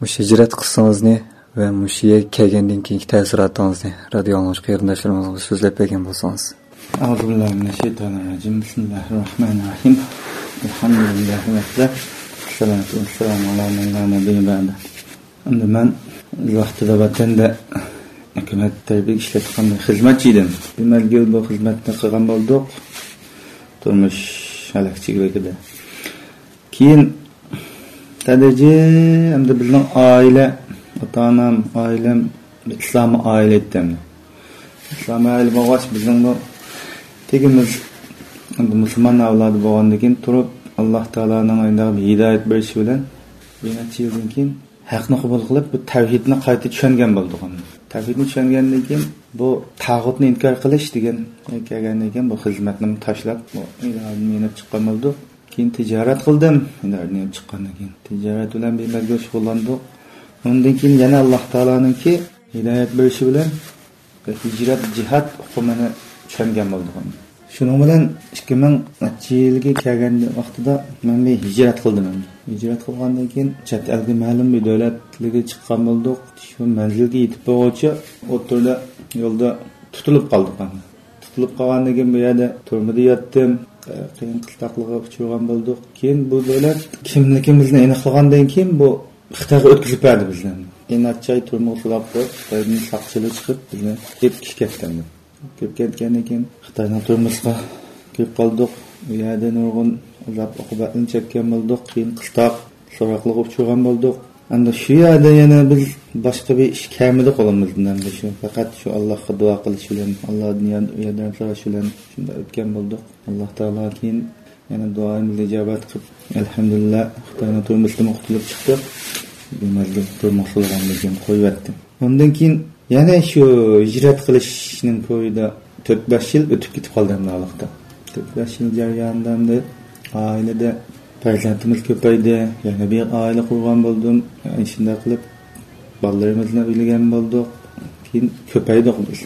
مۇشۇ ھىجرەت قىسسىڭىزنى ۋە مۇشۇ يەرگە كەلگەندىن كېيىنكى تەسىراتىڭىزنى رادىيو ئاڭلىغۇچى قېرىنداشلىرىمىزغا سۆزلەپ بەرگەن بولسىڭىز. أعوذ بالله من الشيطان الرجيم. بسم الله الرحمن الرحيم. ئەلھەمدۇلىللاھى ۋەھدە، ۋەسسالاتۇ ۋەسسالامۇ ئالا مەن لا نەبىييە بەئدە. ئەمدى مەن ۋاقتىدا ۋەتەندە ھۆكۈمەت تەرىپىدە ئىشلەتكەن خىزمەتچى ئىدىم. بىر مەزگىل بۇ خىزمەتنى قىلغان بولدۇق. تۇرمۇش ھەلەكچىلىكىدە. كېيىن تەدرىجىي ئەمدى بىزنىڭ ئائىلە، ئاتا-ئانام، ئائىلەم ئىسلامىي ئائىلە ئىدى ئەمدى. ئىسلامىي ئائىلە بولغاچ، بىزنىڭمۇ تېگىمىز ئەمدى مۇسۇلمان ئەۋلادى بولغاندىن كېيىن تۇرۇپ، ئاللا تائالانىڭ ئايندىغا بىر ھىدايەت بېرىشى بىلەن بىر نەچچە يىلدىن كېيىن ھەقنى قوبۇل قىلىپ، بۇ تەۋھىدنى قايتا چۈشەنگەن بولدۇق. تەۋھىدنى چۈشەنگەندىن كېيىن بۇ تاغۇتنى ئىنكار قىلىش دېگەن كەلگەندىن كېيىن بۇ خىزمەتنى تاشلاپ، بۇ ئىدارىدىن يېنىپ چىققان بولدۇق. كېيىن تىجارەت قىلدىم. ئىدارىدىن يېنىپ چىققاندىن كېيىن تىجارەت بىلەن بىر مەزگىل شۇغۇللاندۇق. ئۇندىن كېيىن يەنە ئاللا تائالانىڭكى ھىدايەت بېرىشى بىلەن ھىجرەت، جىھاد ئۇقۇمىنى چۈشەنگەن بولدۇق. شۇنىڭ بىلەن ئىككى مىڭ نەچچە يىلغا كەلگەن ۋاقتىدا مەن بىر ھىجرەت قىلدىم. ھىجرەت قىلغاندىن كېيىن چەت ئەلگە مەلۇم بىر دۆلەتلەرگە چىققان بولدۇق. شۇ مەنزىلگە يېتىپ بولغۇچە ئوتتۇرىدا يولدا تۇتۇلۇپ قالدۇق. تۇتۇلۇپ قالغاندىن كېيىن بۇ يەردە تۈرمىدە ياتتىم. قىيىن قىستاقلىققا ئۇچرىغان بولدۇق. كېيىن بۇ دۆلەت كىملىكىمىزنى ئېنىقلىغاندىن كېيىن بۇ خىتايغا ئۆتكۈزۈپ بەردى بىزنى. ئىناچاي تۈرمىگە سولاپ قويۇپ، خىتايدىن ساقچىلار چىقىپ بىزنى ئېلىپ كېتىپ كەتتى. كىرىپ كەتكەندىن كېيىن خىتاينىڭ تۈرمىسىغا كىرىپ قالدۇق. ئۇ يەردە نۇرغۇن ئازاب ئوقۇبەتنى چەككەن بولدۇق. كېيىن قىستاق سوراقلىققا ئۇچرىغان بولدۇق. ئەمدى شۇ يەردە يەنە بىز باشقا بىر ئىش كەلمىدى قولىمىزدىن. ئەمدى شۇ پەقەت شۇ ئاللاغا دۇئا قىلىش بىلەن، ئاللادىن يار-، ياردەم سوراش بىلەن شۇنداق ئۆتكەن بولدۇق. ئاللا تائالا كېيىن يەنە دۇئايىمىزنى ئىجابەت قىلىپ، ئەلھەمدۇلىللا، خىتاينىڭ تۈرمىسىدىنمۇ قۇتۇلۇپ چىقتۇق. بىر مەزگىل تۈرمىگە سولىغاندىن كېيىن قويۇۋەتتى. ئۇندىن كېيىن يەنە شۇ ھىجرەت قىلىشنىڭ كويىدا تۆت بەش يىل ئۆتۈپ كېتىپ قالدى ئەمدى ھالىقتا. تۆت بەش يىل جەريانىدا ئەمدى ئائىلىدە پەرزەنتىمىز كۆپەيدى. يەنە بىر ئائىلە قۇرغان بولدۇم. يەنە شۇنداق قىلىپ بالىلىرىمىزنى ئۆيلىگەن بولدۇق. كېيىن كۆپەيدۇق بىز.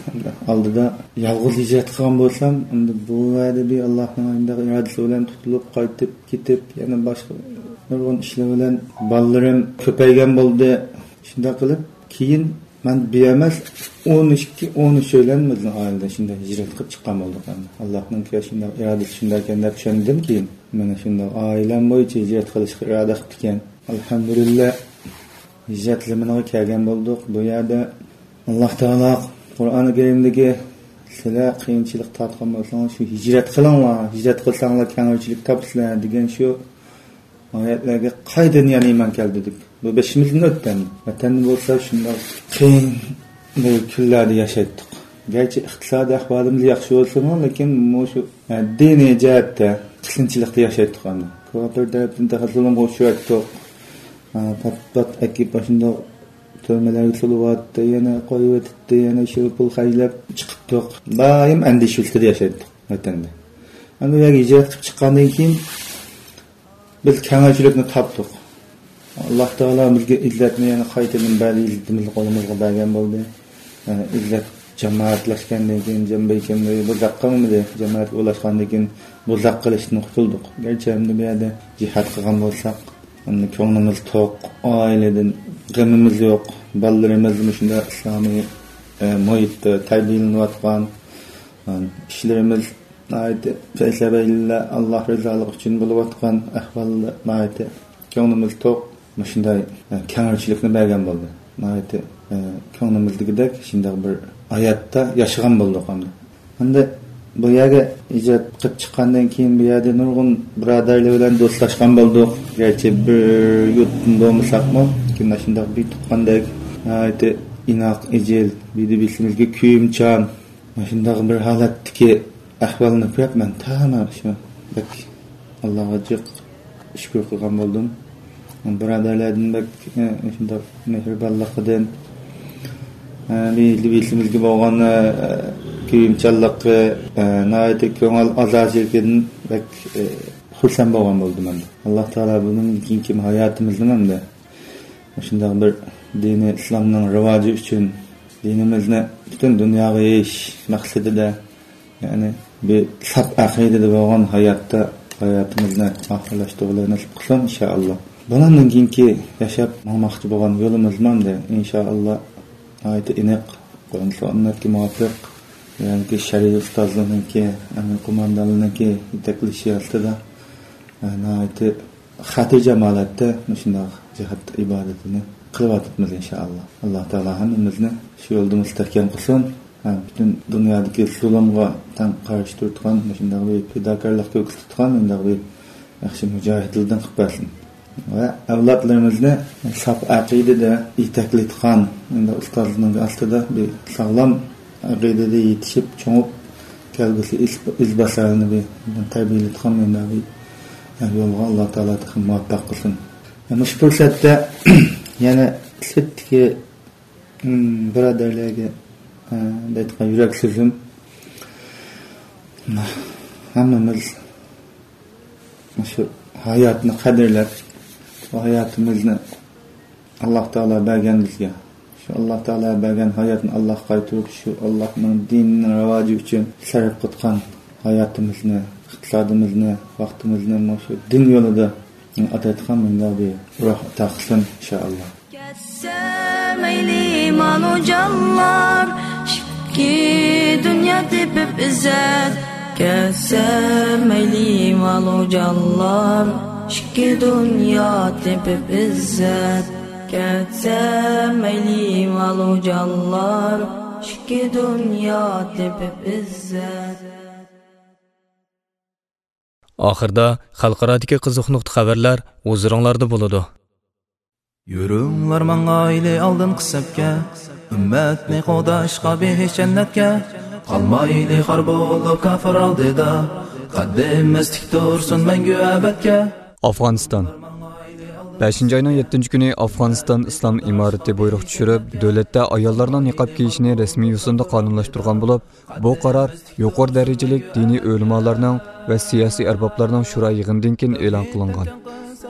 ئالدىدا يالغۇز ھىجرەت قىلغان بولسام، ئەمدى بۇ يەردە بىر ئاللانىڭ ئىرادىسى بىلەن تۇتۇلۇپ قايتىپ كېتىپ، يەنە باشقا نۇرغۇن ئىشلار بىلەن بالىلىرىم كۆپەيگەن بولدى. شۇنداق قىلىپ، كېيىن مەن بىر ئەمەس، ئون ئىككى، ئون ئۈچ يىل بىزنىڭ ئائىلىدە شۇنداق ھىجرەت قىلىپ چىققان بولدۇق ئەمدى. ئاللانىڭكى شۇنداق ئىرادىسى شۇنداق ئىكەن دەپ چۈشەندىم كېيىن. مانا شۇنداق ئائىلەم بويىچە ھىجرەت قىلىشقا ئىرادە قىپتىكەن. ئەلھەمدۇلىللا، ھىجرەت زېمىنىغا كەلگەن بولدۇق. بۇ يەردە ئاللا تائالا قۇرئانى كەرىمدىكى، «سىلەر قىيىنچىلىق تارتقان بولساڭلار، شۇ ھىجرەت قىلىڭلار، ھىجرەت قىلساڭلار كەڭرىچىلىك تاپىسىلەر» دېگەن شۇ ئايەتلەرگە قايتىدىن يەنە ئىمان كەلدى دەپ. بۇ بېشىمىزدىن ئۆتتى. ۋەتەندە بولسا شۇنداق قىيىن بىر كۈنلەردە ياشايتتۇق. گەرچە ئىقتىسادىي ئەھۋالىمىز ياخشى بولسىمۇ، لېكىن مۇشۇ، ئە، دىنىي جەھەتتە قىيىنچىلىقتا ياشايتتۇق ئەمدى. كاپىر تەرەپتىن تېخى زۇلۇمغا ئۇچرايتتۇق. ئە، پات-پات ئەكىپ ئاشۇنداق تۈرمىلەرگە سولىۋاتتى، يەنە قويۇۋېتىپتى، يەنە شۇ پۇل خەجلەپ چىقىپتۇق. دائىم ئەندىشە ئۈستىدە ياشايتتۇق ۋەتەندە. ئەمدى بۇ يەرگە ھىجرەت قىلىپ چىققاندىن كېيىن، بىز كەڭرىچىلىكنى تاپتۇق. ئاللا تائالا بىزگە ئىززەتنى يەنە قايتىدىن بەردى، ئىززىتىمىزنى قولىمىزغا بەرگەن بولدى. يەنە ئىززەت جامائەتلەشكەندىن كېيىن، جەم بەيكەمدە بۇزاق قىلمىدى. جامائەتكە ئۇلاشقاندىن كېيىن بۇزاق قىلىشتىن قۇتۇلدۇق. گەرچە ئەمدى بۇ يەردە جىھاد قىلغان بولساق، ئەمدى كۆڭلىمىز توق، ئائىلىدىن غېمىمىز يوق. بالىلىرىمىز مۇشۇنداق ئىسلامىي، ئە، مۇھىتتا تەربىيەلىنىۋاتقان، ئە، ئىشلىرىمىز ناھايىتى پەيسەبەيلىلەر، ئاللا رىزالىقى ئۈچۈن بولۇۋاتقان ئەھۋالدا ناھايىتى كۆڭلىمىز توق. مۇشۇنداي، ئە، كەڭرىچىلىكنى بەرگەن بولدى. ناھايىتى، ئە، كۆڭلىمىزدىكىدەك شۇنداق بىر ھاياتتا ياشىغان بولدۇق ئەمدى. ئەمدى بۇ يەرگە ھىجرەت قىلىپ چىققاندىن كېيىن، بۇ يەردە نۇرغۇن بۇرادەرلەر بىلەن دوستلاشقان بولدۇق. گەرچە بىر يۇرتتىن بولمىساقمۇ، لېكىن شۇنداق بىر تۇغقاندەك ناھايىتى ئىناق، ئېجىل، بىردە بىسىمىزگە كۆيۈمچان، مۇشۇنداق بىر ھالەتتىكى ئەھۋالنى كۆرۈپ، مەن تامام شۇ بەك ئاللاغا جىق شۈكۈر قىلغان بولدۇم. بۇرادەرلەردىن بەك، ئە، شۇنداق مېھرىبانلىقىدىن، ئە، مىللىتىمىزگە بولغان، ئە، كۆيۈمچانلىقى، ئە، ناھايىتى كۆڭۈل ئازادىلىكىدىن بەك، ئە، خۇرسەن بولغان بولدۇم ئەمدى. ئاللا تائالا بۇنىڭدىن كېيىنكى ھاياتىمىزنى ئەمدى مۇشۇنداق بىر دىنى ئىسلامنىڭ راۋاجى ئۈچۈن، دىنىمىزنى پۈتۈن دۇنياغا يېيىش مەقسىتىدە، يەنى بىر ساپ ئەقىدىدە بولغان ھاياتتا ھاياتىمىزنى ئاخىرلاشتۇرغىلى نېسىپ قىلسۇن، ئىنشائاللا. بۇنىڭدىن كېيىنكى ياشاپ ماڭماقچى بولغان يولىمىزمۇ ئەمدى، ئىنشائاللا، ناھايىتى ئېنىق، قۇرئان سۈننەتكە مۇۋاپىق، يەنى شەرئىي ئۇستازلارنىڭكى، ئەمىن قوماندانلارنىڭكى يېتەكلىشى ئاستىدا ناھايىتى خاتىرجەم ھالەتتە مۇشۇنداق جىھاد ئىبادىتىنى قىلىۋاتىمىز، ئىنشائاللا. ئاللا تائالا ھەممىمىزنى شۇ يولدا مۇستەھكەم قىلسۇن. ھەم پۈتۈن دۇنيادىكى زۇلۇمغا تەڭ قارشى تۇرىدىغان، مۇشۇنداق بىر پىداكارلىق كۆرسىتىدىغان مۇنداق بىر ياخشى مۇجاھىدلاردىن قىلىپ بەرسۇن. ۋە ئەۋلادلىرىمىزنى ساپ ئەقىدىدە يېتەكلەيدىغان، ئەمدى ئۇستازلىرىنىڭ ئاستىدا بىر ساغلام ئەقىدىدە يېتىشىپ، چوڭۇپ، كەلگۈسى ئىز-، ئىزباسارلىرىنى بىر تەربىيەلەيدىغان مۇنداق بىر يولغا ئاللا تائالا تېخى مۇۋەپپەق قىلسۇن. مۇشۇ پۇرسەتتە يەنە سىرتتىكى، ئىم، بۇرادەرلەرگە، ئە، دەيدىغان يۈرەك سۆزۈم، ھەممىمىز مۇشۇ ھاياتنى قەدىرلەپ، بۇ ھاياتىمىزنى ئاللا تائالا بەرگەن بىزگە. شۇ ئاللا تائالا بەرگەن ھاياتنى ئاللاغا قايتۇرۇپ، شۇ ئاللانىڭ دىنىنىڭ راۋاجى ئۈچۈن سەرپ قىلغان ھاياتىمىزنى، ئىقتىسادىمىزنى، ۋاقتىمىزنى مۇشۇ دىن يولىدا ئاتايدىغان مۇنداق بىر روھ ئاتا قىلسۇن، ئىنشائاللا. كەتسە مەيلى مالۇ جانلار، ئىككى دۇنيا تېپىپ ئىززەت. كەتسە مەيلى مالۇ جانلار، ئىككى دۇنيا تېپىپ ئىززەت. كەتسە مەيلى مالۇ جانلار، ئىككى دۇنيا تېپىپ ئىززەت. ئاخىردا خەلقئارادىكى قىزىق نۇقتا خەۋەرلەر ھۇزۇرۇڭلاردا بولىدۇ. يۈرۈڭلار ماڭايلى ئالدىنقى سەپكە، ئۈممەتنى قوغداشقا بېھىش جەننەتكە. قالمايلى خار بولۇپ كاپىر ئالدىدا، قەددىمىز تىك تۇرسۇن مەڭگۈ ئەبەدكە. ئافغانىستان. بەشىنچى ئاينىڭ يەتتىنچى كۈنى ئافغانىستان ئىسلام ئىمارىتى بۇيرۇق چۈشۈرۈپ، دۆلەتتە ئاياللارنىڭ نىقاب كىيىشىنى رەسمىي يوسۇندا قانۇنلاشتۇرغان بولۇپ، بۇ قارار يۇقىرى دەرىجىلىك دىنىي ئۆلىمالارنىڭ ۋە سىياسىي ئەربابلارنىڭ شورا يىغىنىدىن كېيىن ئېلان قىلىنغان.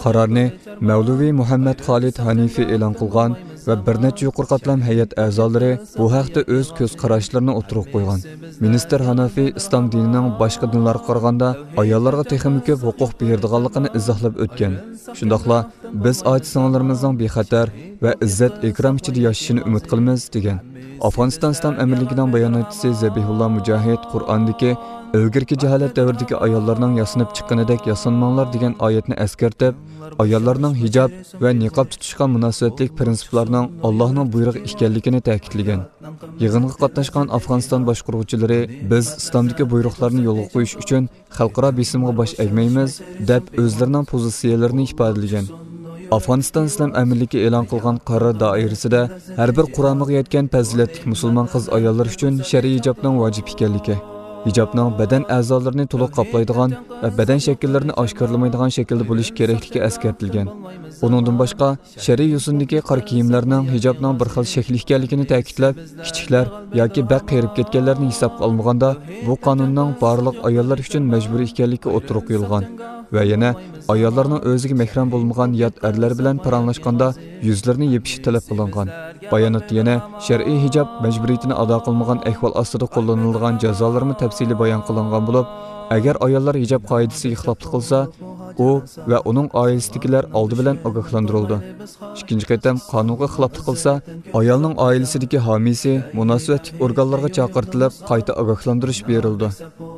قارارنى مەۋلىۋى مۇھەممەد خالىد ھەنىفى ئېلان قىلغان ۋە بىر نەچچە يۇقىرى قاتلام ھەيئەت ئەزالىرى بۇ ھەقتە ئۆز كۆز قاراشلىرىنى ئوتتۇرىغا قويغان. مىنىستىر ھەنىفى ئىسلام دىنىنىڭ باشقا دىنلارغا قارىغاندا ئاياللارغا تېخىمۇ كۆپ ھوقۇق بېرىدىغانلىقىنى ئىزاھلاپ ئۆتكەن. شۇنداقلا، بىز ئاچا-سىڭىللىرىمىزنىڭ بىخەتەر ۋە ئىززەت-ئىكرام ئىچىدە ياشىشىنى ئۈمىد قىلىمىز، دېگەن. ئافغانىستان ئىسلام ئەمىرلىكىنىڭ باياناتچىسى زەبىھۇللا مۇجاھىد قۇرئاندىكى ئىلگىرىكى جاھالەت دەۋرىدىكى ئاياللارنىڭ ياسىنىپ چىققىنىدەك ياسانماڭلار، دېگەن ئايەتنى ئەسكەرتىپ، ئاياللارنىڭ ھىجاب ۋە نىقاب تۇتۇشقا مۇناسىۋەتلىك پىرىنسىپلارنىڭ ئاللاھنىڭ بۇيرۇقى ئىكەنلىكىنى تەكىتلىگەن. يىغىنغا قاتناشقان ئافغانىستان باشقۇرغۇچىلىرى، بىز ئىسلامدىكى بۇيرۇقلارنى يولغا قويۇش ئۈچۈن خەلقئارا بېسىمغا باش ئەگمەيمىز، دەپ ئۆزلىرىنىڭ پوزىتسىيەلىرىنى ئىپادىلىگەن. ئافغانىستان ئىسلام ئەمىرلىكى ئېلان قىلغان قارار دائىرىسىدە ھەر بىر قۇرامىغا يەتكەن پەزىلەتلىك مۇسۇلمان قىز-ئاياللار ئۈچۈن شەرئىي ھىجابنىڭ ۋاجىپ ئىكەنلىكى، ھىجابنىڭ بەدەن ئەزالىرىنى تولۇق قاپلايدىغان ۋە بەدەن شەكىللىرىنى ئاشكارىلىمايدىغان شەكىلدە بولۇشى كېرەكلىكى ئەسكەرتىلگەن. ئۇنىڭدىن باشقا، شەرئىي يوسۇندىكى قارا كىيىملەرنىڭ ھىجابنىڭ بىر خىل شەكلى ئىكەنلىكىنى تەكىتلەپ، كىچىكلەر ياكى بەك قېرىپ كەتكەنلەرنى ھېسابقا ئالمىغاندا، بۇ قانۇننىڭ بارلىق ئاياللار ئۈچۈن مەجبۇرىي ئىكەنلىكى ئوتتۇرىغا قويۇلغان ۋە يەنە ئاياللارنىڭ ئۆزىگە مەھرەم بولمىغان يات ئەرلەر بىلەن پاراڭلاشقاندا يۈزلىرىنى يېپىشى تەلەپ قىلىنغان. باياناتتا يەنە شەرئىي ھىجاب مەجبۇرىيىتىنى ئادا قىلمىغان ئەھۋال ئاستىدا قوللىنىلىدىغان جازالارمۇ تەپسىلىي بايان قىلىنغان بولۇپ، ئەگەر ئاياللار ھىجاب قائىدىسىگە خىلاپلىق قىلسا، ئۇ ۋە ئۇنىڭ ئائىلىسىدىكىلەر ئالدى بىلەن ئاگاھلاندۇرۇلىدۇ. ئىككىنچى قېتىم قانۇنغا خىلاپلىق قىلسا، ئايالنىڭ ئائىلىسىدىكى ھامىيسى مۇناسىۋەتلىك ئورگانلارغا چاقىرتىلىپ، قايتا ئاگاھلاندۇرۇش بېرىلىدۇ.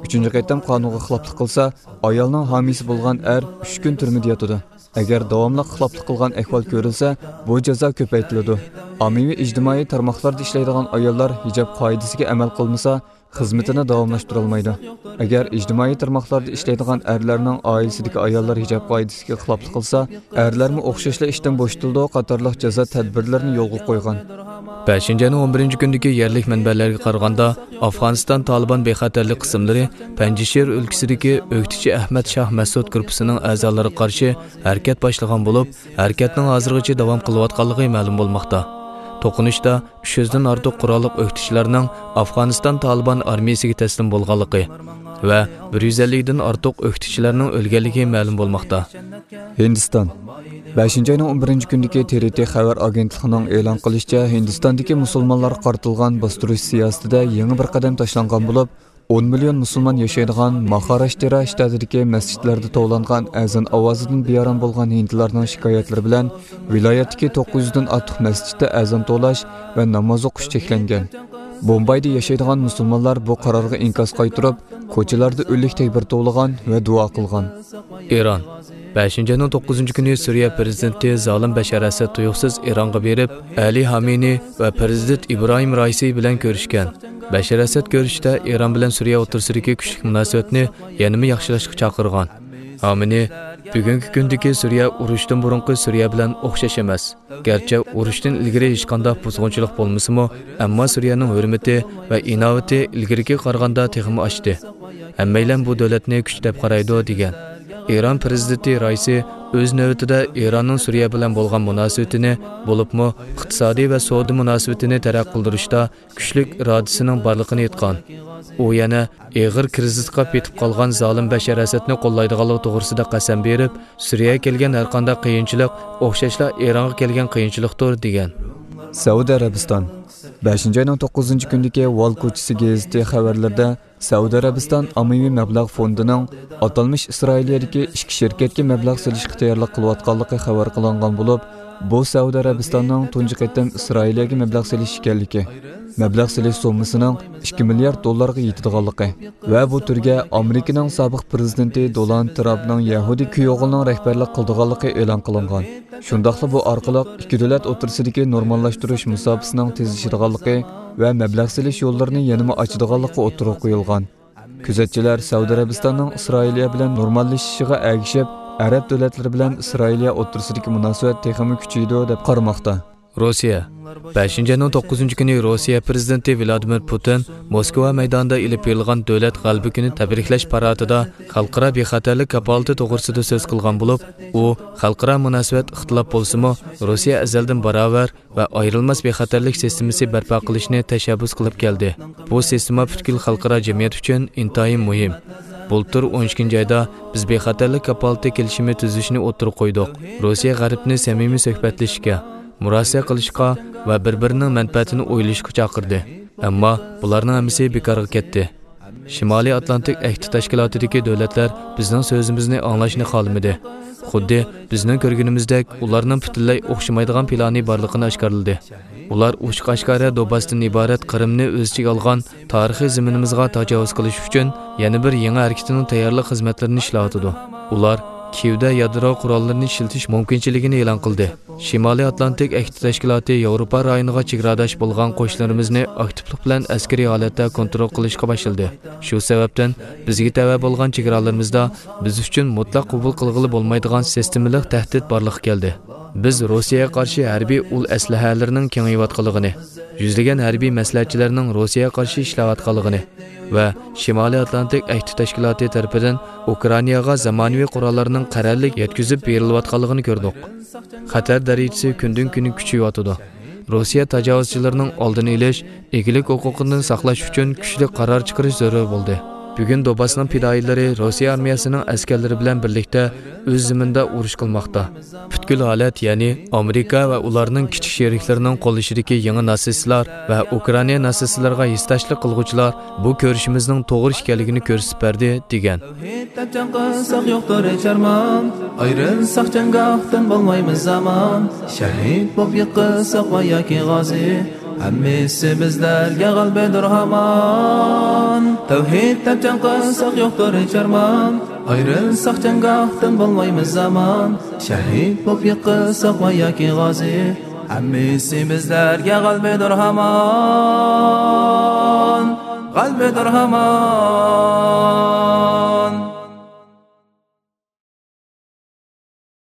ئۈچىنچى قېتىم قانۇنغا خىلاپلىق قىلسا، ئايالنىڭ ھامىيسى بولغان ئەر ئۈچ كۈن تۈرمىدە ياتىدۇ. ئەگەر داۋاملىق خىلاپلىق قىلغان ئەھۋال كۆرۈلسە، بۇ جازا كۆپەيتىلىدۇ. ئاممىۋى ئىجتىمائىي تارماقلاردا ئىشلەيدىغان ئاياللار ھىجاب قائىدىسىگە ئەمەل قىلمىسا، خىزمىتىنى داۋاملاشتۇرالمايدۇ. ئەگەر ئىجتىمائىي تارماقلاردا ئىشلەيدىغان ئەرلەرنىڭ ئائىلىسىدىكى ئاياللار ھىجاب قائىدىسىگە خىلاپلىق قىلسا، ئەرلەرمۇ ئوخشاشلا ئىشتىن بوشىتىلىدۇ قاتارلىق جازا تەدبىرلىرىنى يولغا قويغان. بەشىنچى ئاينىڭ ئون بىرىنچى كۈنىدىكى يەرلىك مەنبەلەرگە قارىغاندا، ئافغانىستان تالىبان بىخەتەرلىك قىسىملىرى پەنجشىر ئۆلكىسىدىكى ئۆكتىچى ئەھمەد شاھ مەسۇد گۇرۇپپىسىنىڭ ئەزالىرىغا قارشى ھەرىكەت باشلىغان بولۇپ، ھەرىكەتنىڭ ھازىرغىچە داۋام قىلىۋاتقانلىقى مەلۇم بولماقتا. توقۇنۇشتا ئۈچ يۈزدىن ئارتۇق قوراللىق ئۆكتىچىلەرنىڭ ئافغانىستان تالىبان ئارمىيىسىگە تەسلىم بولغانلىقى ۋە بىر يۈز ئەللىكتىن ئارتۇق ئۆكتىچىلەرنىڭ ئۆلگەنلىكى مەلۇم بولماقتا. ھىندىستان. بەشىنچى ئاينىڭ ئون بىرىنچى كۈنىدىكى تې رې تې خەۋەر ئاگېنتلىقىنىڭ ئېلان قىلىشىچە، ھىندىستاندىكى مۇسۇلمانلارغا قارىتىلغان باستۇرۇش سىياسىتىدە يېڭى بىر قەدەم تاشلانغان بولۇپ، ئون مىليون مۇسۇلمان ياشايدىغان ماھاراشتىرا شتاتىدىكى مەسچىتلەردە توۋلانغان ئەزان ئاۋازىدىن بىئارام بولغان ھىندىلارنىڭ شىكايەتلىرى بىلەن ۋىلايەتتىكى توققۇز يۈزدىن ئارتۇق مەسچىتتە ئەزان توۋلاش ۋە ناماز ئوقۇش چەكلەنگەن. بومبايدا ياشايدىغان مۇسۇلمانلار بۇ قارارغا ئىنكاس قايتۇرۇپ، كوچىلاردا ئۆلۈك تەكبىر توۋلىغان ۋە دۇئا قىلغان. ئىران. بەشىنچى ئاينىڭ توققۇزىنچى كۈنى سۈرىيە پرېزىدېنتى زالىم بەشار ئەسەد تۇيۇقسىز ئىرانغا بېرىپ، ئەلى خامېنىي ۋە پرېزىدېنت ئىبراھىم رائىسى بىلەن كۆرۈشكەن. بەشار ئەسەد كۆرۈشۈشتە ئىران بىلەن سۈرىيە ئوتتۇرىسىدىكى كۈچلۈك مۇناسىۋەتنى يەنىمۇ ياخشىلاشقا چاقىرغان. خامېنىي، بۈگۈنكى كۈندىكى سۈرىيە ئۇرۇشتىن بۇرۇنقى سۈرىيە بىلەن ئوخشاش ئەمەس. گەرچە ئۇرۇشتىن ئىلگىرى ھېچقانداق بۇزغۇنچىلىق بولمىسىمۇ، ئەمما سۈرىيەنىڭ ھۆرمىتى ۋە ئىناۋىتى ئىلگىرىكىگە قارىغاندا تېخىمۇ ئاشتى. ھەممەيلەن بۇ دۆلەتنى كۈچ دەپ قارايدۇ، دېگەن. ئىران پرېزىدېنتى رائىسى ئۆز نۆۋىتىدە ئىراننىڭ سۈرىيە بىلەن بولغان مۇناسىۋىتىنى، بولۇپمۇ ئىقتىسادىي ۋە سودا مۇناسىۋىتىنى تەرەققىي قىلدۇرۇشتا كۈچلۈك ئىرادىسىنىڭ بارلىقىنى ئېيتقان. ئۇ يەنە ئېغىر كىرىزىسقا پېتىپ قالغان زالىم بەشار ئەسەدنى قوللايدىغانلىقى توغرىسىدا قەسەم بېرىپ، سۈرىيەگە كەلگەن ھەرقانداق قىيىنچىلىق ئوخشاشلا ئىرانغا كەلگەن قىيىنچىلىقتۇر، دېگەن. سەئۇدى ئەرەبىستان. بەشىنچى ئاينىڭ توققۇزىنچى كۈنىدىكى ۋال كوچىسى گېزىتى خەۋەرلىرىدە سەئۇدى ئەرەبىستان ئاممىۋى مەبلەغ فوندىنىڭ ئاتالمىش ئىسرائىلىيەدىكى ئىككى شىركەتكە مەبلەغ سېلىشقا تەييارلىق قىلىۋاتقانلىقى خەۋەر قىلىنغان بولۇپ، بۇ سەئۇدى ئەرەبىستاننىڭ تۇنجى قېتىم ئىسرائىلىيەگە مەبلەغ سېلىش ئىكەنلىكى، مەبلەغ سېلىش سوممىسىنىڭ ئىككى مىليارد دوللارغا يېتىدىغانلىقى ۋە بۇ تۈرگە ئامېرىكىنىڭ سابىق پرېزىدېنتى دونالد ترامپنىڭ يەھۇدىي كۈيئوغلىنىڭ رەھبەرلىك قىلىدىغانلىقى ئېلان قىلىنغان. شۇنداقلا بۇ ئارقىلىق ئىككى دۆلەت ئوتتۇرىسىدىكى نورماللاشتۇرۇش مۇساپىسىنىڭ تېزلىشىدىغانلىقى ۋە مەبلەغ سېلىش يوللىرىنى يەنىمۇ ئاچىدىغانلىقى ئوتتۇرىغا قويۇلغان. كۆزەتچىلەر سەئۇدى ئەرەبىستاننىڭ ئىسرائىلىيە بىلەن نورماللىشىشىغا ئەگىشىپ، ئەرەب دۆلەتلىرى بىلەن ئىسرائىلىيە ئوتتۇرىسىدىكى مۇناسىۋەت تېخىمۇ كۈچىيىدۇ، دەپ قارىماقتا. روسىيە. بەشىنچى ئاينىڭ توققۇزىنچى كۈنى روسىيە پرېزىدېنتى ۋلادىمىر پۇتىن موسكۋا مەيدانىدا ئېلىپ بېرىلغان دۆلەت غەلىبە كۈنى تەبرىكلەش پاراتىدا خەلقئارا بىخەتەرلىك كاپالىتى توغرىسىدا سۆز قىلغان بولۇپ، ئۇ خەلقئارا مۇناسىۋەت ئىختىلاپ بولسىمۇ، روسىيە ئەزەلدىن باراۋەر ۋە ئايرىلماس بىخەتەرلىك سىستېمىسى بەرپا قىلىشنى تەشەببۇس قىلىپ كەلدى. بۇ سىستېما پۈتكۈل خەلقئارا جەمئىيەت ئۈچۈن ئىنتايىن مۇھىم. بۇلتۇر ئون ئىككىنچى ئايدا بىز بىخەتەرلىك كاپالىتى كېلىشىمى تۈزۈشنى ئوتتۇرىغا قويدۇق. روسىيە غەربنى سەمىمىي سۆھبەتلىشىشكە، مۇراسىئە قىلىشقا ۋە بىر-بىرىنىڭ مەنپەئەتىنى ئويلىشىشقا چاقىردى. ئەمما بۇلارنىڭ ھەممىسى بىكارغا كەتتى. شىمالىي ئاتلانتىك ئەھدى تەشكىلاتىدىكى دۆلەتلەر بىزنىڭ سۆزىمىزنى ئاڭلاشنى خالىمىدى. خۇددى بىزنىڭ كۆرگىنىمىزدەك، ئۇلارنىڭ پۈتۈنلەي ئوخشىمايدىغان پىلانى بارلىقىنى ئاشكارىلىدى. ئۇلار ئوچۇق-ئاشكارا دونباستىن ئىبارەت قىرىمنى ئۆز ئىچىگە ئالغان تارىخىي زېمىنىمىزغا تاجاۋۇز قىلىش ئۈچۈن يەنە بىر يېڭى ھەرىكىتىنىڭ تەييارلىق خىزمەتلىرىنى ئىشلەۋاتىدۇ. ئۇلار كىيېۋدە يادرو قوراللىرىنى ئىشلىتىش مۇمكىنچىلىكىنى ئېلان قىلدى. شىمالىي ئاتلانتىك ئەھدى تەشكىلاتى ياۋروپا رايونىغا چېگراداش بولغان قوشنىلىرىمىزنى ئاكتىپلىق بىلەن ئەسكىرىي ھالەتتە كونترول قىلىشقا باشلىدى. شۇ سەۋەبتىن بىزگە تەۋە بولغان چېگرالىرىمىزدا بىز ئۈچۈن مۇتلەق قوبۇل قىلغىلى بولمايدىغان سىستېمىلىق تەھدىت بارلىققا كەلدى. بىز روسىيەگە قارشى ھەربىي ئۇل ئەسلىھەلىرىنىڭ كېڭىيىۋاتقانلىقىنى، يۈزلىگەن ھەربىي مەسلىھەتچىلەرنىڭ روسىيەگە قارشى ئىشلەۋاتقانلىقىنى ۋە شىمالىي ئاتلانتىك ئەھدى تەشكىلاتى تەرىپىدىن ئۇكرائىناغا زامانىۋى قوراللارنىڭ قەرەللىك يەتكۈزۈپ بېرىلىۋاتقانلىقىنى كۆردۇق. خەتەر دەرىجىسى كۈندىن-كۈنگە كۈچىيىۋاتىدۇ. روسىيە تاجاۋۇزچىلىرىنىڭ ئالدىنى ئېلىش، ئىگىلىك ھوقۇقىنى ساقلاش ئۈچۈن كۈچلۈك قارار چىقىرىش زۆرۈر بولدى. بۈگۈن دونباسنىڭ پىدائىيلىرى روسىيە ئارمىيەسىنىڭ ئەسكەرلىرى بىلەن بىرلىكتە ئۆز زېمىنىدا ئۇرۇش قىلماقتا. پۈتكۈل ھالەت، يەنى ئامېرىكا ۋە ئۇلارنىڭ كىچىك شېرىكلىرىنىڭ قوللىشىدىكى يېڭى ناتسىستلار ۋە ئۇكرائىنا ناتسىستلىرىغا ھېسداشلىق قىلغۇچىلار بۇ كۆرۈشىمىزنىڭ توغرا ئىكەنلىكىنى كۆرسىتىپ بەردى، دېگەن. تەۋھىد دەپ جەڭ قىلساق يوقتۇر ھېچ ئارمان. ئايرىلساق جەڭگاھتىن بولمايمىز ئامان. شەھىد بولۇپ يىقىلساق ۋە ياكى غازى، ھەممىسى بىزلەرگە غەلىبىدۇر ھامان. تەۋھىد دەپ جەڭ قىلساق يوقتۇر ھېچ ئارمان. ئايرىلساق جەڭگاھتىن بولمايمىز ئامان. شەھىد بولۇپ يىقىلساق ۋە ياكى غازى، ھەممىسى بىزلەرگە غەلىبىدۇر ھامان. غەلىبىدۇر ھامان.